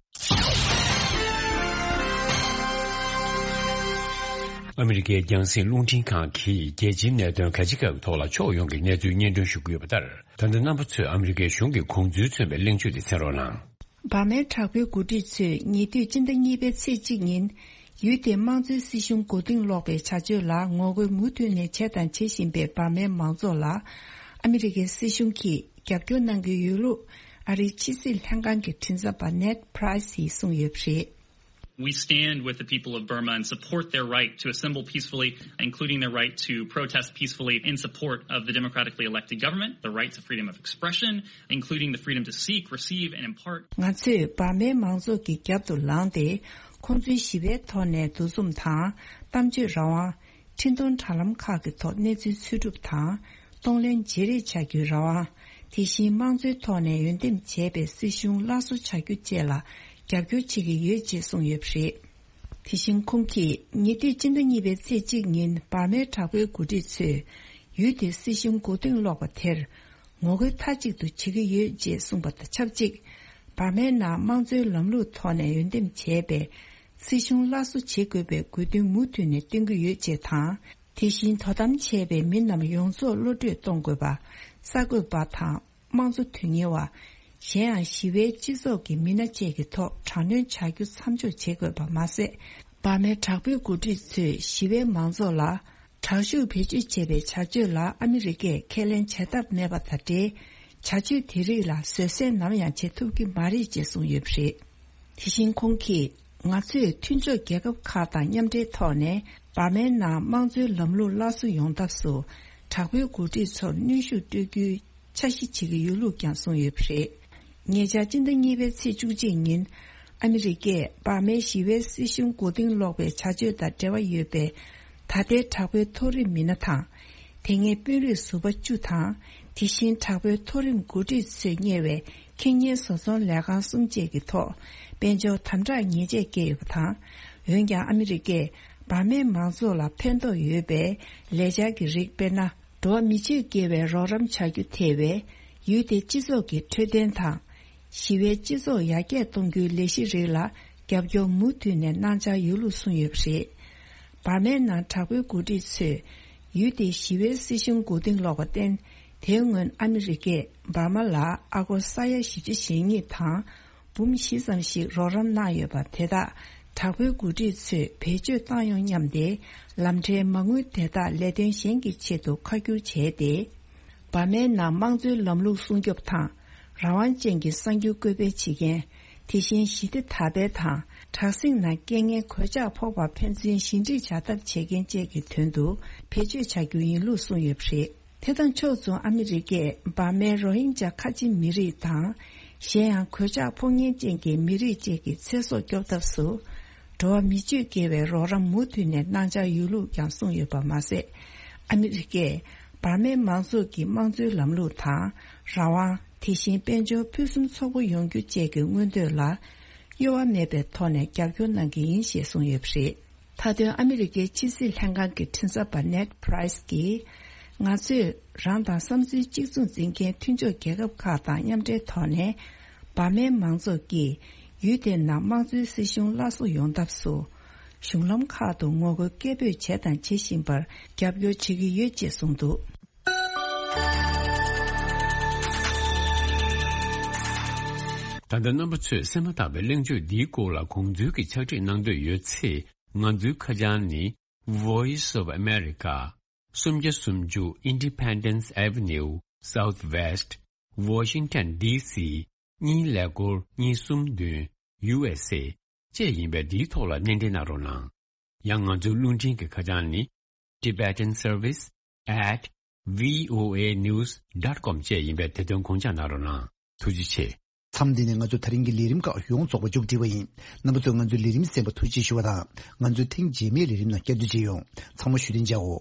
ཨ་མི་རི་ཀའི་རྒྱང་སྲིང་རླུང་འཕྲིན་ཁང་གིས་རྒྱལ་སྤྱིའི་གནད་དོན་ག་ཅི་ག་གི་ཐོག་ལ་ཕྱོགས་ཡོངས་ཀྱི་གནས་ཚུལ་སྙན་སྒྲོན་ཞུ་གི་ཡོད་པ་ལྟར། ད་ལྟ་རྣམ་པ་ཚོས་ཨ་མི་རི་ཀའི་གཞུང་གི་དགོངས་ཚུལ་མཚོན་པའི་གླེང་བརྗོད་དེ་གསན་རོགས་གནང་། འབར་མའི་དྲག་པོའི་འགོ་ཁྲིད་ཚོས་ཉེ་དུས་སྤྱི་ཟླ་གཉིས་པའི་ཚེས་གཅིག་ཉིན། ཡུལ་དེའི་དམངས་གཙོའི་སྲིད་གཞུང་མགོ་རྟིང་སློག་པའི་བྱ་སྤྱོད་ལ་ངོ་རྒོལ་མུ་མཐུད་ནས་བྱས་དང་བྱེད་བཞིན་པའི་འབར་མའི་མང་ཚོགས་ལ། ཨ་མི་རི་ཀའི་སྲིད་གཞུང་གིས་རྒྱབ་སྐྱོར་གནང་གི་ཡོད་ལུགས། ཨ་རིའི་ཕྱི་སྲིད་ལྷན་ཁང་གི་མགྲིན་ཚབ་པ་ནེད་པྲའི་སིས་གསུངས་ཡོད་པ་རེད། We stand with the people of Burma and support their right to assemble peacefully, including their right to protest peacefully in support of the democratically elected government, the rights of freedom of expression, including the freedom to seek, receive, and impart. ང་ཚོས་འབར་མའི་མང་ཚོགས་ཀྱི་རྒྱབ་ཏུ་ལངས་ཏེ། ཁོང་ཚོའི་ཞི་བའི་ཐོག་ནས་འདུ་འཛོམས་དང་། གཏམ་བརྗོད་རང་དབང་། འཕྲིན་གཏོང་དྲ་ལམ་ཁག་གི་ཐོག་གནས་ཚུལ་འཚོལ་སྒྲུབ་དང་། གཏོང་ལེན་བརྗེ་རེས་བྱ་རྒྱུའི་རང་དབང་། དེ་བཞིན་དམངས་གཙོའི་ཐོག་ནས་འོས་འདེམས་བྱས་པའི་སྲིད་གཞུང་སླར་གསོ་བྱ་རྒྱུ་བཅས་ལ་རྒྱབ་སྐྱོར་བྱེད་ཀྱི་ཡོད་ཅེས་གསུངས་ཡོད་པ་རེད། དེ་བཞིན་ཁོང་གིས་ཉེ་དུས་སྤྱི་ཟླ་གཉིས་པའི་ཚེས་གཅིག་ཉིན་འབར་མའི་དྲག་པོའི་འགོ་ཁྲིད་ཚོས་ཡུལ་དེའི་སྲིད་གཞུང་མགོ་རྟིང་སློག་པ་དེར། ངོ་རྒོལ་མཐའ་གཅིག་ཏུ་བྱེད་ཀྱི་ཡོད་ཅེས་གསུངས་པ་དང་ཆབས་ཅིག་འབར་མའི་ནང་དམངས་གཙོའི་ལམ་ལུགས་ཐོག་ནས་འོས་འདེམས་བྱས་པའི་སྲིད་གཞུང་སླར་གསོ་བྱེད་དགོས་པའི་དགོས་འདུན་མུ་མཐུད་ནས་བཏོན་གྱི་ཡོད་ཅེས་དང་། དེ་བཞིན་དོ་དམ་བྱས་པའི་མི་རྣམས་ཡོངས་རྫོགས་གློད་བཀྲོལ་གཏོང་དགོས་པ། གསར་འགོད་པ་དང་དམངས་གཙོ་དོན་གཉེར་བ། གཞན་ཡང་ཞི་བའི་སྤྱི་ཚོགས་ཀྱི་མི་སྣ་བཅས་ཀྱི་ཐོག་དྲག་གནོན་བྱ་རྒྱུ་མཚམས་འཇོག་བྱེད་དགོས་པ་མ་ཟད། འབར་མའི་དྲག་པོའི་འགོ་ཁྲིད་ཚོས་ཞི་བའི་མང་ཚོགས་ལ་དྲག་ཤུགས་བེད་སྤྱོད་བྱས་པའི་བྱ་སྤྱོད་ལ་ཨ་མི་རི་ཀས་ཁས་ལེན་བྱ་ཐབས་མེད་པ་དང་འབྲེལ། བྱ་སྤྱོད་དེ་རིགས་ལ་བཟོད་བསྲན་ནམ་ཡང་བྱེད་ཐུབ་ཀྱི་མ་རེད་ཅེས་གསུངས་ཡོད་པ་རེད། དེ་བཞིན་ཁོང་གིས། ང་ཚོས་མཐུན་ཕྱོགས་རྒྱལ་ཁབ་ཁག་དང་མཉམ་འབྲེལ་ཐོག་ནས་འབར་མའི་ནང་དམངས་གཙོའི་ལམ་ལུགས་སླར་གསོ་ཡོང་ཐབས་སུ་དྲག་པོའི་འགོ་ཁྲིད་ཚོར་གནོན་ཤུགས་སྤྲོད་རྒྱུའི་འཆར་གཞི་བྱེད་ཀྱི་ཡོད་ལུགས་ཀྱང་གསུངས་ཡོད་པ་རེད། ཉེ་ཆར་སྤྱི་ཟླ་གཉིས་པའི་ཚེས་བཅུ་གཅིག་ཉིན། ཨ་མི་རི་ཀས་འབར་མའི་ཞི་བའི་སྲིད་གཞུང་མགོ་རྟིང་སློག་པའི་བྱ་སྤྱོད་དང་འབྲེལ་བ་ཡོད་པའི་ད་ལྟའི་དྲག་པོའི་མཐོ་རིམ་མི་སྣ་དང་། དེ་སྔའི་དཔོན་རིགས་ཟུར་པ་བཅུ་དང་། དེ་བཞིན་དྲག་པོའི་མཐོ་རིམ་འགོ་ཁྲིད་ཚོས་གཉེར་བའི་ཁེ་ཉེན་བཟོ་ཚོང་ལས་ཁང་གསུམ་བཅས་ཀྱི་ཐོག་དཔལ་འབྱོར་དམ་དྲག་ཉེས་ཆད་བཀལ་ཡོད་པ་དང་། འོན་ཀྱང་ཨ་མི་རི་ཀས་འབར་མའི་མང་ཚོགས་ལ་ཕན་ཐོགས་ཡོད་པའི་ལས་འཆར་གྱི་རིགས། དཔེར་ན། འགྲོ་བ་མི་སྤྱོད་དགེ་བའི་རོགས་རམ་བྱ་རྒྱུ་ཐེ་བའི་ཡུལ་དེའི་སྤྱི་ཚོགས་ཀྱི་འཕྲོད་བསྟེན་དང་། ཞི་བའི་སྤྱི་ཚོགས་ཡར་རྒྱས་གཏོང་རྒྱུའི་ལས་གཞི་རིགས་ལ་རྒྱབ་སྐྱོར་མུ་མཐུད་ནས་གནང་འཆར་ཡོད་ལུགས་གསུངས་ཡོད་པ་རེད། འབར་མའི་ནང་དྲག་པོའི་འགོ་ཁྲིད་ཚོས་ཡུལ་དེའི་ཞི་བའི་སྲིད་གཞུང་མགོ་རྟིང་སློག་པར་བརྟེན། དེའི་སྔོན་ཨ་མི་རི་ཀས་འབར་མ་ལ་ཨ་སྒོར་ས་ཡ་བཞི་བཅུ་ཞེ་གཉིས་དང་། འབུམ་བཞི་ཙམ་ཞིག་རོགས་རམ་གནང་ཡོད་པ་དེ་དག་དྲག་པོའི་འགོ་ཁྲིད་ཚོས་བེད་སྤྱོད་བཏང་ཡོང་སྙམ་སྟེ། ལམ་ཁྲལ་མ་དངུལ་དེ་དག་ལས་དོན་གཞན་གྱི་ཆེད་དུ་ཁ་བསྒྱུར་བྱས་ཏེ། འབར་མའི་ནང་དམངས་གཙོའི་ལམ་ལུགས་སྲུང་སྐྱོབ་དང་། རང་དབང་ཅན་གྱི་གསར་འགྱུར་བཀོད་སྤེལ་བྱེད་མཁན། དེ་བཞིན་ཞི་བདེ་དར་སྤེལ་དང་། དྲག་ཟིང་ནང་རྐྱེན་ངན་གོད་ཆག་ཕོག་པར་ཕན་ཚུན་ཞི་འགྲིག་བྱ་ཐབས་བྱེད་མཁན་བཅས་ཀྱི་དོན་དུ་བེད་སྤྱོད་བྱ་རྒྱུ་ཡིན་ལུགས་གསུངས་ཡོད་པ་རེད། དེ་དང་ཕྱོགས་མཚུངས་ཨ་མི་རི་ཀས་འབར་མའི་རོ་ཧིན་ཇཱ་ཁ་ཆེ་མི་རིགས་དང་། གཞན་ཡང་གོད་ཆག་ཕོག་ཉེན་ཅན་གྱི་མི་རིགས་བཅས་ཀྱི་ཚེ་སྲོག་སྐྱོབ་ཐབས་སུ། འགྲོ་བ་མི་སྤྱོད་དགེ་བའི་རོགས་རམ་མུ་མཐུད་ནས་གནང་འཆར་ཡོད་ལུགས་ཀྱང་གསུངས་ཡོད་པ་མ་ཟད། ཨ་མི་རི་ཀས་འབར་མའི་མང་ཚོགས་ཀྱི་དམངས་གཙོའི་ལམ་ལུགས་དང་། རང་དབང་། དེ་བཞིན་དཔལ་འབྱོར་ཕུན་སུམ་ཚོགས་པོ་ཡོང་རྒྱུ་བཅས་ཀྱི་མངོན་འདོད་ལ། གཡོ་བ་མེད་པའི་ཐོག་ནས་རྒྱབ་སྐྱོར་གནང་གི་ཡིན་ཞེས་གསུངས་ཡོད་པ་རེད། མཐའ་དོན་ཨ་མི་རི་ཀའི་ཕྱི་སྲིད་ལྷན་ཁང་གི་མགྲིན་ཚབ་པ་ནེད་པྲའི་སི་ཀྱིས། ང་ཚོས་རང་དང་བསམ་ཚུལ་གཅིག་མཚུངས་འཛིན་མཁན་མཐུན་ཕྱོགས་རྒྱལ་ཁབ་ཁག་དང་མཉམ་འབྲེལ་ཐོག་ནས། འབར་མའི་མང་ཚོགས་ཀྱིས་ཡུལ་དེའི་ནང་དམངས་གཙོའི་སྲིད་གཞུང་སླར་གསོ་ཡོང་ཐབས་སུ། གཞུང་ལམ་ཁག་ཏུ་ངོ་རྒོལ་སྐད་འབོད་བྱས་དང་བྱེད་བཞིན་པར་རྒྱབ་སྐྱོར་བྱེད་ཀྱི་ཡོད་ཅེས་གསུངས་འདུག། ད་ལྟ་རྣམ་པ་ཚོས་གསན་མ་ཐག་པའི་གླེང་བརྗོད་འདིའི་སྐོར་ལ་དགོངས་ཚུལ་གྱི་ཕྱག་བྲིས་གནང་འདོད་ཡོད་ཚེ། ང་ཚོའི་ཁ་བྱང་ནི། Voice of America། སུམ་བརྒྱ་སུམ་ཅུ་Independence Avenue Southwest Washington D C གཉིས་ཀླད་ཀོར་གཉིས་གསུམ་བདུན། U S A བཅས་ཡིན་པས། འདིའི་ཐོག་ལ་སྣེ་འདྲེན་གནང་རོགས་གནང་། ཡང་ང་ཚོའི་རླུང་འཕྲིན་གྱི་ཁ་བྱང་ནི། Tibetan Service at V O A news dot com བཅས་ཡིན་པས། དེ་དོན་དགོངས་འཇགས་གནང་རོགས་གནང་། ཐུགས་རྗེ་ཆེ། མཚམས་འདི་ནས་ང་ཚོ་དེ་རིང་གི་ལས་རིམ་ཁག་ཡོངས་རྫོགས་པ་མཇུག་སྒྲིལ་བ་ཡིན། རྣམ་པ་ཚོས་ང་ཚོའི་ལས་རིམ་གསན་པར་ཐུགས་རྗེ་ཞུ་བ་དང་། ང་ཚོའི་ཐེངས་རྗེས་མའི་ལས་རིམ་ནང་བསྐྱར་དུ་མཇལ་ཡོང་། ཚང་མ་བཞུགས་གདན་འཇགས་འོ།